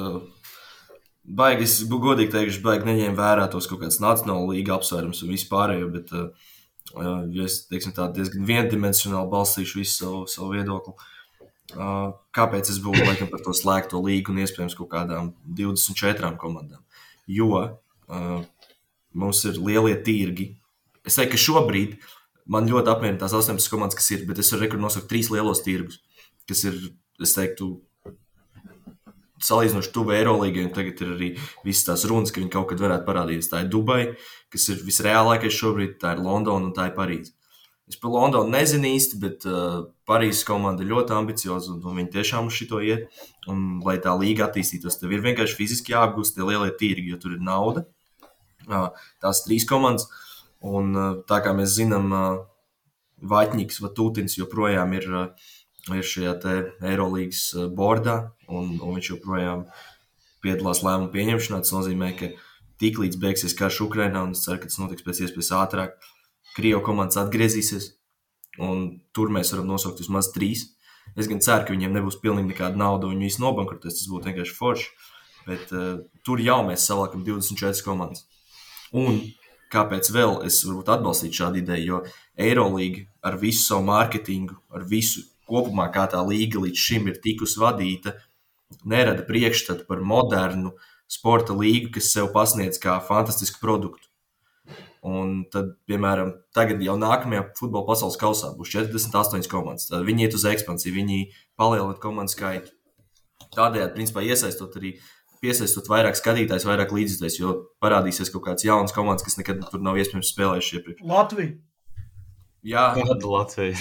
baigi, es godīgi teikšu, baigi neņēmu vērā tos kaut kāds nacionāla līga apsvērums un vispārējo, bet ja es, teiksim tā, diezgan viendimensionāli balstīšu visu savu viedokli, kāpēc es būtu laikam par to slēgto līgu un iespējams kaut kādām 24 komandām. Jo mums ir lielie tirgi. Es teiktu, ka šobrīd man ļoti apmierina tās 18 komandas, kas ir, bet es varu nosaukt 3 lielos tirgus, kas ir, es teiktu, salīdzinoši tuvu Eirolīgai, un tagad ir arī visas tās runas, ka viņi kaut kad varētu parādīties. Tā ir Dubai, kas ir visreālākais šobrīd, tā ir Londona un tā ir Parīze. Es par Londonu nezinu īsti, bet Parīzes komanda ir ļoti ambicioza, un viņi tiešām uz šito iet. Un, lai tā līga attīstītos, tev ir vienkārši fiziski jāapgūst tie lielie tirgi, jo tur ir nauda. Tās 3 komandas, un tā kā mēs zinām, Vaļņiks vai Tūtins joprojām ir šajā te Eirolīgas bordā, un viņš joprojām piedalās lēmumu pieņemšanā. Tas nozīmē, ka tiklīdz beigsies karš Ukrainā, un es ceru, ka tas notiks pēc iespējas ātrāk, Krievu komandas atgriezīsies, un tur mēs varam nosaukt vismaz 3. Es gan ceru, ka viņiem nebūs pilnīgi nekāda nauda, un viņi visi nobankrotēs, tas būtu vienkārši forši, bet tur jau mēs savākam 24 komandas. Un kāpēc vēl es varbūt atbalstītu šādu ideju, jo Eirolīga ar visu savu mārketingu, ar visu kopumā, kā tā līga līdz šim ir tikusi vadīta, nerada priekšstatu par modernu sporta līgu, kas sev pasniedz kā fantastisku produktu. Un tad, piemēram, tagad jau nākamajā futbola pasaules kausā būs 48 komandas. Tad viņi iet uz ekspansiju, viņi palielina komandu skaitu. Tādējādi, principā, piesaistot vairāk skatītājs, vairāk līdzjutējs, jo parādīsies kaut kāds jauns komandas, kas nekad tur nav iespējams spēlējuši iepriekš. Latvija. Jā. Kāda Latvija?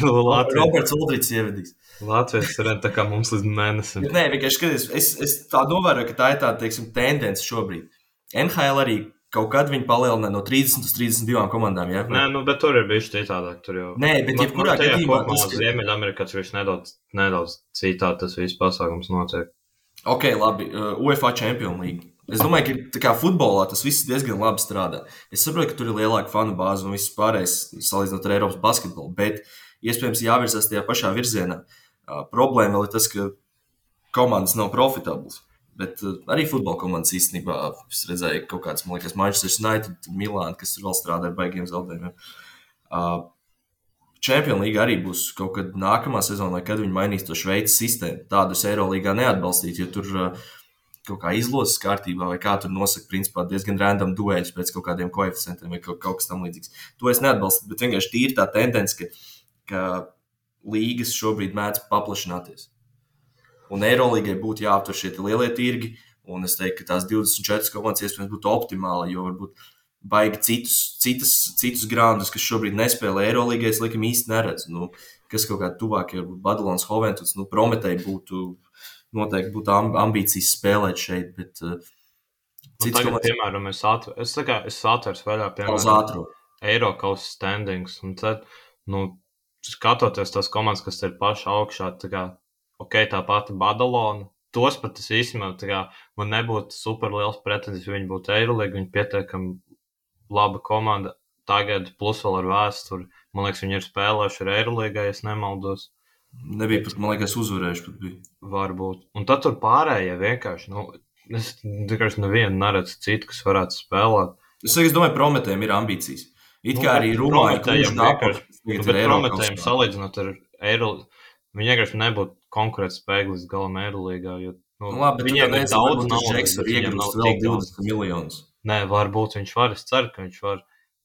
Roberts Uldrichs ievedīs. Latvijas ir tā kā mums līdz mēnesim. Nē, vienkārši skaties, es tā novēroju, ka tā ir tāda, teiksim, tendence šobrīd. NHL arī kaut kad viņi palielināja no 30 uz 32 komandām, jā? Nē, bet tur ir bijuši citādāk. Tur jau. Nē, bet jebkurā gadījumā... Ziemeļamerikā tur nedaudz citādi tas viss pasākums notiek. Ok, labi. UEFA Champions League. Es domāju, ka tā kā futbolā tas viss diezgan labi strādā. Es saprotu, ka tur ir lielāka fanu bāze un viss pārējais salīdzinot ar Eiropas basketbolu, bet iespējams jāvirzās tajā pašā virzienā. Problēma vēl ir tas, ka komandas nav profitablas, bet arī futbola komandas īstenībā es redzēju kaut kāds, man liekas, Manchester United, Milāna, kas tur vēl strādā ar baigiem zaudējumiem. Champions League arī būs kaut kad nākamā sezonā, kad viņi mainīs to Šveices sistēmu. Tādu es Eirolīgā neatbalstītu, jo tur kaut kā izlozes kārtībā vai kā tur nosaka, principā diezgan random dueļus pēc kaut kādiem koeficientiem vai kaut kas tam līdzīgs. To es neatbalstu, bet vienkārši tīri tā tendence, ka līgas šobrīd mēdz paplašināties. Un Eirolīgai būtu jāaptver šie lielie tirgi, un es teiktu, ka tās 24 komandas iespējams būtu optimāli, jo varbūt baigi citus grāndus, kas šobrīd nespēlē Eirolīgai, es laikam īsti neredzu. Nu, kas kaut kā tuvāk, ja Badalons Hoventuts, Prometei noteikti būtu ambīcijas spēlēt šeit, bet tagad, piemēram, es atveru vaļā, piemēram, Eirokaus standings, un tad, skatoties tās komandas, kas ir paši augšā, tā pati Badalona, tos pat es īstenībā, man nebūtu super liels pretenzijas, ja viņi būtu Eirolīga, viņi pietiekami laba komanda tagad, plus vēl ar vēsturi. Man liekas, viņi ir spēlējuši ar Eirolīgā, ja es nemaldos. Nebija pat, man liekas, uzvarējuši pat bija. Varbūt. Un tad tur pārējie vienkārši, es vienkārši nevienu neredzu citu, kas varētu spēlēt. Es domāju, Prometējiem ir ambīcijas. It kā arī Rumāņi, kurš bet Prometējiem salīdzinot ar Eirolīgu, viņi vienkārši nebūtu konkurētspējīgi līdz galam Eirolīgā, jo viņiem ir daudz naudas, viņiem nav tik 20 miljonus. Nē, varbūt viņš var, es ceru, ka viņš var.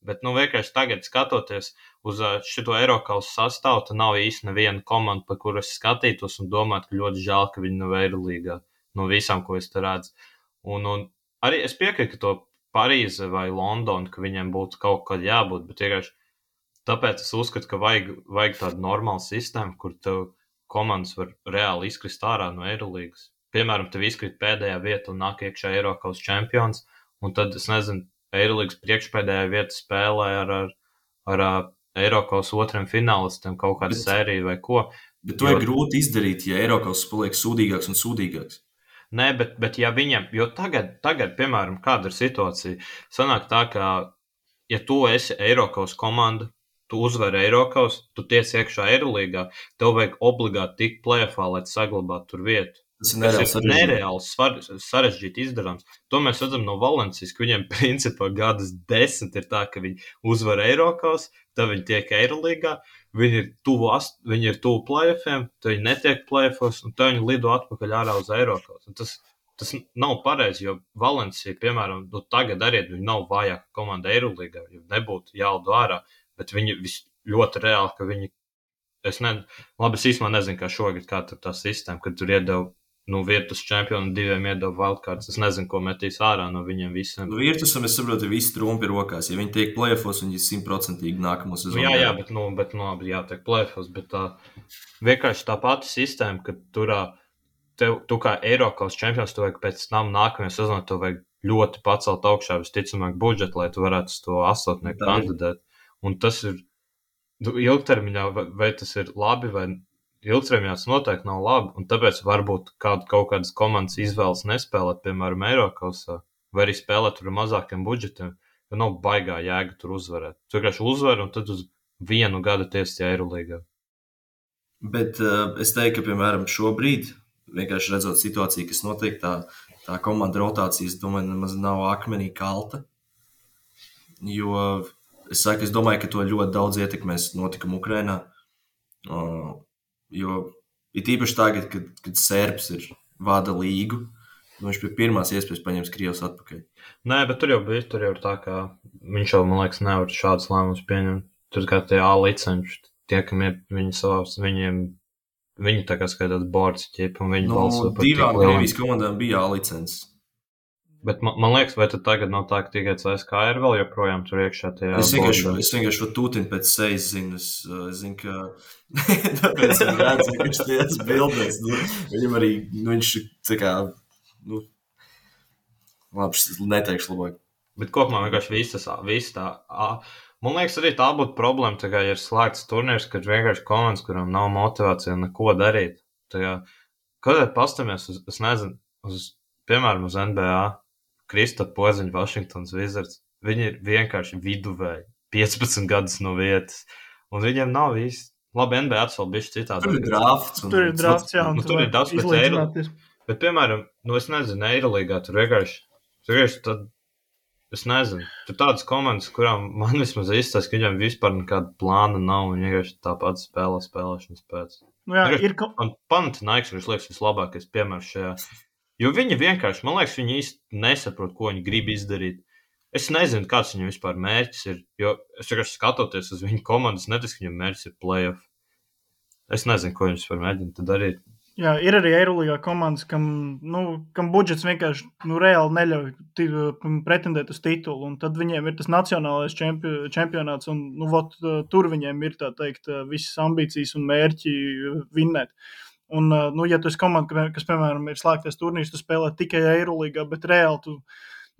Bet, vienkārši tagad skatoties uz šito Eirokaus sastāvu, tad nav īsti neviena komanda, par kuru es skatītos un domātu, ka ļoti žēl, ka viņi nav Eirolīgā no visām, ko es te redzu. Un arī es piekrītu, ka to Parīze vai Londona, ka viņiem būtu kaut kad jābūt, bet vienkārši tāpēc es uzskatu, ka vajag tādu normālu sistēmu, kur tev komandas var reāli izkrist ārā no Eirolīgas. Piemēram, tev izkrīt pēdējā vieta un nāk iekšā Eirokaus čempions, un tad, es nezinu, Eirolīgas priekšpēdējā vieta spēlē ar Eirokaus otriem finālistiem kaut kādu sēriju vai ko. Bet to ir grūti izdarīt, ja Eirokaus paliek sūdīgāks un sūdīgāks. Nē, bet ja viņam, jo tagad, piemēram, kāda ir situācija, sanāk tā, ka, ja tu esi Eirokaus komanda, tu uzvari Eirokaus, tu tiec iekšā Eirolīgā, tev vajag obligāti tikt play-offā, lai saglabātu tur vietu. Tas ir nereāls sarežģīti izdarāms. To mēs redzam no Valencijas, ka viņiem principā gadas 10 ir tā, ka viņi uzvar Eirokaus, tad viņi tiek Eirolīgā, viņi ir tuvu play-offiem, tad viņi netiek play-offos, un tad viņi lido atpakaļ ārā uz Eirokaus. Tas nav pareizi, jo Valencija, piemēram, tagad arī viņi nav vājāka komanda Eirolīgā, jo nebūtu jālido ārā, bet viņi ļoti reāli, ka viņi, es īstenībā nezinu, kā šogad, kā tur tā sistēma, kad tur iedeva Virtus čempionu un 2 iedeva wildcards. Es nezinu, ko metīs ārā no viņiem visiem. Virtusam, es saprotu, visi trumpi rokās. Ja viņi tiek play-offos, viņi 100% nākamo sezonu. Jā, bet jātiek play-offos, bet vienkārši tā pati sistēma, ka tu kā Eirokaus čempions, tu vajag pēc tam nākamajā sezonā, tu vajag ļoti pacelt augšā visticamāk budžetu, lai tu varētu to astotnieku kandidēt. Un tas ir ilgtermiņā, vai tas ir labi, vai ilgtermiņā tas noteikti nav labi, un tāpēc varbūt kaut kādas komandas izvēlas nespēlēt, piemēram, Eirokausā, vai arī spēlēt tur ar mazākiem budžetiem, jo nav baigā jēga tur uzvarēt. Tu vienkārši uzvari, un tad uz 1 gadu tiesi Eirolīgā. Bet es teiktu, ka, piemēram, šobrīd, vienkārši redzot situāciju, kas notiek, tā komanda rotācijas, domāju, nemaz nav akmenī kalta, jo es domāju, ka to ļoti daudz ietekmēs notikumi Ukrainā. Jo ir īpaši tagad, kad Serbs vada līgu, viņš pie pirmās iespējas paņems Krievus atpakaļ. Nē, bet tur jau ir tā, ka viņš jau, man liekas, nevar šādus lēmumus pieņemt. Tur kā tie A licenši, tie, kam ir viņi savās, viņi tā kā skaitās bords ķipa, un viņi balso par tik divām Krievijas komandām bija A licences. Bet man liekas, vai tad tagad nav tā, ka tikai CSKA ir vēl joprojām tur iekšā tajā bordā? Es vienkārši Tūtinu pēc sejas zinu. Es zinu, ka tāpēc viņi redz, ka viņš tajās bildēs. Viņam arī, viņš tā kā, labi, neteikšu labāk. Bet kopumā vienkārši viss tā. Man liekas, arī tā būtu problēma, tā kā ir slēgts turnīrs, kad vienkārši komandas, kurām nav motivācija neko darīt. Tā kā, kad pastamies es nezinu, piemēram, uz NBA, Krista Poziņa, Washingtons Wizards, viņi ir vienkārši viduvēji, 15 gadus no vietas, un viņiem nav īsti. Labi, NBA vēl bišķi citādi. Tur ir drafts. Tur ir drafts, jā. Tur ir daudz pēc Eirolīgas. Bet, piemēram, es nezinu, Eirolīgā tur vienkārši tad es nezinu. Tur tādas komandas, kurām man vismaz izstāsta, ka viņam vispār nekāda plāna nav, un vienkārši tāpat spēlēšanas pēc. Nu, jā, Man Panathinaikos liekas vislabākais piemērs šajā. Jo viņi vienkārši, man liekas, viņi īsti nesaprot, ko viņi grib izdarīt. Es nezinu, kāds viņam vispār mērķis ir, jo es vienkārši skatoties uz viņu komandas, neticu, ka viņam mērķis ir playoff. Es nezinu, ko viņš vispār mēģina darīt. Jā, ir arī Eirolīgā komandas, kam budžets vienkārši reāli neļauj pretendēt uz titulu, un tad viņiem ir tas nacionālais čempionāts, un tur viņiem ir, tā teikt, visas ambīcijas un mērķi vinnēt. Un, ja tu esi komanda, kas, piemēram, ir slēgties turnīrs, tu spēlē tikai Eirolīgā, bet reāli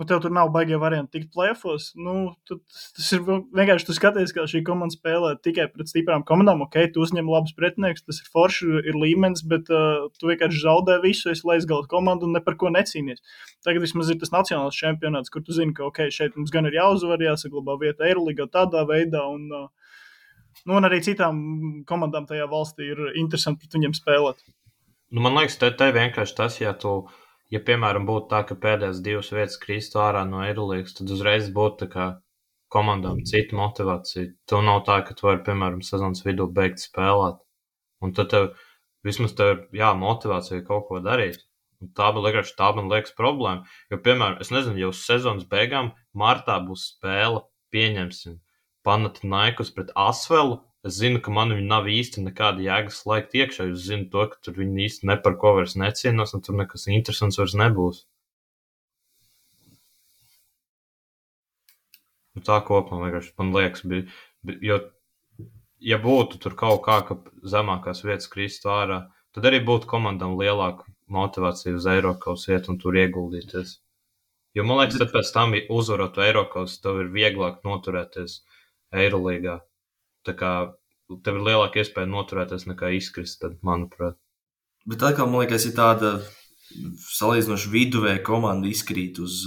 tev tur nav baigie varianti tikt playoffos, tas ir vienkārši, tu skaties, kā šī komanda spēlē tikai pret stiprām komandām, tu uzņem labus pretinieks, tas ir forši, ir līmenis, bet tu vienkārši zaudē visu, esi leisgala komanda un ne par ko necīnies. Tagad vismaz ir tas nacionāls čempionāts, kur tu zini, ka šeit mums gan ir jāuzvar, jāsaglabā vieta Eirolīgā tādā veidā, un arī citām komandām tajā valstī ir interesanti pret viņiem spēlēt. Man liekas, te vienkārši tas, ja piemēram būtu tā, ka pēdējās 2 vietas kristu ārā no Eirolīgas, tad uzreiz būtu tā kā komandām cita motivācija. Tev nav tā, ka tu vari, piemēram, sezonas vidū beigt spēlēt. Un tad vismaz tev ir motivācija kaut ko darīt. Un tā man liekas problēma. Jo, piemēram, es nezinu, jau uz sezonas beigām martā būs spēle, pieņemsim, Panathinaikos pret Asvelu. Es zinu, ka man viņi nav īsti nekāda jēgas slēgt iekšā. Es zinu to, ka tur viņi īsti ne par ko vairs necīnās, un tur nekas interesants vairs nebūs. Un tā kopumā vienkārši man liekas, jo, ja būtu tur kaut kā, ka zemākās vietas kristu ārā, tad arī būtu komandām lielāka motivācija uz Eirokaus iet un tur ieguldīties. Jo man liekas, tad pēc tam uzvarot Eirokaus, tev ir vieglāk noturēties Eirolīgā. Tā kā tev ir lielāka iespēja noturēties nekā izkrist, tad, manuprāt. Bet atkal, man liekas, ir tāda salīdzinoši viduvēja komanda izkrīt uz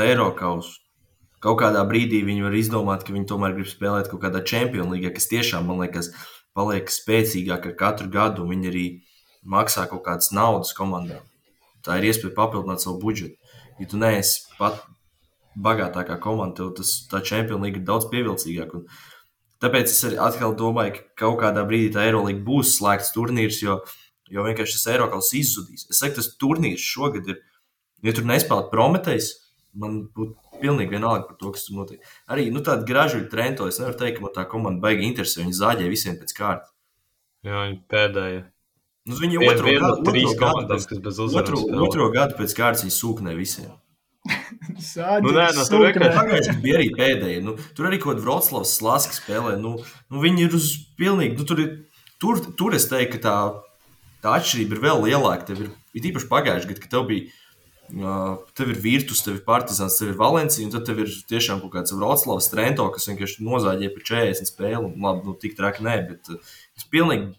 Eirokausu. Kaut kādā brīdī viņi var izdomāt, ka viņi tomēr grib spēlēt kaut kādā Champions League, kas tiešām, man liekas, paliek spēcīgāk ar katru gadu. Viņi arī maksā kaut kādas naudas komandām. Tā ir iespēja papildināt savu budžetu. Ja tu neesi pat bagātākā komanda, tev tā Champions League ir daudz pievilcīgāk. Un tāpēc es arī atkal domāju, ka kaut kādā brīdī tā Eirolīga būs slēgts turnīrs, jo vienkārši tas Eirokaus izzudīs. Es saku, tas turnīrs šogad ir, ja tur nespēlēt Prometejs, man būtu pilnīgi vienalga par to, kas tur notiek. Arī tāda gražuļa Trento, es nevaru teikt, ka man tā komanda baigi interesē, viņi zāģē visiem pēc kārtas. Jā, viņi pēdējie. Viņi otro gadu pēc kārtas viņi sūknē visiem. Pagājuši bija arī pēdējie. Tur arī kaut kāda Vroclavas Slaska spēlē. Viņi ir uz pilnīgi. Tur es teiktu, ka tā atšķirība ir vēl lielāka. Tev ir īpaši pagājuši gadu, ka tev ir Virtus, tev ir Partizans, tev ir Valencija, un tad tev ir tiešām kaut kāds Vroclavas Trento, kas vienkārši nozāģē par 40 spēli. Labi, tik traki nē, bet es pilnīgi.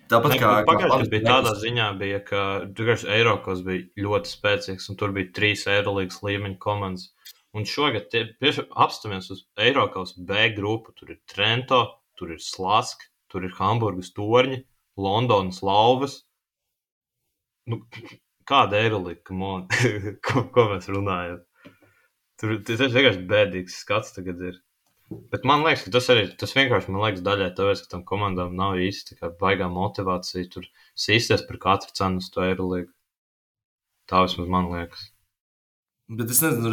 Tāpat kā pagājušajā bija tādā ziņā, ka Eirokaus bija ļoti spēcīgs, un tur bija 3 Eirolīgas līmeņa komandas. Un šogad apstāmies uz Eirokaus B grupu. Tur ir Trento, tur ir Slaska, tur ir Hamburgas Torņi, Londonas Lauvas. Kāda Eirolīga, ko mēs runājam? Tur vienkārši bēdīgs skats tagad ir. Bet man liekas, ka tas vienkārši daļai tāpēc, ka tam komandām nav īsti baigā motivācija tur sīsties par katru cenu uz to Eirolīgu. Tā vismaz man liekas. Bet es nezinu,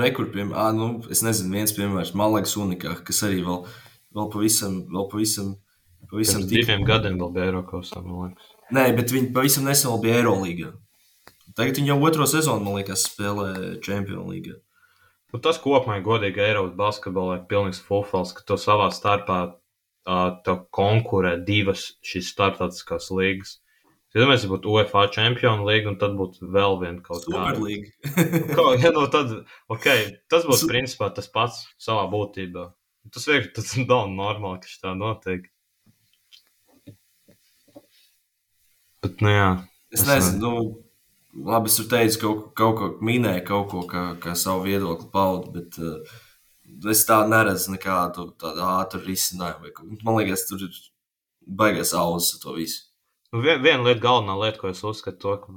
es nezinu, viens piemērs, man liekas unikā, kas arī vēl pavisam Pirms 2 gadiem vēl bija Eirokausā, man liekas. Nē, bet viņi pavisam nesen vēl bija Eirolīgā. Tagad viņi jau otro sezonu, man liekas, spēlē Champions League. Tas kopumā godīgi Eiropas basketbolā ir pilnīgs fulfils, ka to savā starpā tev konkurē 2 šīs starptautiskās līgas. Iedomājieties, ja būtu UEFA Champions League, un tad būtu vēl viena kaut kāda. Superlīga. Tas būtu principā tas pats savā būtībā. Tas vienkārši nav normāli, ka tā notiek. Bet, jā. Es nezinu, labi, es tur teicu, kaut ko minēju, kaut ko kā savu viedokli paudu, bet es tā neredzu nekādu tādu ātru risinājumu. Man liekas, tur ir baigais auzas to visu. Viena lieta, galvenā lieta, ko es uzskatu, ka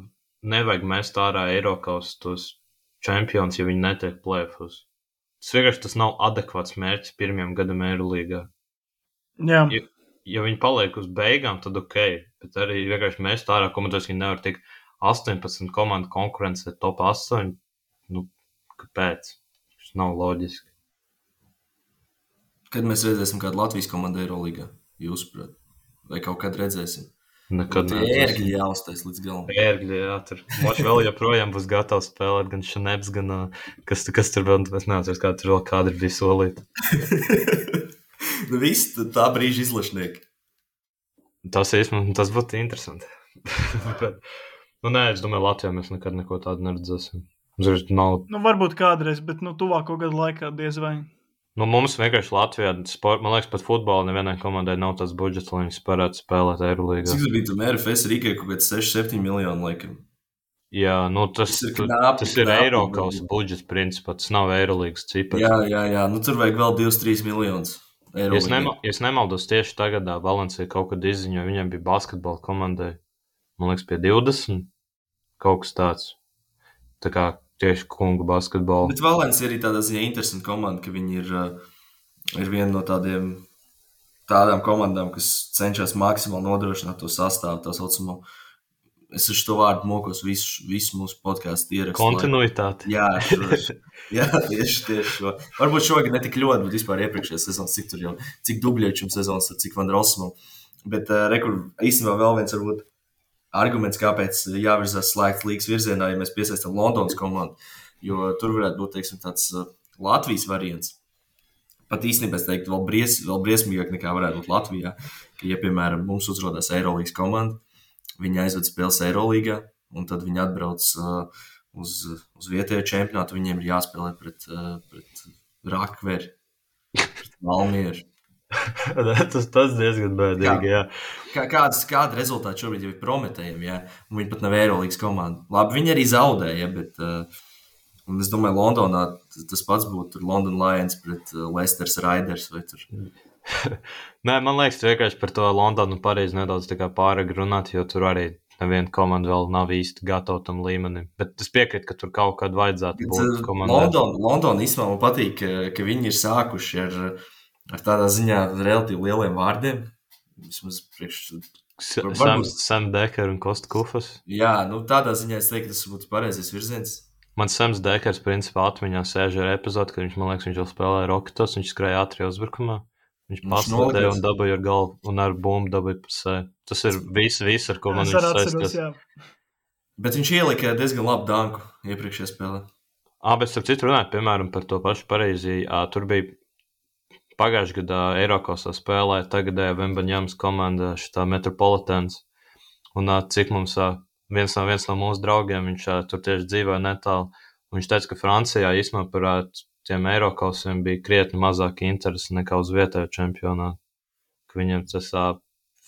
nevajag mest ārā Eirokaus tos čempions, ja viņi netiek play-offos. Tas nav adekvāts mērķis pirmajam gadam Eirolīgā. Jā. Ja viņi paliek uz beigām, tad ok, bet arī vienkārši mēs tā ārā komandos, viņi nevar tikt 18 komandu konkurencē top 8. Nu, kāpēc? Tas nav loģiski. Kad mēs redzēsim kādu Latvijas komandu Eirolīgā, jūsuprāt? Vai kaut kad redzēsim? Nekad ērgļi jāuztais līdz galam. Ērgļi, jā, tur. Moči vēl joprojām būs gatavs spēlēt, gan Šaneps, gan kas tur vēl, es neatceros, kā tur vēl kādi bija solīti. Nu viss tā brīža izlašnieki. Tas būtu interesanti. Bet, nē, es domāju, Latvijā mēs nekad neko tādu neredzēsim. Nu, varbūt kādreiz, bet tuvāko gadu laikā diez vai. Nu, mums vienkārši Latvijā, man liekas, pat futbolā nevienai komandai nav tāds budžets, lai viņas varētu spēlēt Eirolīgā. Cik bija tam RFS Rīgai kaut kāds 6-7 miljonu laikam? Jā, nu tas ir Eirokausa budžets principā, tas nav Eirolīgas cipars. Jā, nu tur vajag vēl 2-3 miljonus. Ja es nemaldos tieši tagad, Valencija kaut kad izziņoja, viņiem bija basketbola komandai, man liekas, pie 20, kaut kas tāds. Tā kā tieši kungu basketbolu. Bet Valencija arī tādā ziņā interesanta komanda, ka viņi ir viena no tādām komandām, kas cenšas maksimāli nodrošināt to sastāvu, tā saucamo. Es ar šo vārdu mokos visu mūsu podcastu ierakstu. Kontinuitāti. Jā, tieši šo. Varbūt šogad ne tik ļoti, bet vispār iepriekšējās sezonas, cik dubļiečam sezonas, cik Van Rossumam. Bet īstenībā vēl viens varbūt arguments, kāpēc jāvirzās slēgt līgas virzienā, ja mēs piesaistam Londonas komandu, jo tur varētu būt, teiksim, tāds Latvijas variants. Pat īstenībā es teiktu, vēl briesmīgāk nekā varētu būt Latvijā, ka, ja, piemēram, mums uzrodās Eirolīgas komanda, viņi aizved spēles Eirolīgā, un tad viņi atbrauc uz vietējo čempionātu, viņiem ir jāspēlē pret Rakveri, pret Valmieru. tas diezgan bēdīgi, jā. Kāda rezultāti šobrīd jau ir prometējami, jā, un viņi pat nav Eirolīgas komanda. Labi, viņi arī zaudēja, bet un es domāju, Londonā tas pats būtu London Lions pret Leicesters Raiders vai tur. Nē, man liekas, vienkārši par to Londonu pareizi nedaudz tā kā pārāk runāt, jo tur arī neviena komanda vēl nav īsti gatava tam līmenim. Bet es piekrītu, ka tur kaut kad vajadzētu būt komandai. London īstenībā man patīk, ka viņi ir sākuši ar tādā ziņā relatīvi lieliem vārdiem. Vismaz Sam Dekers un Kosta Kufas. Jā, nu tādā ziņā es teiktu, ka tas būtu pareizais virziens. Man Sams Dekers principā atmiņā sēž ar epizodu, kad viņš jau spēlēja Roketos, viņš skrēja ātrijā uzbrukumā. Viņš paslēdēja un dabūja ar galvu un ar bumbu dabūja pusē. Tas ir viss, ar ko man viņš saistās. Bet viņš ielika diezgan labu danku iepriekšējā spēlē. Bet starp citu runāt, piemēram, par to pašu pareizi. Tur bija pagājušajā gadā Eirokosā spēlēja tagadēja Vembaņāmas komanda šitā Metropolitans. Un cik mums viens no mūsu draugiem, viņš tur tieši dzīvoja netālu. Un viņš teica, ka Francijā īstenībā par tiem Eirokosiem bija krietni mazāk interesi nekā uz vietējo čempionātu. Ka viņiem tas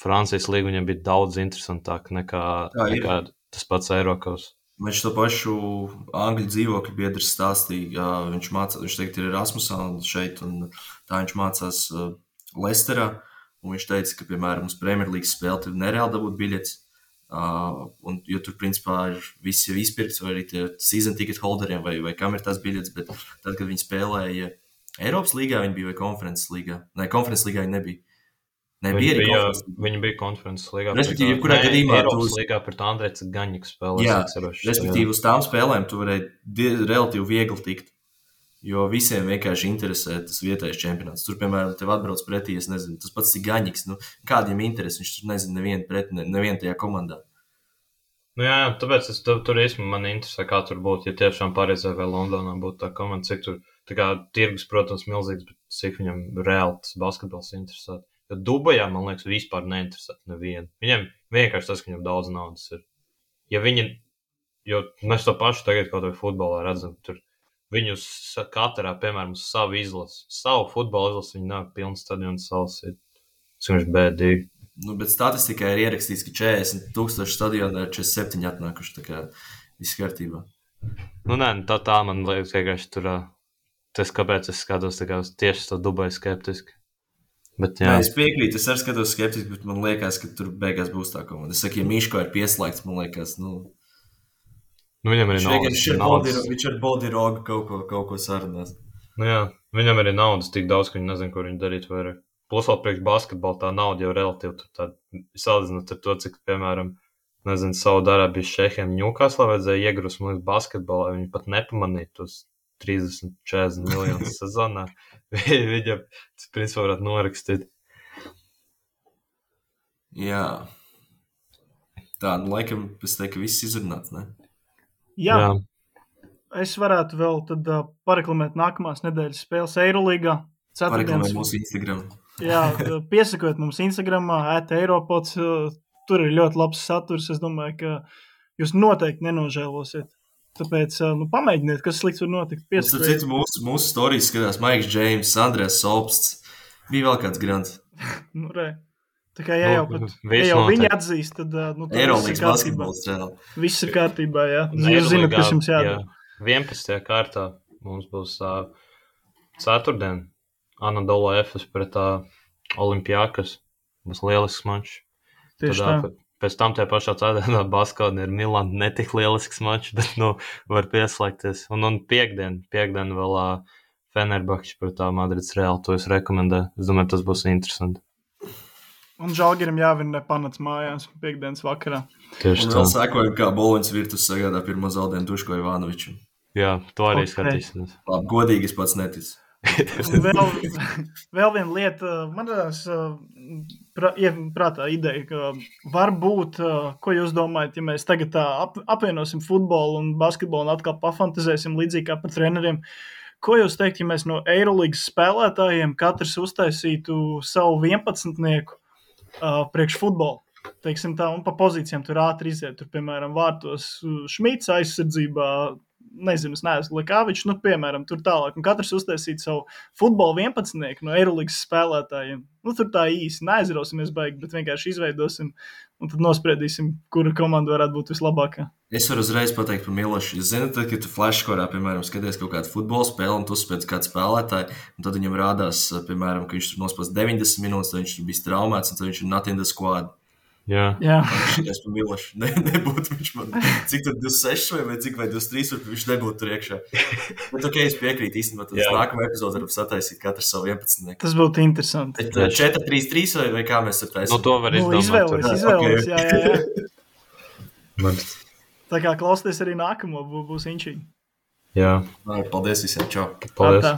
Francijas līga viņiem bija daudz interesantāk nekā tas pats Eirokos. Viņš to pašu angļu dzīvokļu biedrs stāstīja, viņš teikt ir Erasmusā un šeit, un tā viņš mācās Leicesterā, un viņš teica, ka, piemēram, uz Premjerlīgas spēli tur nereāli dabūt biļetes, jo tur, principā, ir viss jau izpirkts, vai arī tie season ticket holderiem, vai kam ir tās biļetes, bet tad, kad viņi spēlēja Eiropas līgā, viņi bija vai konferences līgā? Nē, konferences līgā viņi nebija. Viņi bija konferences līgā. Respektīvi, kurā gadījumā Eiropas līgā pret Andrejs Gaņiks spēlēs. Jā, respektīvi, uz tām spēlēm tu varēji relatīvi viegli tikt, jo visiem vienkārši interesē tas vietējais čempionāts. Tur, piemēram, tev atbrauc pretī, es nezinu, tas pats ir Gaņiks, kādiem interesi, viņš tur nezina nevienu tajā komandā. Nu jā, tāpēc tur īstenībā man interesē, kā tur būtu, ja tiešām Parīzē vai Londonā būtu tā komanda, cik tur, tā kā tirgus, protams, milzīgs, bet cik viņam reāli tas basketbols interesē. Jo Dubajā, man liekas, vispār neinteresē nevienu. Viņam vienkārši tas, ka viņam daudz naudas ir. Jo mēs to pašu tagad kaut vai futbolā redzam, tur viņu katrā, piemēram, uz savu izlasi. Savu futbola izlasi viņi nāk pilns stadionu salasīt. Tas viņš bēdīgi. Bet statistikā ir ierakstīts, ka 40,000 stadionā ir 47 atnākuši, tā kā viss kārtībā. Nē, tā man liekas, vienkārši tur, tas kāpēc es skatos tā kā tieši to Dubai skeptiski. Bet, jā. Es piekrītu, es arī skatos skeptiski, bet man liekas, ka tur beigās būs tā komanda. Es saku, ja Miško ir pieslēgts, man liekas, Nu, viņam arī naudas. Viņš ar Boldirogu kaut ko sarunās. Nu, jā, viņam arī naudas tik daudz, ka viņi nezin, ko viņi darīt vairāk. Plus vēl priekš basketbola tā nauda jau relatīvi tur tāda, salīdzinot ar to, cik, piemēram, nezinu, Saudārābijas šehiem Ņūkaslā vajadzēja iegrust, man liekas, basketbolā, viņi pat nepamanīja tos 30-40 miljonus sezonā. Viņam, tas principā varētu norakstīt. Jā. Tā, nu laikam, es teiktu, ka viss izrunāts, ne? Jā. Es varētu vēl tad pareklamēt nākamās nedēļas spēles Eirolīgā. Pareklamēt mūsu Instagram. Jā, piesakot mums Instagramā, @Eiropods. Tur ir ļoti labs saturs. Es domāju, ka jūs noteikti nenožēlosiet. Tāpēc pamēģiniet, kas slikts var notikt. Piesakot. Mūsu storijas skatās Maiks Džeims, Andrēs Solpsts. Bija vēl kāds grants. Nu, re. Tā kā ja jau viņi atzīst, tad Eirolīgas basketbols reāli. Viss ir kārtībā, jā. Jūs zināt, kas jums jādara. 11. kārtā mums būs ceturtdien Anadolu Efes pret Olimpiakas. Būs lielisks mačs. Tieši tā. Pēc tam tajā pašā ceturtdienā Baskoni ir Milāna netik lielisks mačs, bet var pieslēgties. Un piekdien vēl Fenerbahčs pret Madrids Reāli. To es rekomendēju. Es domāju, tas būs interesanti. Un Žalgirim jāvinē Panats mājās piekdienas vakarā. Tieši un vēl sekojam, kā Boloņas Virtus sagādā pirmo zaudējumu Duško Ivanovičam. Jā, to arī skatīsimies. Labi, godīgi es pats neticu. Vēl viena lieta, man tās prātā ideja, ka varbūt, ko jūs domājat, ja mēs tagad tā apvienosim futbolu un basketbolu un atkal pafantazēsim līdzīgi kā par treneriem, ko jūs teikt, ja mēs no Eirolīgas spēlētājiem katrs uztaisītu savu 11-nieku priekš futbolu? Teiksim tā, un pa pozīcijām tur ātri iziet, tur, piemēram, vārtos Šmits aizsardzībā, nezinu, es neesmu Lekāvičs, piemēram, tur tālāk, un katrs uztaisīt savu futbolu 11-nieku no Eirolīgas spēlētājiem. Tur tā īsi neaizrausimies baigi, bet vienkārši izveidosim un tad nospriedīsim, kura komanda varētu būt vislabākā. Es varu uzreiz pateikt par Milošu. Jūs zināt, kad tu flashskorā, piemēram, skaties kaut kādu futbola spēli un tu uzspēc kādu spēlētāju, un tad viņam rādās, piemēram, ka viņš tur nospēs 90 minūtes, tad viņš tur bijis traumēts un tad viņš ir not in the squad. Jā. Šitais par Milošu. Nebūtu viņš man, cik tur 26 vai cik vai 23, viņš nebūtu tur iekšā. Bet ok, es piekrītu īstenībā, tad nākamā epizoda varam sataisīt katru savu 11. Tas būtu interesanti. 4-3-3 vai kā mēs tur taisām? To var izdomāt. Izvēlēs, jā. Man. Tā kā klausieties arī nākamo, būs inčīgi. Jā. Paldies visiem, čau. Paldies.